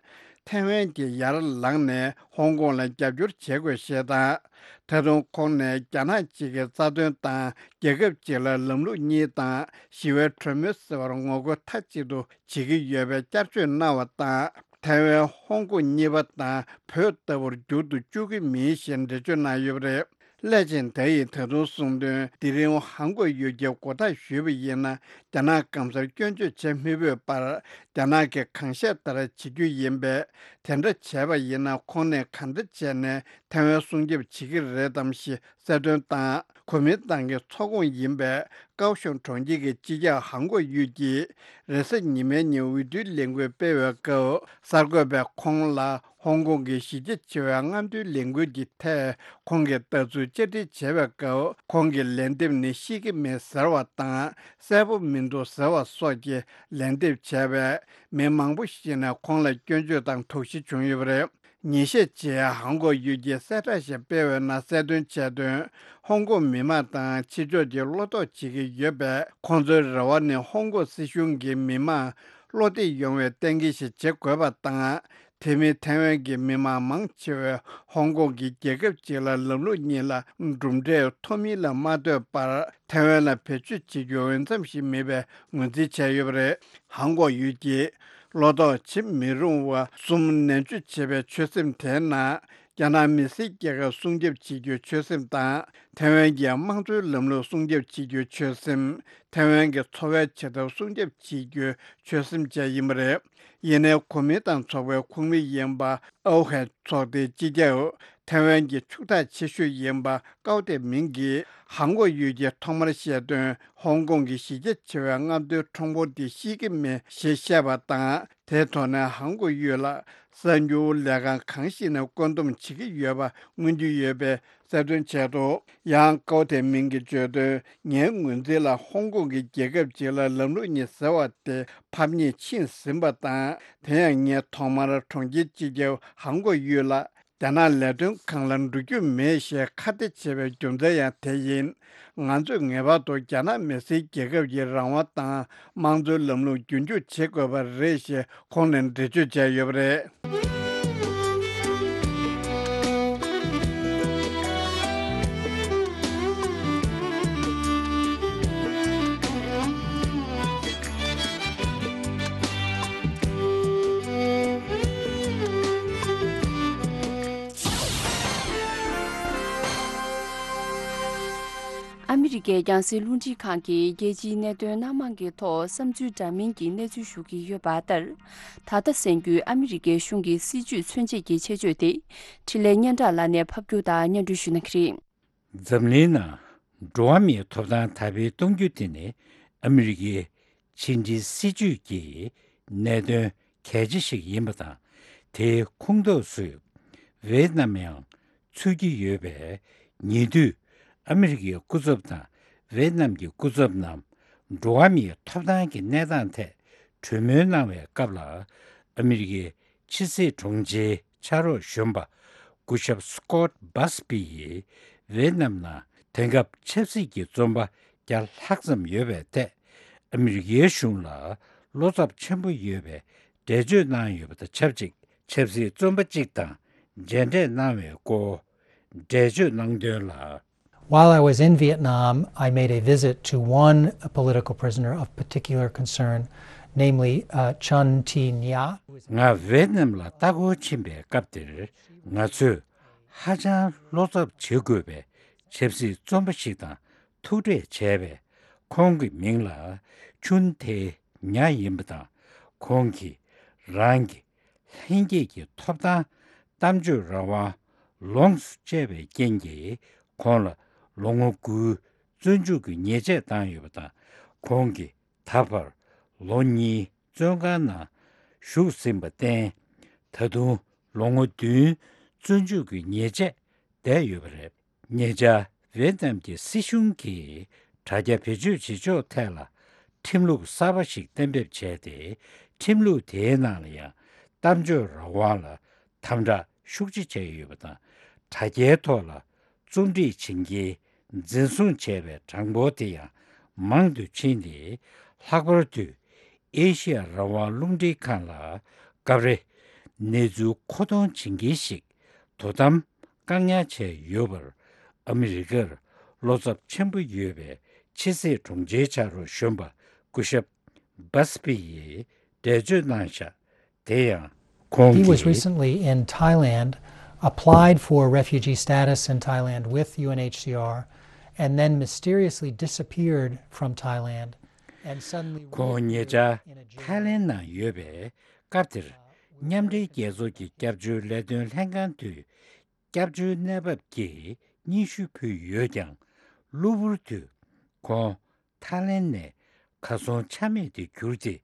ཐའེ་ཝན་གྱིས་ཡར་ལངས་ནས་ཧོང་ཀོང་ལ་རྒྱབ་སྐྱོར་བྱེད་དགོས་ཞེས་དང་། ད་དུང་ཁོང་ནས་རྒྱ་ནག་གཅིག་གི་རྩ་དོན་དང་རྒྱལ་ཁབ་གཅིག་ལ་ལམ་ལུགས་གཉིས་དང་ཞི་བའི་གྲོས་མོལ་ཟེར་བར་ངོ་རྒོལ་མཐའ་གཅིག་ཏུ་བྱེད་ཀྱི་ཡོད་པའི་བསྐྱར་བརྗོད་གནང་བ་དང་། ཐའེ་ཝན་ཧོང་ཀོང་གཉིས་པ་དང་བོད་ལྟ་བུར་འགྱུར་དུ་བཅུག་གི་མིན་ཞེས་འགྲེལ་བརྗོད་གནང་ཡོད་པ་རེད། ལེ་ཆིང་ཏེ་ཡིས་ད་དུང་གསུངས་དོན། དེ་རིང་ཧོང་ཀོང་ཡུལ་གྱི་མགོ་བཏགས་ཞུས་པ་ཡིན་ན། རྒྱ་ནག་གང་སར་སྐྱོན་བརྗོད་བྱེད་མི་ཕོད་པར། རྒྱ་ནག་གིས་གང་བཤད་ལྟར་བྱེད་རྒྱུ་ཡིན་པས། དེ་འདྲ་བྱས་པ་ཡིན་ན་ཁོང་ནས་གང་འདྲ་བྱས་ནས་ཐའེ་ཝན་སྲུང་སྐྱོབ་བྱེད་ཀྱི་རེད་དམ་ཞེས་གསལ་སྟོན་དང་། གོ་མིན་ཏང་གི་ཚོགས་ཁོངས་ཡིན་པའི་ཀའོ་ཤུང་གྲོང་ཁྱེར་གྱི་སྤྱི་ཁྱབ་ཧང་གོ་ཡུས་ཀྱིས་རེས་གཟའ་ཉི་མའི་ཉིན་འོས་བསྡུའི་ལས་འགུལ་སྤེལ་བའི་སྐབས། གསར་འགོད་པས་ཁོང་ལ་ཧོང་ཀོང་གི་གཞི་རྒྱ་ཆེ་བའི་རྔམ་སྟོན་ལས་འགུལ་གྱི་ཐད་ཁོང་གི་ལྟ་ཚུལ་བཅར་འདྲི་བྱས་པའི་སྐབས། ཁོང་གིས་ལན་འདེབས་ནི་ཤེས་ཀྱི་མེད་ཟེར་བ་དང་གསལ་པོ་མི་འདུག་ཟེར་བ་སོགས་ཀྱི་ལན་འདེབས་བྱས་པས། མི་མང་པོ་ཞིག་ནས་ཁོང་ལ་སྐྱོན་བརྗོད་དང་དོགས་གཞི་བྱུང་ཡོད་པ་རེད། ཉིན་ཤས་རྗེས་ཧང་གོ་ཡུས་ཀྱིས་གསལ་བསྒྲགས་ཤིག་སྤེལ་བའི་ནང་གསལ་སྟོན་བྱས་དོན། ཧོང་ཀོང་མི་མང་དང་ཕྱི་ཕྱོགས་ཀྱིས་བློ་དོགས་བྱེད་ཀྱི་ཡོད་པས། ཁོང་ཚོའི་རེ་བ་ནི་ཧོང་ཀོང་སྲིད་གཞུང་གིས་མི་མང་བློ་བདེ་ཡོང་བའི་གཏན་འཁེལ་ཞིག་བྱེད་དགོས་པ་དང་། དེ་མིན་ཐའེ་ཝན་གྱི་མི་མང་མང་ཆེ་བས་ཧོང་ཀོང་གི་རྒྱལ་ཁབ་ཅིག་ལ་ལམ་ལུགས་གཉིས་ལ་གྲུབ་འབྲས་ཐོབ་མིན་ལ་མ་ལྟོས་པར། ཐའེ་ཝན་ལ་བེད་སྤྱོད་བྱེད་རྒྱུ་འོས་འཚམ་ཞིག་མེད་པའི་ངོས་འཛིན་བྱས་ཡོད་པ་རེད། ཧོང་ཀོང་ཡུལ་གྱི་བློ་དོགས་བྱེད་མི་རུང་བ་གསུམ་ནན་བརྗོད་བྱེད་པའི་ཆོད་སེམས་དེའི་ནང་། རྒྱ་ནག་མི་སེར་རྒྱལ་ཁབ་སྲུང་སྐྱོབ་བྱེད་རྒྱུའི་ཆོད་སེམས་དང་། ཐའེ་ཝན་གྱི་དམངས་གཙོའི་ལམ་ལུགས་སྲུང་སྐྱོབ་བྱེད་རྒྱུའི་ཆོད་སེམས། ཐའེ་ཝན་གྱི་འཚོ་བའི་བྱེད་ཐབས་སྲུང་སྐྱོབ་བྱེད་རྒྱུའི་ཆོད་སེམས་བཅས་ཡིན་པ་རེད། ཡིན་ནའི་གོ་མིན་ཏང་ཚོགས་པའི་ཁོངས་མི་ཡིན་པ་ཨའོ་ཧན་ཚོགས་སྡེའི་སྤྱི་ཁྱབ། ཐའེ་ཝན་གྱི་ཕྱུག་བདག་ཆེ་ཤོས་ཡིན་པ་ཀའོ་ཏེ་མིང་གིས་ཧོང་ཀོང་ཡུལ་གྱིས་ཐོག་མར་བཤད་དོན། ཧོང་ཀོང་གི་གཞི་རྒྱ་ཆེ་བའི་མངའ་སྡེའི་གྲོང་པོ་འདི་ཤེས་ཀྱི་མེད་ཞེས་བཤད་པ་དང་། དེའི་ཐོག་ནས་ཧོང་ཀོང་ཡུལ་ལ་གསར་འགྱུར་ལས་ཁང་གང་ཞིག་ནས་བཀོད་འདོམས་བྱེད་ཀྱི་ཡོད་པ་མངོན་རྒྱུ་ཡོད་པའི་གསལ་སྟོན་བྱས་འདུག། ཡང་ཀའོ་ཐེ་མིང་གིས་བརྗོད་དོན། ངའི་ངོས་འཛིན་ལ་ཧོང་ཀོང་གི་རྒྱལ་ཁབ་ཅིག་ལ་ལམ་ལུགས་གཉིས་ཟེར་བ་དེ་ཕམ་ཉེས་ཕྱིན་ཟིན་པ་དང་། དེ་ཡང་ངས་ཐོག་མར་གྲོང་ཁྱེར་སྤྱི་ཁྱབ་ཧོང་ཀོང་ཡུལ་ལ། རྒྱ་ནག་ལས་དོན་ཁང་ལ་འགྲོ་རྒྱུ་མེད་ཞེས་ཁ་གཏད་བྱས་པའི་རྒྱུ་མཚན་ཡང་དེ་ཡིན། ང་ཚོས་ངེས་པར་དུ་རྒྱ་ནག་མི་སེར་རྒྱལ་ཁབ་ཀྱི་རང་དབང་དང་དམངས་གཙོའི་ལམ་ལུགས་རྒྱུན་འཁྱོངས་བྱེད་དགོས་པ་རེད་ཞེས་ཁོང་ནས་འགྲེལ་བརྗོད་བྱས་ཡོད་པ་རེད། ཨ་མི་རི་ཀའི་རྒྱང་སྲིང་རླུང་འཕྲིན་ཁང་གིས་རྒྱལ་སྤྱིའི་གནད་དོན་སྣ་མང་གི་ཐོག་བསམ་ཚུལ་འདྲ་མིན་གྱི་གནས་ཚུལ་ཞུ་གི་ཡོད་པ་ལྟར། ད་ལྟ་གསན་རྒྱུའི་ཨ་མི་རི་ཀའི་གཞུང་གི་སྲིད་བྱུས་མཚོན་བྱེད་ཀྱི་ཆེད་བརྗོད་དེ། འཕྲིན་ལས་སྙན་གྲགས་ལགས་ནས་ཕབ་སྒྱུར་དང་སྙན་སྒྲོན་ཞུ་གནང་གི་རེད། འཛམ་གླིང་ནང་འགྲོ་བ་མིའི་ཐོབ་ཐང་དར་སྤེལ་གཏོང་རྒྱུ་དེ་ནི་ཨ་མི་རི་ཀའི་ཕྱི་འབྲེལ་སྲིད་ཇུས་ཀྱི་གནད་དོན་གལ་ཆེ་ཞིག་ཡིན་པ་དང་། དེའི་ཁོངས་གཏོགས་སུ་ཝེ་ཏི་ནམ་ཡང་ཚུད་ཀྱི་ཡོད་པས། ཉེ་དུས་ཨ་མི་རི་ཀའི་སྐུ་ཚབ་དང་ཝེ་ཏི་ནམ་གྱི་སྐུ་ཚབ་རྣམས་འགྲོ་བ་མིའི་ཐོབ་ཐང་གི་གནས་སྟངས་ཐད་གྲོས་མོལ་གནང་བའི་སྐབས་ལ། ཨ་མི་རི་ཀའི་ཕྱི་སྲིད་དྲུང་ཆེའི་ཕྱག་རོགས་གཞོན་པ་སྐུ་ཞབས་སི་ཀོཊ་བྷ་སི་པི་ཡིས་ཝེ་ཏི་ནམ་ནང་དེང་སྐབས་ཆབ་སྲིད་ཀྱི་བཙོན་པ་བརྒྱ་ལྷག་ཙམ་ཡོད་པའི་ཐད། ཨ་མི་རི་ཀའི་གཞུང་ལ་བློ་འཚབ་ཆེན་པོ་ཡོད་པའི་འགྲེལ་བརྗོད་གནང་ཡོད་པ་དང་ཆབས་ཅིག་ཆབ་སྲིད་བཙོན་པ་གཅིག་དང་མཇལ་འཕྲད་གནང་བའི་སྐོར་འགྲེལ་བརྗོད་གནང་དོན་ལ། While I was in Vietnam, I made a visit to one political prisoner of particular concern, namely, uh, Chun Thi Nha. ང་ཝེ་ཏི་ནམ་ལ་ལྟ་སྐོར་ཕྱིན་པའི་སྐབས་དེར། ང་ཚོས་ཧ་ཅང་བློ་འཚབ་བྱེད་དགོས་པའི་ཆབ་སྲིད་བཙོན་པ་ཞིག་དང་ཐུག་འཕྲད་བྱས་པས། ཁོང་གི་མིང་ལ་ཆུན་ཐེ་ཉ་ཡིན་པ་དང་། ཁོང་གིས་རང་གི་ལྷན་སྐྱེས་ཀྱི་ཐོབ་ཐང་གཏམ་བརྗོད་རང་དབང་ལོངས་སུ་སྤྱད་པའི་རྐྱེན་གྱིས། ཁོང་ལ་ལོ་ངོ་དགུའི་བཙོན་འཇུག་གི་ཉེས་ཆད་བཏང་ཡོད་པ་དང་། ཁོང་གིས་ད་བར་ལོ་གཉིས་བཙོན་ཁང་ནང་བཞུགས་ཟིན་པར་བརྟེན། ད་དུང་ལོ་ངོ་བདུན་བཙོན་འཇུག་གི་ཉེས་ཆད་བསྡད་ཡོད་པ་རེད། ཉེ་ཆར་ཝེ་ཏི་ནམ་གྱི་སྲིད་གཞུང་གིས་དྲ་རྒྱ་བེད་སྤྱོད་བྱེད་ཕྱོགས་ཐད་ལ་ཁྲིམས་ལུགས་གསར་པ་ཞིག་གཏན་འབེབས་བྱས་ཏེ། ཁྲིམས་ལུགས་དེའི་ནང་ལ་ཡང་གཏམ་བརྗོད་རང་དབང་ལ་དམ་དྲག་ཤུགས་ཆེ་བྱས་ཡོད་པ་དང་། དྲ་རྒྱའི་ཐོག་ལ་རྩོམ་སྒྲིག་བྱེད་མཁན་འཛིན་བཟུང་བྱས་པའི་གྲངས་འབོར་དེ་ཡང་མང་དུ་ཕྱིན་ཏེ། ལྷག་པར་དུ་ཨེ་ཤི་ཡ་རང་དབང་རླུང་འཕྲིན་ཁང་ལ་སྐབས་རེ་གནས་ཚུལ་མཁོ་གཏོང་བྱེད་མཁན་ཞིག་དོ་དམ་བཀག་ཉར་བྱས་ཡོད་པར། ཨ་མི་རི་ཀར་བློ་འཚབ་ཆེན་པོ་ཡོད་པའི་ཕྱི་སྲིད་དྲུང་ཆེའི་ཕྱག་རོགས་གཞོན་པ་སྐུ་ཞབས་བྷ་སི་པི་ཡིས་འགྲེལ་བརྗོད་གནང་བཞག་དེ་ཡང་ཁོང་He was གིས། Recently in Thailand, applied for refugee status in Thailand with U N H C R, and then mysteriously disappeared from Thailand and suddenly ཁོང་ཉེ་ཆར་reappeared in a jail. ཐའི་ལེན་ནང་ཡོད་པའི་སྐབས་དེར། མཉམ་འབྲེལ་རྒྱལ་ཚོགས་ཀྱི་སྐྱབས་བཅོལ་ལས་དོན་ལྷན་ཁང་དུ་སྐྱབས་བཅོལ་གནས་བབ་ཀྱི་སྙན་ཞུ་ཕུལ་ཡོད་ཀྱང་། གློ་བུར་དུ་ཁོང་ཐའི་ལེན་ནས་གར་སོང་ཆ་མེད་དུ་གྱུར་ཏེ།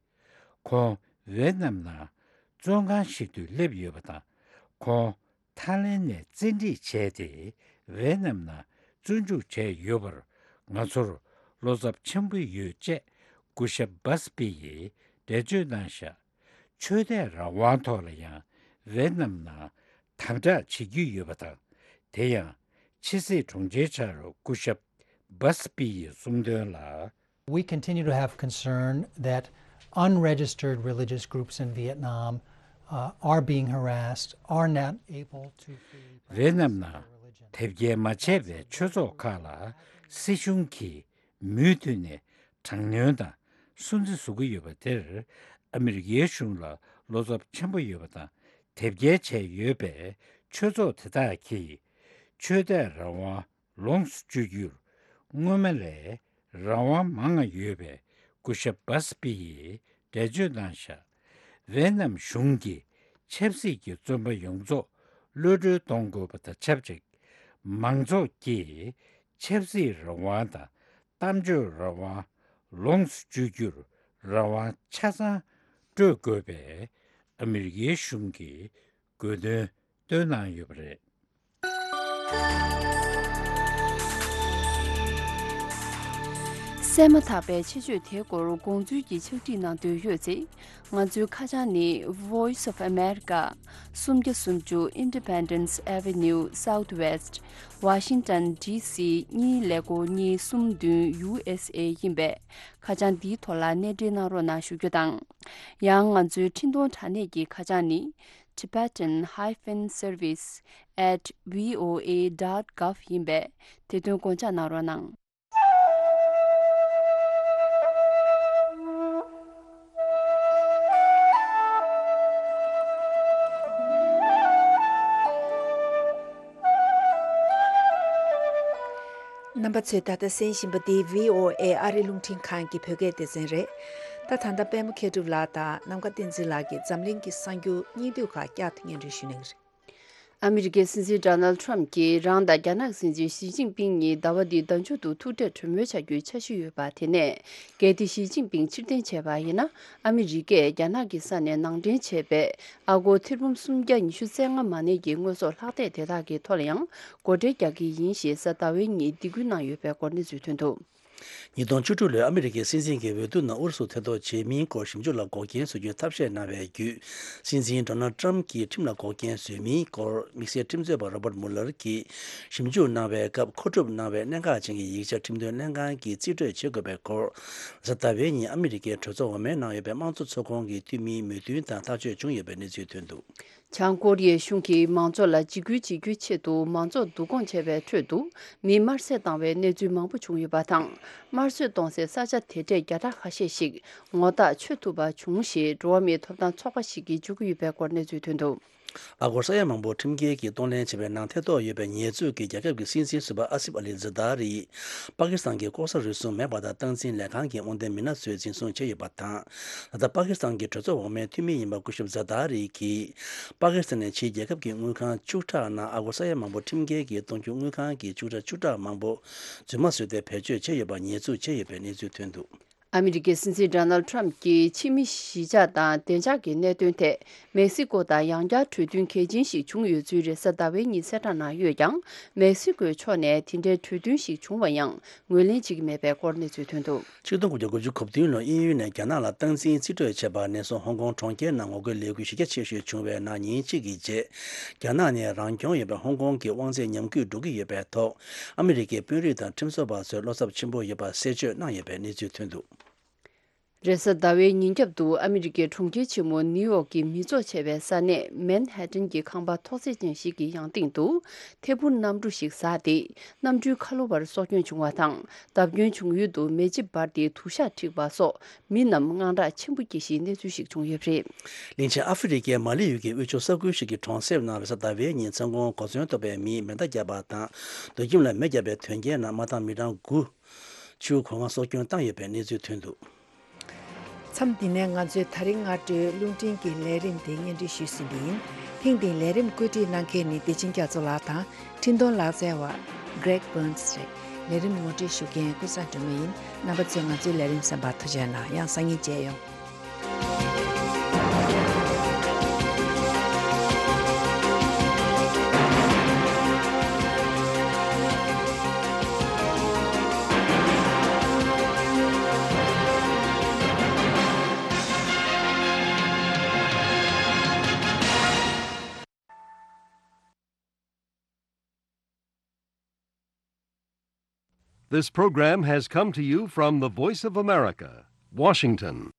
ཁོང་ཝེ་ཏི་ནམ་ནང་བཙོན་ཁང་ཞིག་ཏུ་སླེབས་ཡོད་པ་དང་། ཁོང་ཐའི་ལེན་ནས་བཙན་ཁྲིད་བྱས་ཏེ་ཝེ་ཏི་ནམ་ནང་བཙོན་འཇུག་བྱས་ཡོད་པར་ང་ཚོར་བློ་འཚབ་ཆེན་པོ་ཡོད་ཅེས་སྐུ་ཞབས་བྷ་སི་པི་ཡིས་འགྲེལ་བརྗོད་གནང་བཞག་ཆོས་དད་རང་དབང་ཐོག་ལ་ཡང་ཝེ་ཏི་ནམ་ནང་དམ་དྲག་བྱེད་ཀྱི་ཡོད་པ་དང་། དེ་ཡང་ཕྱི་སྲིད་དྲུང་ཆེའི་ཕྱག་རོགས་སྐུ་ཞབས་བྷ་སི་པི་ཡིས་གསུངས་དོན་ལ། We continue to have concern that unregistered religious groups in Vietnam, uh, are being harassed, are not able to freely ཝེ་ནམ་ནང་དེབ་སྐྱེལ་མ་བྱས་པའི་ཆོས་ཚོགས་ཁག་ལ་སྲིད་གཞུང་གིས་མུ་མཐུད་ནས་དྲག་གནོན་དང་སུན་གཙེར་བཟོ་གི་ཡོད་པ་དེར། ཨ་མི་རི་ཀའི་གཞུང་ལ་བློ་འཚབ་ཆེན་པོ་ཡོད་པ་དང་། དེབ་སྐྱེལ་བྱས་ཡོད་པའི་ཆོས་ཚོགས་དེ་དག་གིས་ཆོས་དད་རང་དབང་ལོངས་སུ་སྤྱོད་རྒྱུར་སྔོན་མ་ལས་རང་དབང་མང་ང་ཡོད་པའི་སྐུ་ཞབས་བྷ་སི་པི་ཡིས་འགྲེལ་བརྗོད་གནང་བཞག་ཝེ་ནམ་གཞུང་གིས་ཆབ་སྲིད་ཀྱི་བཙོན་པ་ཡོངས་རྫོགས་གློད་གྲོལ་གཏོང་དགོས་པ་དང་ཆབས་ཅིག་མང་ཚོགས་ཀྱིས་ཆབ་སྲིད་རང་དབང་དང་གཏམ་བརྗོད་རང་དབང་ལོངས་སུ་སྤྱོད་རྒྱུར་རང་དབང་ཆ་ཚང་སྤྲོད་དགོས་པའི་ཨ་མི་རི་ཀའི་གཞུང་གི་དགོས་འདུན་བཏོན་གནང་ཡོད་པ་རེད། གསན་མ་ཐག་པའི་ཆེད་བརྗོད་དེའི་སྐོར་དགོངས་ཚུལ་གྱི་ཕྱག་བྲིས་གནང་འདོད་ཡོད་ཚེ། ང་ཚོའི་ཁ་བྱང་ནི། Voice of America, སུམ་བརྒྱ་སུམ་ཅུ་Independence Avenue Southwest, Washington D C གཉིས་ཀླད་ཀོར་གཉིས་གསུམ་བདུན་U S A ཡིན་པས། ཁ་བྱང་འདིའི་ཐོག་ལ་གནས་འབྲེལ་གནང་རོགས་གནང་ཞུ་རྒྱུ་དང་། ཡང་ང་ཚོའི་འཕྲིན་གཏོང་དྲ་གནས་ཀྱི་ཁ་བྱང་ནི། Tibetan hyphen service at V O A dot gov ཡིན་པས། དེ་དོན་དགོངས་འཇགས་གནང་རོགས་གནང་། རྣམ་པ་ཚོས་ད་ལྟ་གསན་བཞིན་པ་འདི་V O A ཨ་རི་རླུང་འཕྲིན་ཁང་གི་བོད་སྐད་སྡེ་ཚན་རེད། ད་ད་ལྟ་པད་མ་མཁས་གྲུབ་ལགས་དང་ནམ་མཁའ་བསྟན་འཛིན་ལགས་ཀྱིས་འཛམ་གླིང་གི་གསར་འགྱུར་སྙིང་བསྡུས་ཁག་བསྐྱར་དུ་སྙན་སྒྲོན་ཞུ་གནང་གི་རེད། ཨ་མི་རི་ཀའི་སྲིད་འཛིན་ཌོ་ནལ་ཊམ་གྱིས་རང་དང་རྒྱ་ནག་སྲིད་འཛིན་ཞི་ཅིན་ཕིང་གཉིས་ཟླ་བ་འདིའི་ཟླ་མཇུག་ཏུ་ཐུག་འཕྲད་གྲོས་མོལ་བྱ་རྒྱུའི་འཆར་གཞི་ཡོད་པ་དེ་ནས། གལ་ཏེ་ཞི་ཅིན་ཕིང་ཕྱིར་འཐེན་བྱས་པ་ཡིན་ན། ཨ་མི་རི་ཀས་རྒྱ་ནག་གི་ས་ནས་ནང་འདྲེན་བྱས་པའི་ཨ་སྒོར་ཐེར་འབུམ་སུམ་བརྒྱ་ཉི་ཤུ་རྩ་ལྔ་མ་གནས་ཀྱི་དངོས་ཟོག་ལྷག་ཐེངས་དེ་དག་གི་ཐོག་ལ་ཡང་སྒོ་ཁྲལ་རྒྱག་གི་ཡིན་ཞེས་གཟའ་ཟླ་བའི་ཉིན་སྡིགས་སྐུལ་གནང་ཡོད་པའི་སྐོར་གནས་ཚུལ་ཐོན་འདུག། ཉིས་སྟོང་བཅུ་དྲུག་ལོའི་ཨ་མི་རི་ཀའི་སྲིད་འཛིན་གྱི་འོས་བསྡུ་ནང་ཨུ་རུ་སུ་ཐེ་གཏོགས་བྱེད་མིན་སྐོར་ཞིབ་འཇུག་ལ་འགོག་རྐྱེན་བཟོ་རྒྱུའི་ཐབས་ཤེས་གནང་བའི་བརྒྱུད། སྲིད་འཛིན་ཌོ་ནལ་ཊམ་གྱིས་ཁྲིམས་ལ་འགོག་རྐྱེན་བཟོས་མིན་སྐོར་དམིགས་བསལ་ཁྲིམས་རྩོད་པ་རོ་བརྟ་མུ་ལར་གྱིས་ཞིབ་འཇུག་གནང་བའི་སྐབས། མཁོ་སྒྲུབ་གནང་བའི་གནད་འགག་ཅན་གྱི་ཡིག་ཆ་ཁྲིམས་དོན་ལྷན་ཁང་གིས་རྩིས་སྤྲོད་བྱེད་དགོས་པའི་སྐོར། གཟའ་ཟླ་བའི་ཉིན་ཨ་མི་རི་ཀའི་གྲོས་ཚོགས་འོག་མའི་ནང་ཡོད་པའི་དམངས་གཙོ་ཚོགས་ཁོངས་ཀྱི་འཐུས་མིའི་མོས་མཐུན་དང་ཐག་གཅོད་བྱུང་ཡོད་པའི་གནས་ཚུལ་ཐོན་འདུག། བྱང་ཀོ་རི་ཡའི་གཞུང་གིས་མང་ཚོགས་ལ་འཇིགས་སྐུལ་བྱེད་རྒྱུའི་ཆེད་དུ་མང་ཚོགས་བསྡུ་སྐོང་བྱས་པའི་ཁྲོད་དུ་མི་དམར་གསོད་བཏང་བའི་གནས་ཚུལ་མང་པོ་བྱུང་ཡོད་པ་དང་། དམར་གསོད་གཏོང་སའི་ས་ཆ་དེ་གྲས་བརྒྱ་ཕྲག་ཁ་ཤས་ཤིག་ངོ་རྟགས་ཆོད་ཐུབ་པ་བྱུང་ཞེས་འགྲོ་བ་མིའི་ཐོབ་ཐང་ཚོགས་པ་ཞིག་གིས་བརྗོད་ཀྱི་ཡོད་པའི་སྐོར་གནས་ཚུལ་ཐོན་འདུག། ཨ་སྒོར་ས་ཡ་མང་པོ་ཁྲིམས་འགལ་གྱིས་གཏོང་ལེན་བྱས་པའི་ནང་ཐེ་གཏོགས་ཡོད་པའི་ཉེས་འཛུགས་ཀྱིས་རྒྱལ་ཁབ་ཀྱི་སྲིད་འཛིན་ཟུར་པ་ཨ་སིབ་ཨ་ལི་ཛར་དཱ་རི། པ་ཀི་སི་ཐན་གྱི་ལྐོག་ཟ་རུལ་སུངས་མེད་པ་དང་སྟངས་འཛིན་ལས་ཁང་གི་དབང་ལྡན་མི་སྣ་ཚོས་འཛིན་བཟུང་བྱས་ཡོད་པ་དང་། ད་ལྟ་པ་ཀི་སི་ཐན་གྱི་གྲོས་ཚོགས་འོག་མའི་འཐུས་མི་ཡིན་པ་སྐུ་ཞབས་ཛར་དཱ་རི་གིས། པ་ཀི་སི་ཐན་ནས་ཕྱིའི་རྒྱལ་ཁབ་ཀྱི་དངུལ་ཁང་བཅུ་ཕྲག་ནང་ཨ་སྒོར་ས་ཡ་མང་པོ་ཁྲིམས་འགལ་གྱིས་གཏོང་རྒྱུ། དངུལ་ཁང་གི་བཅུ་ཕྲག་བཅུ་ཕྲག་མང་པོ་རྫུན་མ་བཟོས་ཏེ་བེད་སྤྱོད་བྱས་ཡོད་པ་ཉེས་འཛུགས་བྱས་ཡོད་པའི་གནས་ཚུལ་ཐོན་འདུག། ཨ་མི་རི་ཀའི་སྲིད་འཛིན་ཌོ་ནལ་ཊམ་གྱིས་ཕྱི་མི་གཞིས་ཆགས་དང་བདེ་འཇགས་ཀྱི་གནད་དོན་ཐད་མེག་སི་ཀོ་དང་ཡང་བསྐྱར་གྲོས་མཐུན་གལ་ཆེན་ཞིག་བྱུང་ཡོད་ཚུལ་རེས་གཟའ་ཟླ་བའི་ཉིན་གསལ་བསྒྲགས་གནང་ཡོད་ཀྱང་། མེག་སི་ཀོའི་ཕྱོགས་ནས་དེ་འདྲའི་གྲོས་མཐུན་ཞིག་བྱུང་བ་ཡང་ངོས་ལེན་བྱེད་ཀྱི་མེད་པའི་སྐོར་གནས་ཚུལ་ཐོན་འདུག། ཆིག་སྟོང་དགུ་བརྒྱ་དགུ་བཅུ་གོ་བདུན་ལོར་དབྱིན་ཡུལ་ནས་རྒྱ་ནག་ལ་སྟངས་འཛིན་རྩིས་སྤྲོད་བྱས་པ་ནས་བཟུང་ཧོང་ཀོང་གྲོང་ཁྱེར་ནང་ངོ་རྒོལ་ལས་འགུལ་གཞི་རྒྱ་ཆེ་ཤོས་བྱུང་བའི་ནང་ཉིན་གཅིག་གི་རྗེས། རྒྱ་ནག་ནས་རང་སྐྱོང་ཡོད་པའི་ཧོང་ཀོང་གི་དབང་ཚད་ཉམས་རྒུད་འགྲོ་གི་ཡོད་པའི་ཐོག། ཨ་མི་རི་ཀའི་དཔོན་རིགས་དང་ཁྲིམས་བཟོ་བ་ཚོས་བློ་འཚབ་ཆེན་པོ་ཡོད་པ་གསལ་བརྗོད་གནང་ཡོད་པའི་གནས་ཚུལ་ཐོན་འདུག། རེས་གཟའ་ཟླ་བའི་ཉིན་རྒྱབ་ཏུ་ཨ་མི་རི་ཀའི་གྲོང་ཁྱེར་ཆེན་མོ་ནིའུ་ཡོག་གི་མི་ཚོགས་ཆེ་བའི་ས་གནས་མན་ཧེ་ཏན་གྱི་ཁང་པ་ཐོག་བརྩེགས་ཅན་ཞིག་གི་ཡང་སྟེང་དུ་ཐད་འཕུར་གནམ་གྲུ་ཞིག་ཟགས་ཏེ། གནམ་གྲུའི་ཁ་ལོ་བར་སྲོག་སྐྱོན་བྱུང་བ་དང་། བརྡབ་སྐྱོན་བྱུང་ཡུལ་དུ་མེ་ལྕེ་འབར་ཏེ་དུ་ཞག་འཁྲིགས་པ་སོགས་མི་རྣམས་དངངས་སྐྲག་ཆེན་པོ་སྐྱེས་ཤིང་གནས་ཚུལ་ཞིག་བྱུང་ཡོད་པ་རེད། གླིང་ཆེན་ཨ་ཧྥེ་རི་ཀའི་མ་ལི་ཡུལ་གྱི་དབུས་ཕྱོགས་ས་ཁུལ་ཞིག་གི་གྲོང་གསེབ་ནང་རེས་གཟའ་ཟླ་བའི་ཉིན་མཚན་གུང་གོ་མཚོན་གཏོགས་པའི་མིས་མེ་མདའ་བརྒྱབ་པ་དང་། སྡོད་ཁྱིམ་ལ་མེ་བརྒྱབ་པའི་དོན་རྐྱེན་ནང་མ་དང་མི་གྲངས་དགུ་ཆུ་གོ་ལྔ་སྲོག་སྐྱོན་བཏང་ཡོད་པའི་གནས་ཚུལ་ཐོན་འདུག། མཚམས་འདི་ནས་ང་ཚོས་ད་རིང་སྔ་དྲོའི་རླུང་འཕྲིན་གྱི་ལས་རིམ་དེ་སྙན་སྒྲོན་ཞུས་ཟིན་པ་ཡིན། ཐེངས་འདིའི་ལས་རིམ་བཀོད་སྒྲིག་གནང་མཁན་ནི་བདེ་ཆེན་རྒྱ་མཚོ་ལགས་དང་། འཕྲིན་གཏོང་ལག་རྩལ་བ་Greg Burns་རེད། ལས་རིམ་ངོ་སྤྲོད་ཞུ་མཁན་ཀུན་བཟང་སྒྲོལ་མ་ཡིན། རྣམ་པ་ཚོས་ང་ཚོའི་ལས་རིམ་གསན་པར་ཐུགས་རྗེ་གནང་། ཡང་སང་ཉིན་མཇལ་ཡོང་། This program has come to you from the Voice of America, Washington.